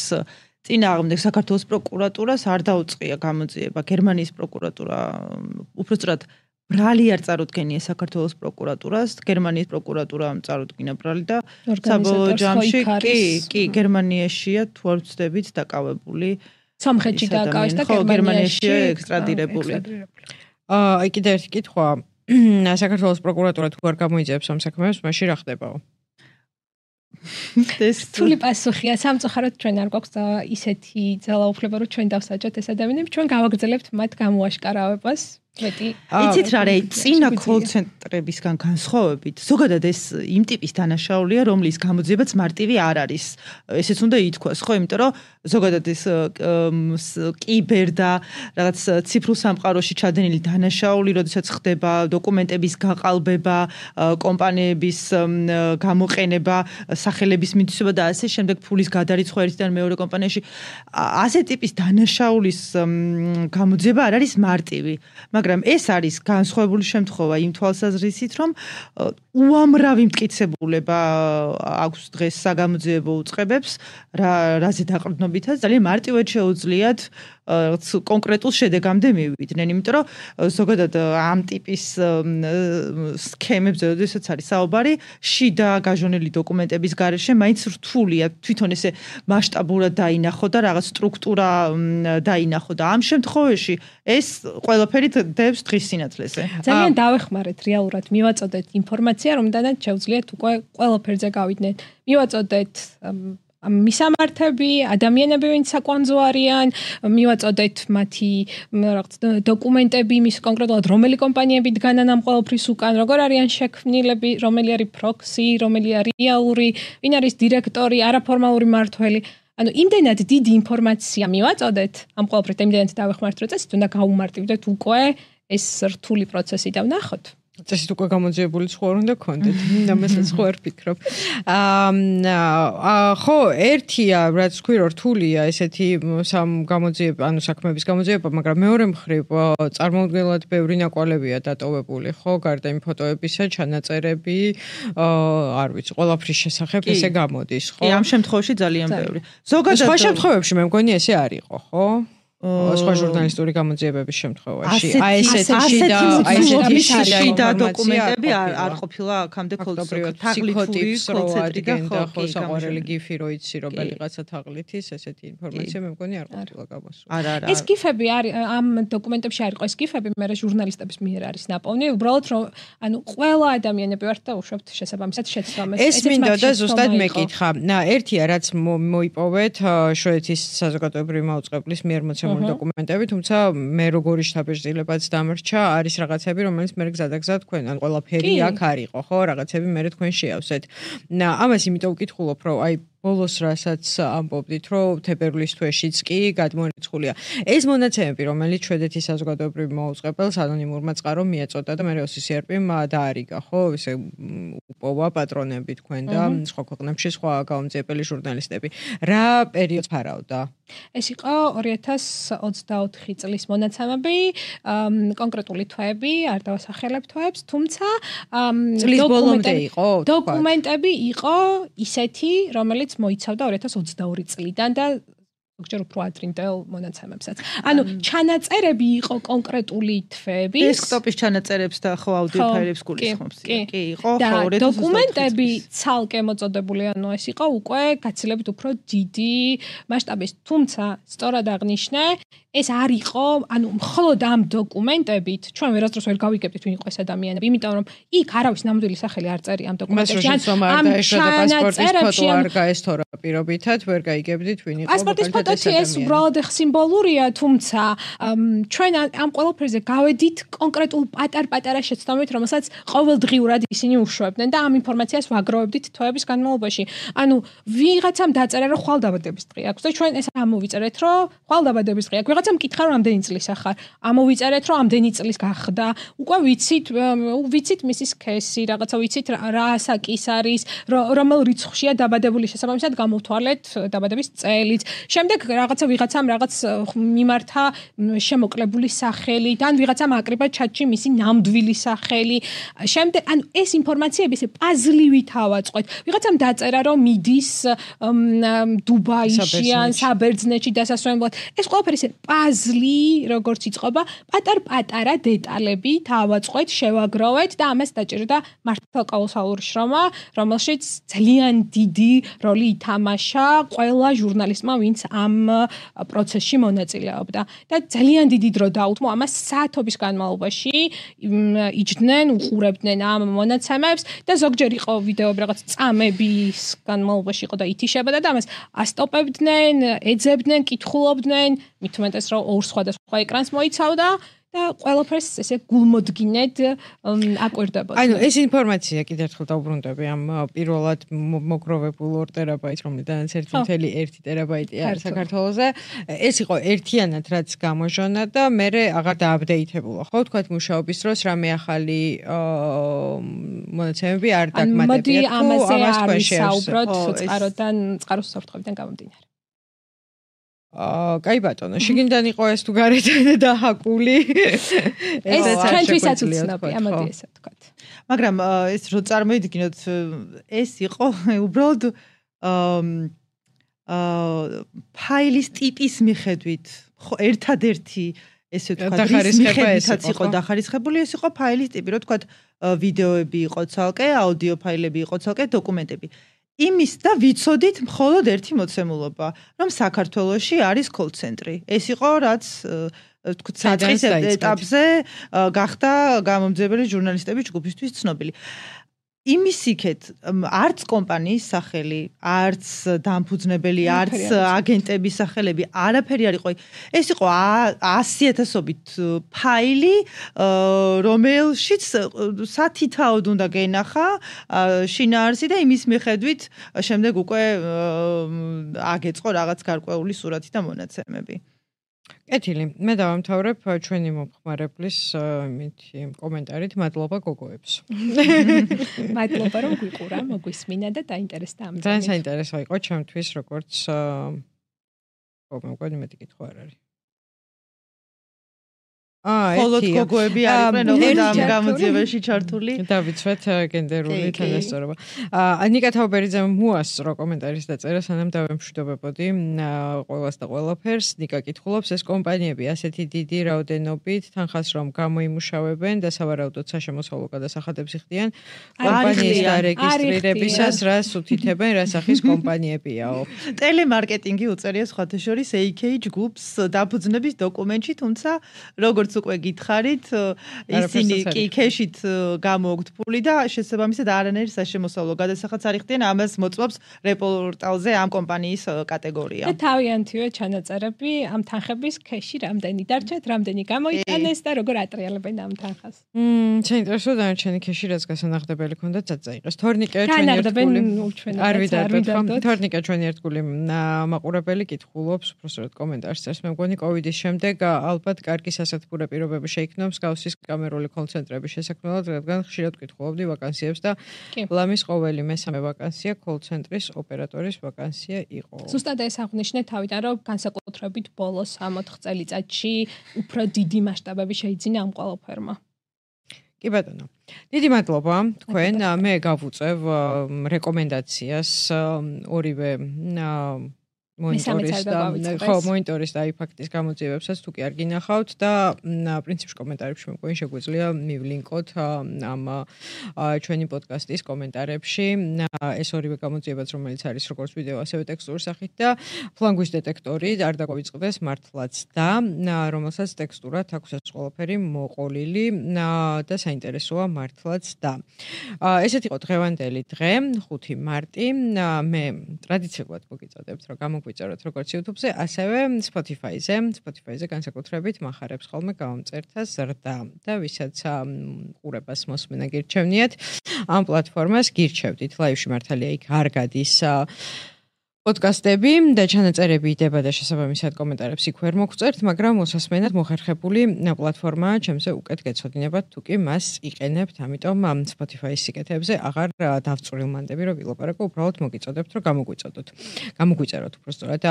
წინააღმდეგ საქართველოს პროკურატურას არ დაუწყია გამოძიება. გერმანიის პროკურატურა უпроსტად ბრალი არ წარუდგენია საქართველოს პროკურატურას, გერმანიის პროკურატურა წარუდგინა ბრალი და საბოლოო ჯამში კი გერმანიაშია თუ არ ვცდებით დაკავებული. სომხეთში დააკავეს და გერმანიაში ექსტრადირებული. აი კიდე ერთი კითხვა. საქართველოს პროკურატურა თუ არ გამოიძიებს ამ საქმეებს, მაშინ რა ხდებაო? რთული პასუხია, სამწუხაროდ ჩვენ არ გვაქვს ისეთი ძალაუფლება, რომ ჩვენ დავსაჯოთ ეს ადამიანები, ჩვენ გავაგრძელებთ მათ გამოაშკარავებას. იცით რა არის წინა კოლ-ცენტრებისგან განსხვავებით ზოგადად ეს იმ ტიპის დანაშაულია რომლის გამოძიებაც მარტივი არ არის ესეც უნდა ითქვას ხო იმიტომ რომ ზოგადად ეს კიბერ და რაღაც ციფრულ სამყაროში ჩადენილი დანაშაული როდესაც ხდება დოკუმენტების გაყალბება კომპანიების გამოყენება სახელების მითვისება და ასე შემდეგ ფულის გადარიცხვა ერთიდან მეორე კომპანიაში ასე ტიპის დანაშაულის გამოძიება არ არის მარტივი მაგრამ ეს არის განსხვავებული შემთხვევა იმ თვალსაზრისით, რომ უამრავი მტკიცებულება აქვს დღეს საგამოძიებო უწყებებს, რაზე დაყრდნობითაც ძალიან მარტივად შეუძლიათ კონკრეტულ შედეგამდე მივიდნენ, იმიტომ რომ ზოგადად ამ ტიპის სქემებზე, როდესაც არის საუბარი, შიდა გაჟონილი დოკუმენტების გარეშე მაინც რთულია თვითონ ესე მასშტაბურად დაინახო და რაღაც სტრუქტურა დაინახო და ამ შემთხვევაში ეს ყველაფერი დევს დღის სინათლეზე. ძალიან დავეხმარეთ რეალურად მივაწოდეთ ინფორმაცია, რომდანაც შეუძლიათ უკვე ყველაფერზე გავიდნენ. მივაწოდეთ მისამართები, ადამიანები, ვინც საკვანძო არიან, მივაწოდეთ მათი რაღაც დოკუმენტები, მის კონკრეტულად რომელი კომპანიები დგანან ამ ყველაფრის უკან, როგორ არიან შექმნილები, რომელი არის პროქსი, რომელი არის რეალური, ვინ არის დირექტორი, არაფორმალური მმართველი. ანუ იმდენად დიდი ინფორმაცია მივაწოდეთ ამ ყველაფრით, იმდენად დავეხმართ, რომ წესით უნდა გაუმარტივდეთ უკვე ეს რთული პროცესი და ვნახოთ. წესით უკვე გამოძიებული სხვა უნდა გქონდეთ. ამასაც ხო არ ფიქრობ. ხო, ერთია, რაც თქვი რომ რთულია ესეთი გამოძიება, ანუ საქმეების გამოძიება, მაგრამ მეორე მხრივ წარმოუდგენლად ბევრი ნაკვალევია დატოვებული, ხო, გარდა იმ ფოტოებისა, ჩანაწერები, არ ვიცი, ყველაფრის შესახებ ესე გამოდის, ხო? კი, ამ შემთხვევაში ძალიან ბევრი. ზოგადად სხვა შემთხვევებში მე მგონი ესე არ იყო, ხო? სხვა ჟურნალისტური გამოძიებების შემთხვევაში ასეთი შიდა დოკუმენტები არ ყოფილა აქამდე ფსიქოტიპს რო ადგენდა ხო საყვარელი გიფი რო იცი რომ ბელიღაცა თაღლითის ესეთი ინფორმაცია მე მგონი არ ყოფილა გამოსული. ეს გიფები არის ამ დოკუმენტებში არ იყო ეს გიფები მე ჟურნალისტების მიერ არის ნაპოვნი უბრალოდ რომ ანუ ყველა ადამიანები ვართ და უშვებთ შესაბამისად შეცდომას. ეს მინდა და ზუსტად მეკითხა. ერთია რაც მოიპოვეთ შვედეთის საზოგადოებრივი მაუწყებლის მიერ მოცემული დოკუმენტები, თუმცა მე როგორი შთაბეჭდილებაც დამრჩა, არის რაღაცები, რომელიც მე გზადაგზად თქვენ, ან ყველაფერი აქ არისო, ხო, რაღაცები მე თქვენ შეავსეთ. ამას იმიტომ ვკითხულობ, რომ აი ბოლოს რასაც ამბობდით, რომ თებერვლის თვეშიც კი გადმოერიცხულია. ეს მონაცემები, რომელიც შვედეთის საზოგადოებრივ მოუწყებელს ანონიმურმა წყარომ მიეწოდა და მე ოსისერპიმ დაარიგა, ხო, ესე უპოვა პატრონები თქვენ და სხვა ქვეყნებში სხვა გამომძიებელი ჟურნალისტები. რა პერიოდს ფარავდა? ეს იყო 2024 წლის მონაცემები, კონკრეტული თვეები, არ დავასახელებ თვეებს, თუმცა წლის ბოლომდე იყო დოკუმენტები იყო ისეთი, რომელიც მოიცავდა 2022 წლიდან და ზოგჯერ უფრო ადრინდელ მონაცემებსაც. ანუ ჩანაწერები იყო კონკრეტული თვეების. დესკტოპის ჩანაწერებს და ხო აუდიო ფაილებს გულისხმობს. კი, იყო ხო 2022 დოკუმენტები ცალკე მოწოდებული, ანუ ეს იყო უკვე გაცილებით უფრო დიდი მასშტაბის. თუმცა, სწორად აღნიშნე, ეს არ იყო, ანუ მხოლოდ ამ დოკუმენტებით ჩვენ ვერასდროს ვერ გავიგებდით ვინ იყო ეს ადამიანები, იმიტომ რომ იქ არავის ნამდვილი სახელი არ წერია ამ დოკუმენტებში. ამ ჩანაწერებში არ გაესთორა პირობითად, ვერ გაიგებდით ვინ იყო. პასპორტის ფოტოთი ეს უბრალოდ სიმბოლურია, თუმცა ჩვენ ამ ყველაფერზე გავედით კონკრეტულ პატარ-პატარა შეცდომით, რომელსაც ყოველდღიურად ისინი უშვებდნენ და ამ ინფორმაციას ვაგროვებდით თვეების განმავლობაში. ანუ ვიღაცამ დაწერა რომ ხვალდაბადების დღე აქვს და ჩვენ ეს ამოვიწერეთ რომ ხვალდაბადების დღე აქვს. ვიღაცამ კითხა რომ ამდენი წლის ახარ. ამოვიწერეთ რომ ამდენი წლის გახდა. უკვე ვიცით მისის ქესი, რაღაცა ვიცით რა ასაკის არის, რომელ რიცხვშია დაბადებული შესაბამისად გამოვთვალეთ დაბადების წელიც. შემდეგ შემდეგ ვიღაცამ რაღაც მიმართა შემოკლებული სახელი, ან ვიღაცამ აკრიბა ჩატში მისი ნამდვილი სახელი. შემდეგ ანუ ეს ინფორმაციები ესე პაზლივით ავაწყოთ. ვიღაცამ დაწერა რომ მიდის დუბაიში ან საბერძნეთში დასასვენებლად. ეს ყველაფერი ესე პაზლი როგორც იწყება, პატარ-პატარა დეტალებით ავაწყოთ, შევაგროვეთ და ამას დაჭერდა მართლა კოლოსალური შრომა, რომელშიც ძალიან დიდი როლი ითამაშა ყველა ჟურნალისტმა, ვინც ამ პროცესში მონაწილეობდა. და ძალიან დიდი დრო დაუთმო ამას საათობის განმავლობაში იჯდნენ, უყურებდნენ ამ მონაცემებს და ზოგჯერ იყო ვიდეოები რაღაც წამების განმავლობაში იყო და ითიშებოდა და ამას ასტოპებდნენ, ეძებდნენ, კითხულობდნენ, მით უმეტეს რომ ორ სხვადასხვა ეკრანს მოიცავდა და ყველაფერს ესე გულმოდგინედ აკვირდებოდა. ანუ ეს ინფორმაცია კიდევ ერთხელ დავუბრუნდები ამ პირველად მოგროვებულ 2 ტერაბაიტს, რომლიდანაც 1.1 ტერაბაიტი არის საქართველოზე. ეს იყო ერთიანად რაც გამოჟონა და მერე აღარ დააპდეითებულა, ხო, თქვათ მუშაობის დროს რამე ახალი მონაცემები არ დაგმატებიათ, თუ ამაზე არ ვისაუბროთ წყაროს საფრთხებიდან გამომდინარე. კაი ბატონო, შიგნიდან იყო ეს თუ გარედან დაჰაკული. ეს ჩვენთვისაც უცნობია, მოდი ესე ვთქვათ. მაგრამ ეს რო წარმოიდგინოთ, ეს იყო უბრალოდ ფაილის ტიპის მიხედვით, ხო, ერთადერთი ესე ვთქვათ, მიხედვითაც იყო დახარისხებული, ეს იყო ფაილის ტიპი, რო ვთქვათ, ვიდეოები იყო ცალკე, აუდიო ფაილები იყო ცალკე, დოკუმენტები. იმის და ვიცოდით მხოლოდ ერთი მოცემულობა, რომ საქართველოში არის კოლ-ცენტრი. ეს იყო რაც ვთქვათ, საწყის ეტაპზე გახდა გამომძებელი ჟურნალისტების ჯგუფისთვის ცნობილი. იმის იქეთ არც კომპანიის სახელი, არც დამფუძნებელი, არც აგენტების სახელები, არაფერი არ იყო. ეს იყო 100,000-ობით ფაილი, რომელშიც სათითაოდ უნდა გენახა შინაარსი და იმის მიხედვით შემდეგ უკვე აგეწყო რაღაც გარკვეული სურათი და მონაცემები. კეთილი, მე დავამთავრებ ჩვენი მომხმარებლის კომენტარით, მადლობა გოგოებს. მადლობა რომ გვიყურა, მოგვისმინა და დაინტერესდა ამ ძალიან საინტერესო იყო ჩემთვის, როგორც მოგონი მეტი კითხვა არ არის. მხოლოდ გოგოები არიან ოღონდ ამ გამოძიებაში ჩართული. დავიცვეთ გენდერული თანასწორობა. ნიკა თაუბერიძემ მოასწრო კომენტარის დაწერა, სანამ დავემშვიდობებოდი ყველას და ყველაფერს. ნიკა კითხულობს, ეს კომპანიები ასეთი დიდი რაოდენობით თანხას რომ გამოიმუშავებენ და სავარაუდოდ საშემოსავლო გადასახადებს იხდიან, კომპანიის დარეგისტრირებისას რას უთითებენ, რა სახის კომპანიებიაო. ტელემარკეტინგი უწერია სხვათა შორის AK ჯგუფს დაფუძნების დოკუმენტში, თუმცა როგორც უკვე გითხარით, ისინი კი ქეშით გამოგთ ფული და შესაბამისად არანაირ საშემოსავლო გადასახადს არ იხდიან, ამას მოწმობს რეპორტალზე ამ კომპანიის კატეგორია. და თავიანთივე ჩანაწერები ამ თანხების ქეში რამდენი დარჩათ, რამდენი გამოიტანეს და როგორ ატრიალებენ ამ თანხას. საინტერესო დანარჩენი ქეში რაც გასანახდებელი ქონდა წაიღეს. თორნიკე ჩვენი ერთგული არ ვიდარდოთ, ხო? თორნიკე ჩვენი ერთგული მაყურებელი კითხულობს, უბრალოდ კომენტარს წერს. მე მგონი კოვიდის შემდეგ ალბათ კარგი სასათბურე პირობები შეიქმნა მსგავსის კამერული კოლ-ცენტრების შესაქმნელად, რადგან ხშირად ვკითხულობდი ვაკანსიებს და ლამის ყოველი მესამე ვაკანსია კოლ-ცენტრის ოპერატორის ვაკანსია იყო. ზუსტად ეს აღნიშნე თავიდან, რომ განსაკუთრებით ბოლოს 3-4 წელიწადში უფრო დიდი მასშტაბები შეიძინა ამ ყველაფერმა. კი ბატონო. დიდი მადლობა თქვენ. მე გავუწევ რეკომენდაციას ორივე მონიტორის და iFact-ის გამოძიებებსაც თუ კი არ გინახავთ და პრინციპში კომენტარებში მეგონი შეგვიძლია მივლინკოთ ამ ჩვენი პოდკასტის კომენტარებში ეს ორივე გამოძიებაც რომელიც არის როგორც ვიდეო ასევე ტექსტური სახით და ფლანგვის დეტექტორი არ დაგვიწყდეს მართლაც და რომელსაც ტექსტურად აქვს ეს ყველაფერი მოყოლილი და საინტერესოა მართლაც და ესეთ იყო დღევანდელი დღე 5 მარტი მე ტრადიციულად მოგიწოდებთ რომ ვიწეროთ როგორც YouTube-ზე, ასევე Spotify-ზე განსაკუთრებით מחარებს ხოლმე გამომწერთა ზრდა და ვისაც ყურებას მოსმენა გირჩევნიათ ამ პლატფორმას გირჩევდით. ლაივში მართალია იქ არ გადის პოდკასტები და ჩანაწერები იდება და შესაბამისად კომენტარებს იქ ვერ მოგწერთ, მაგრამ მოსასმენად მოხერხებული პლატფორმაა ჩემზე უკეთ გეცოდინებათ, თუ კი მას იყენებთ, ამიტომ Spotify-ის სიკეთეებზე აღარ დავწვრილმანდები, რომ ვილაპარაკო, უბრალოდ მოგიწოდებთ, რომ გამოგვიწეროთ უბრალოდ.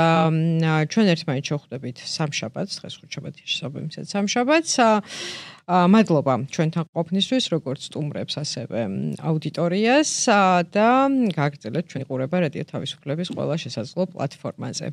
ჩვენ ერთმანეთს შევხვდებით სამშაბათს, დღეს ხუთშაბათია შესაბამისად სამშაბათს. მადლობა ჩვენთან ყოფნისთვის, როგორც სტუმრებს, ასევე აუდიტორიას და გააგრძელეთ ჩვენი ყურება რადიო თავისუფლების ყველა შესაძლო პლატფორმაზე.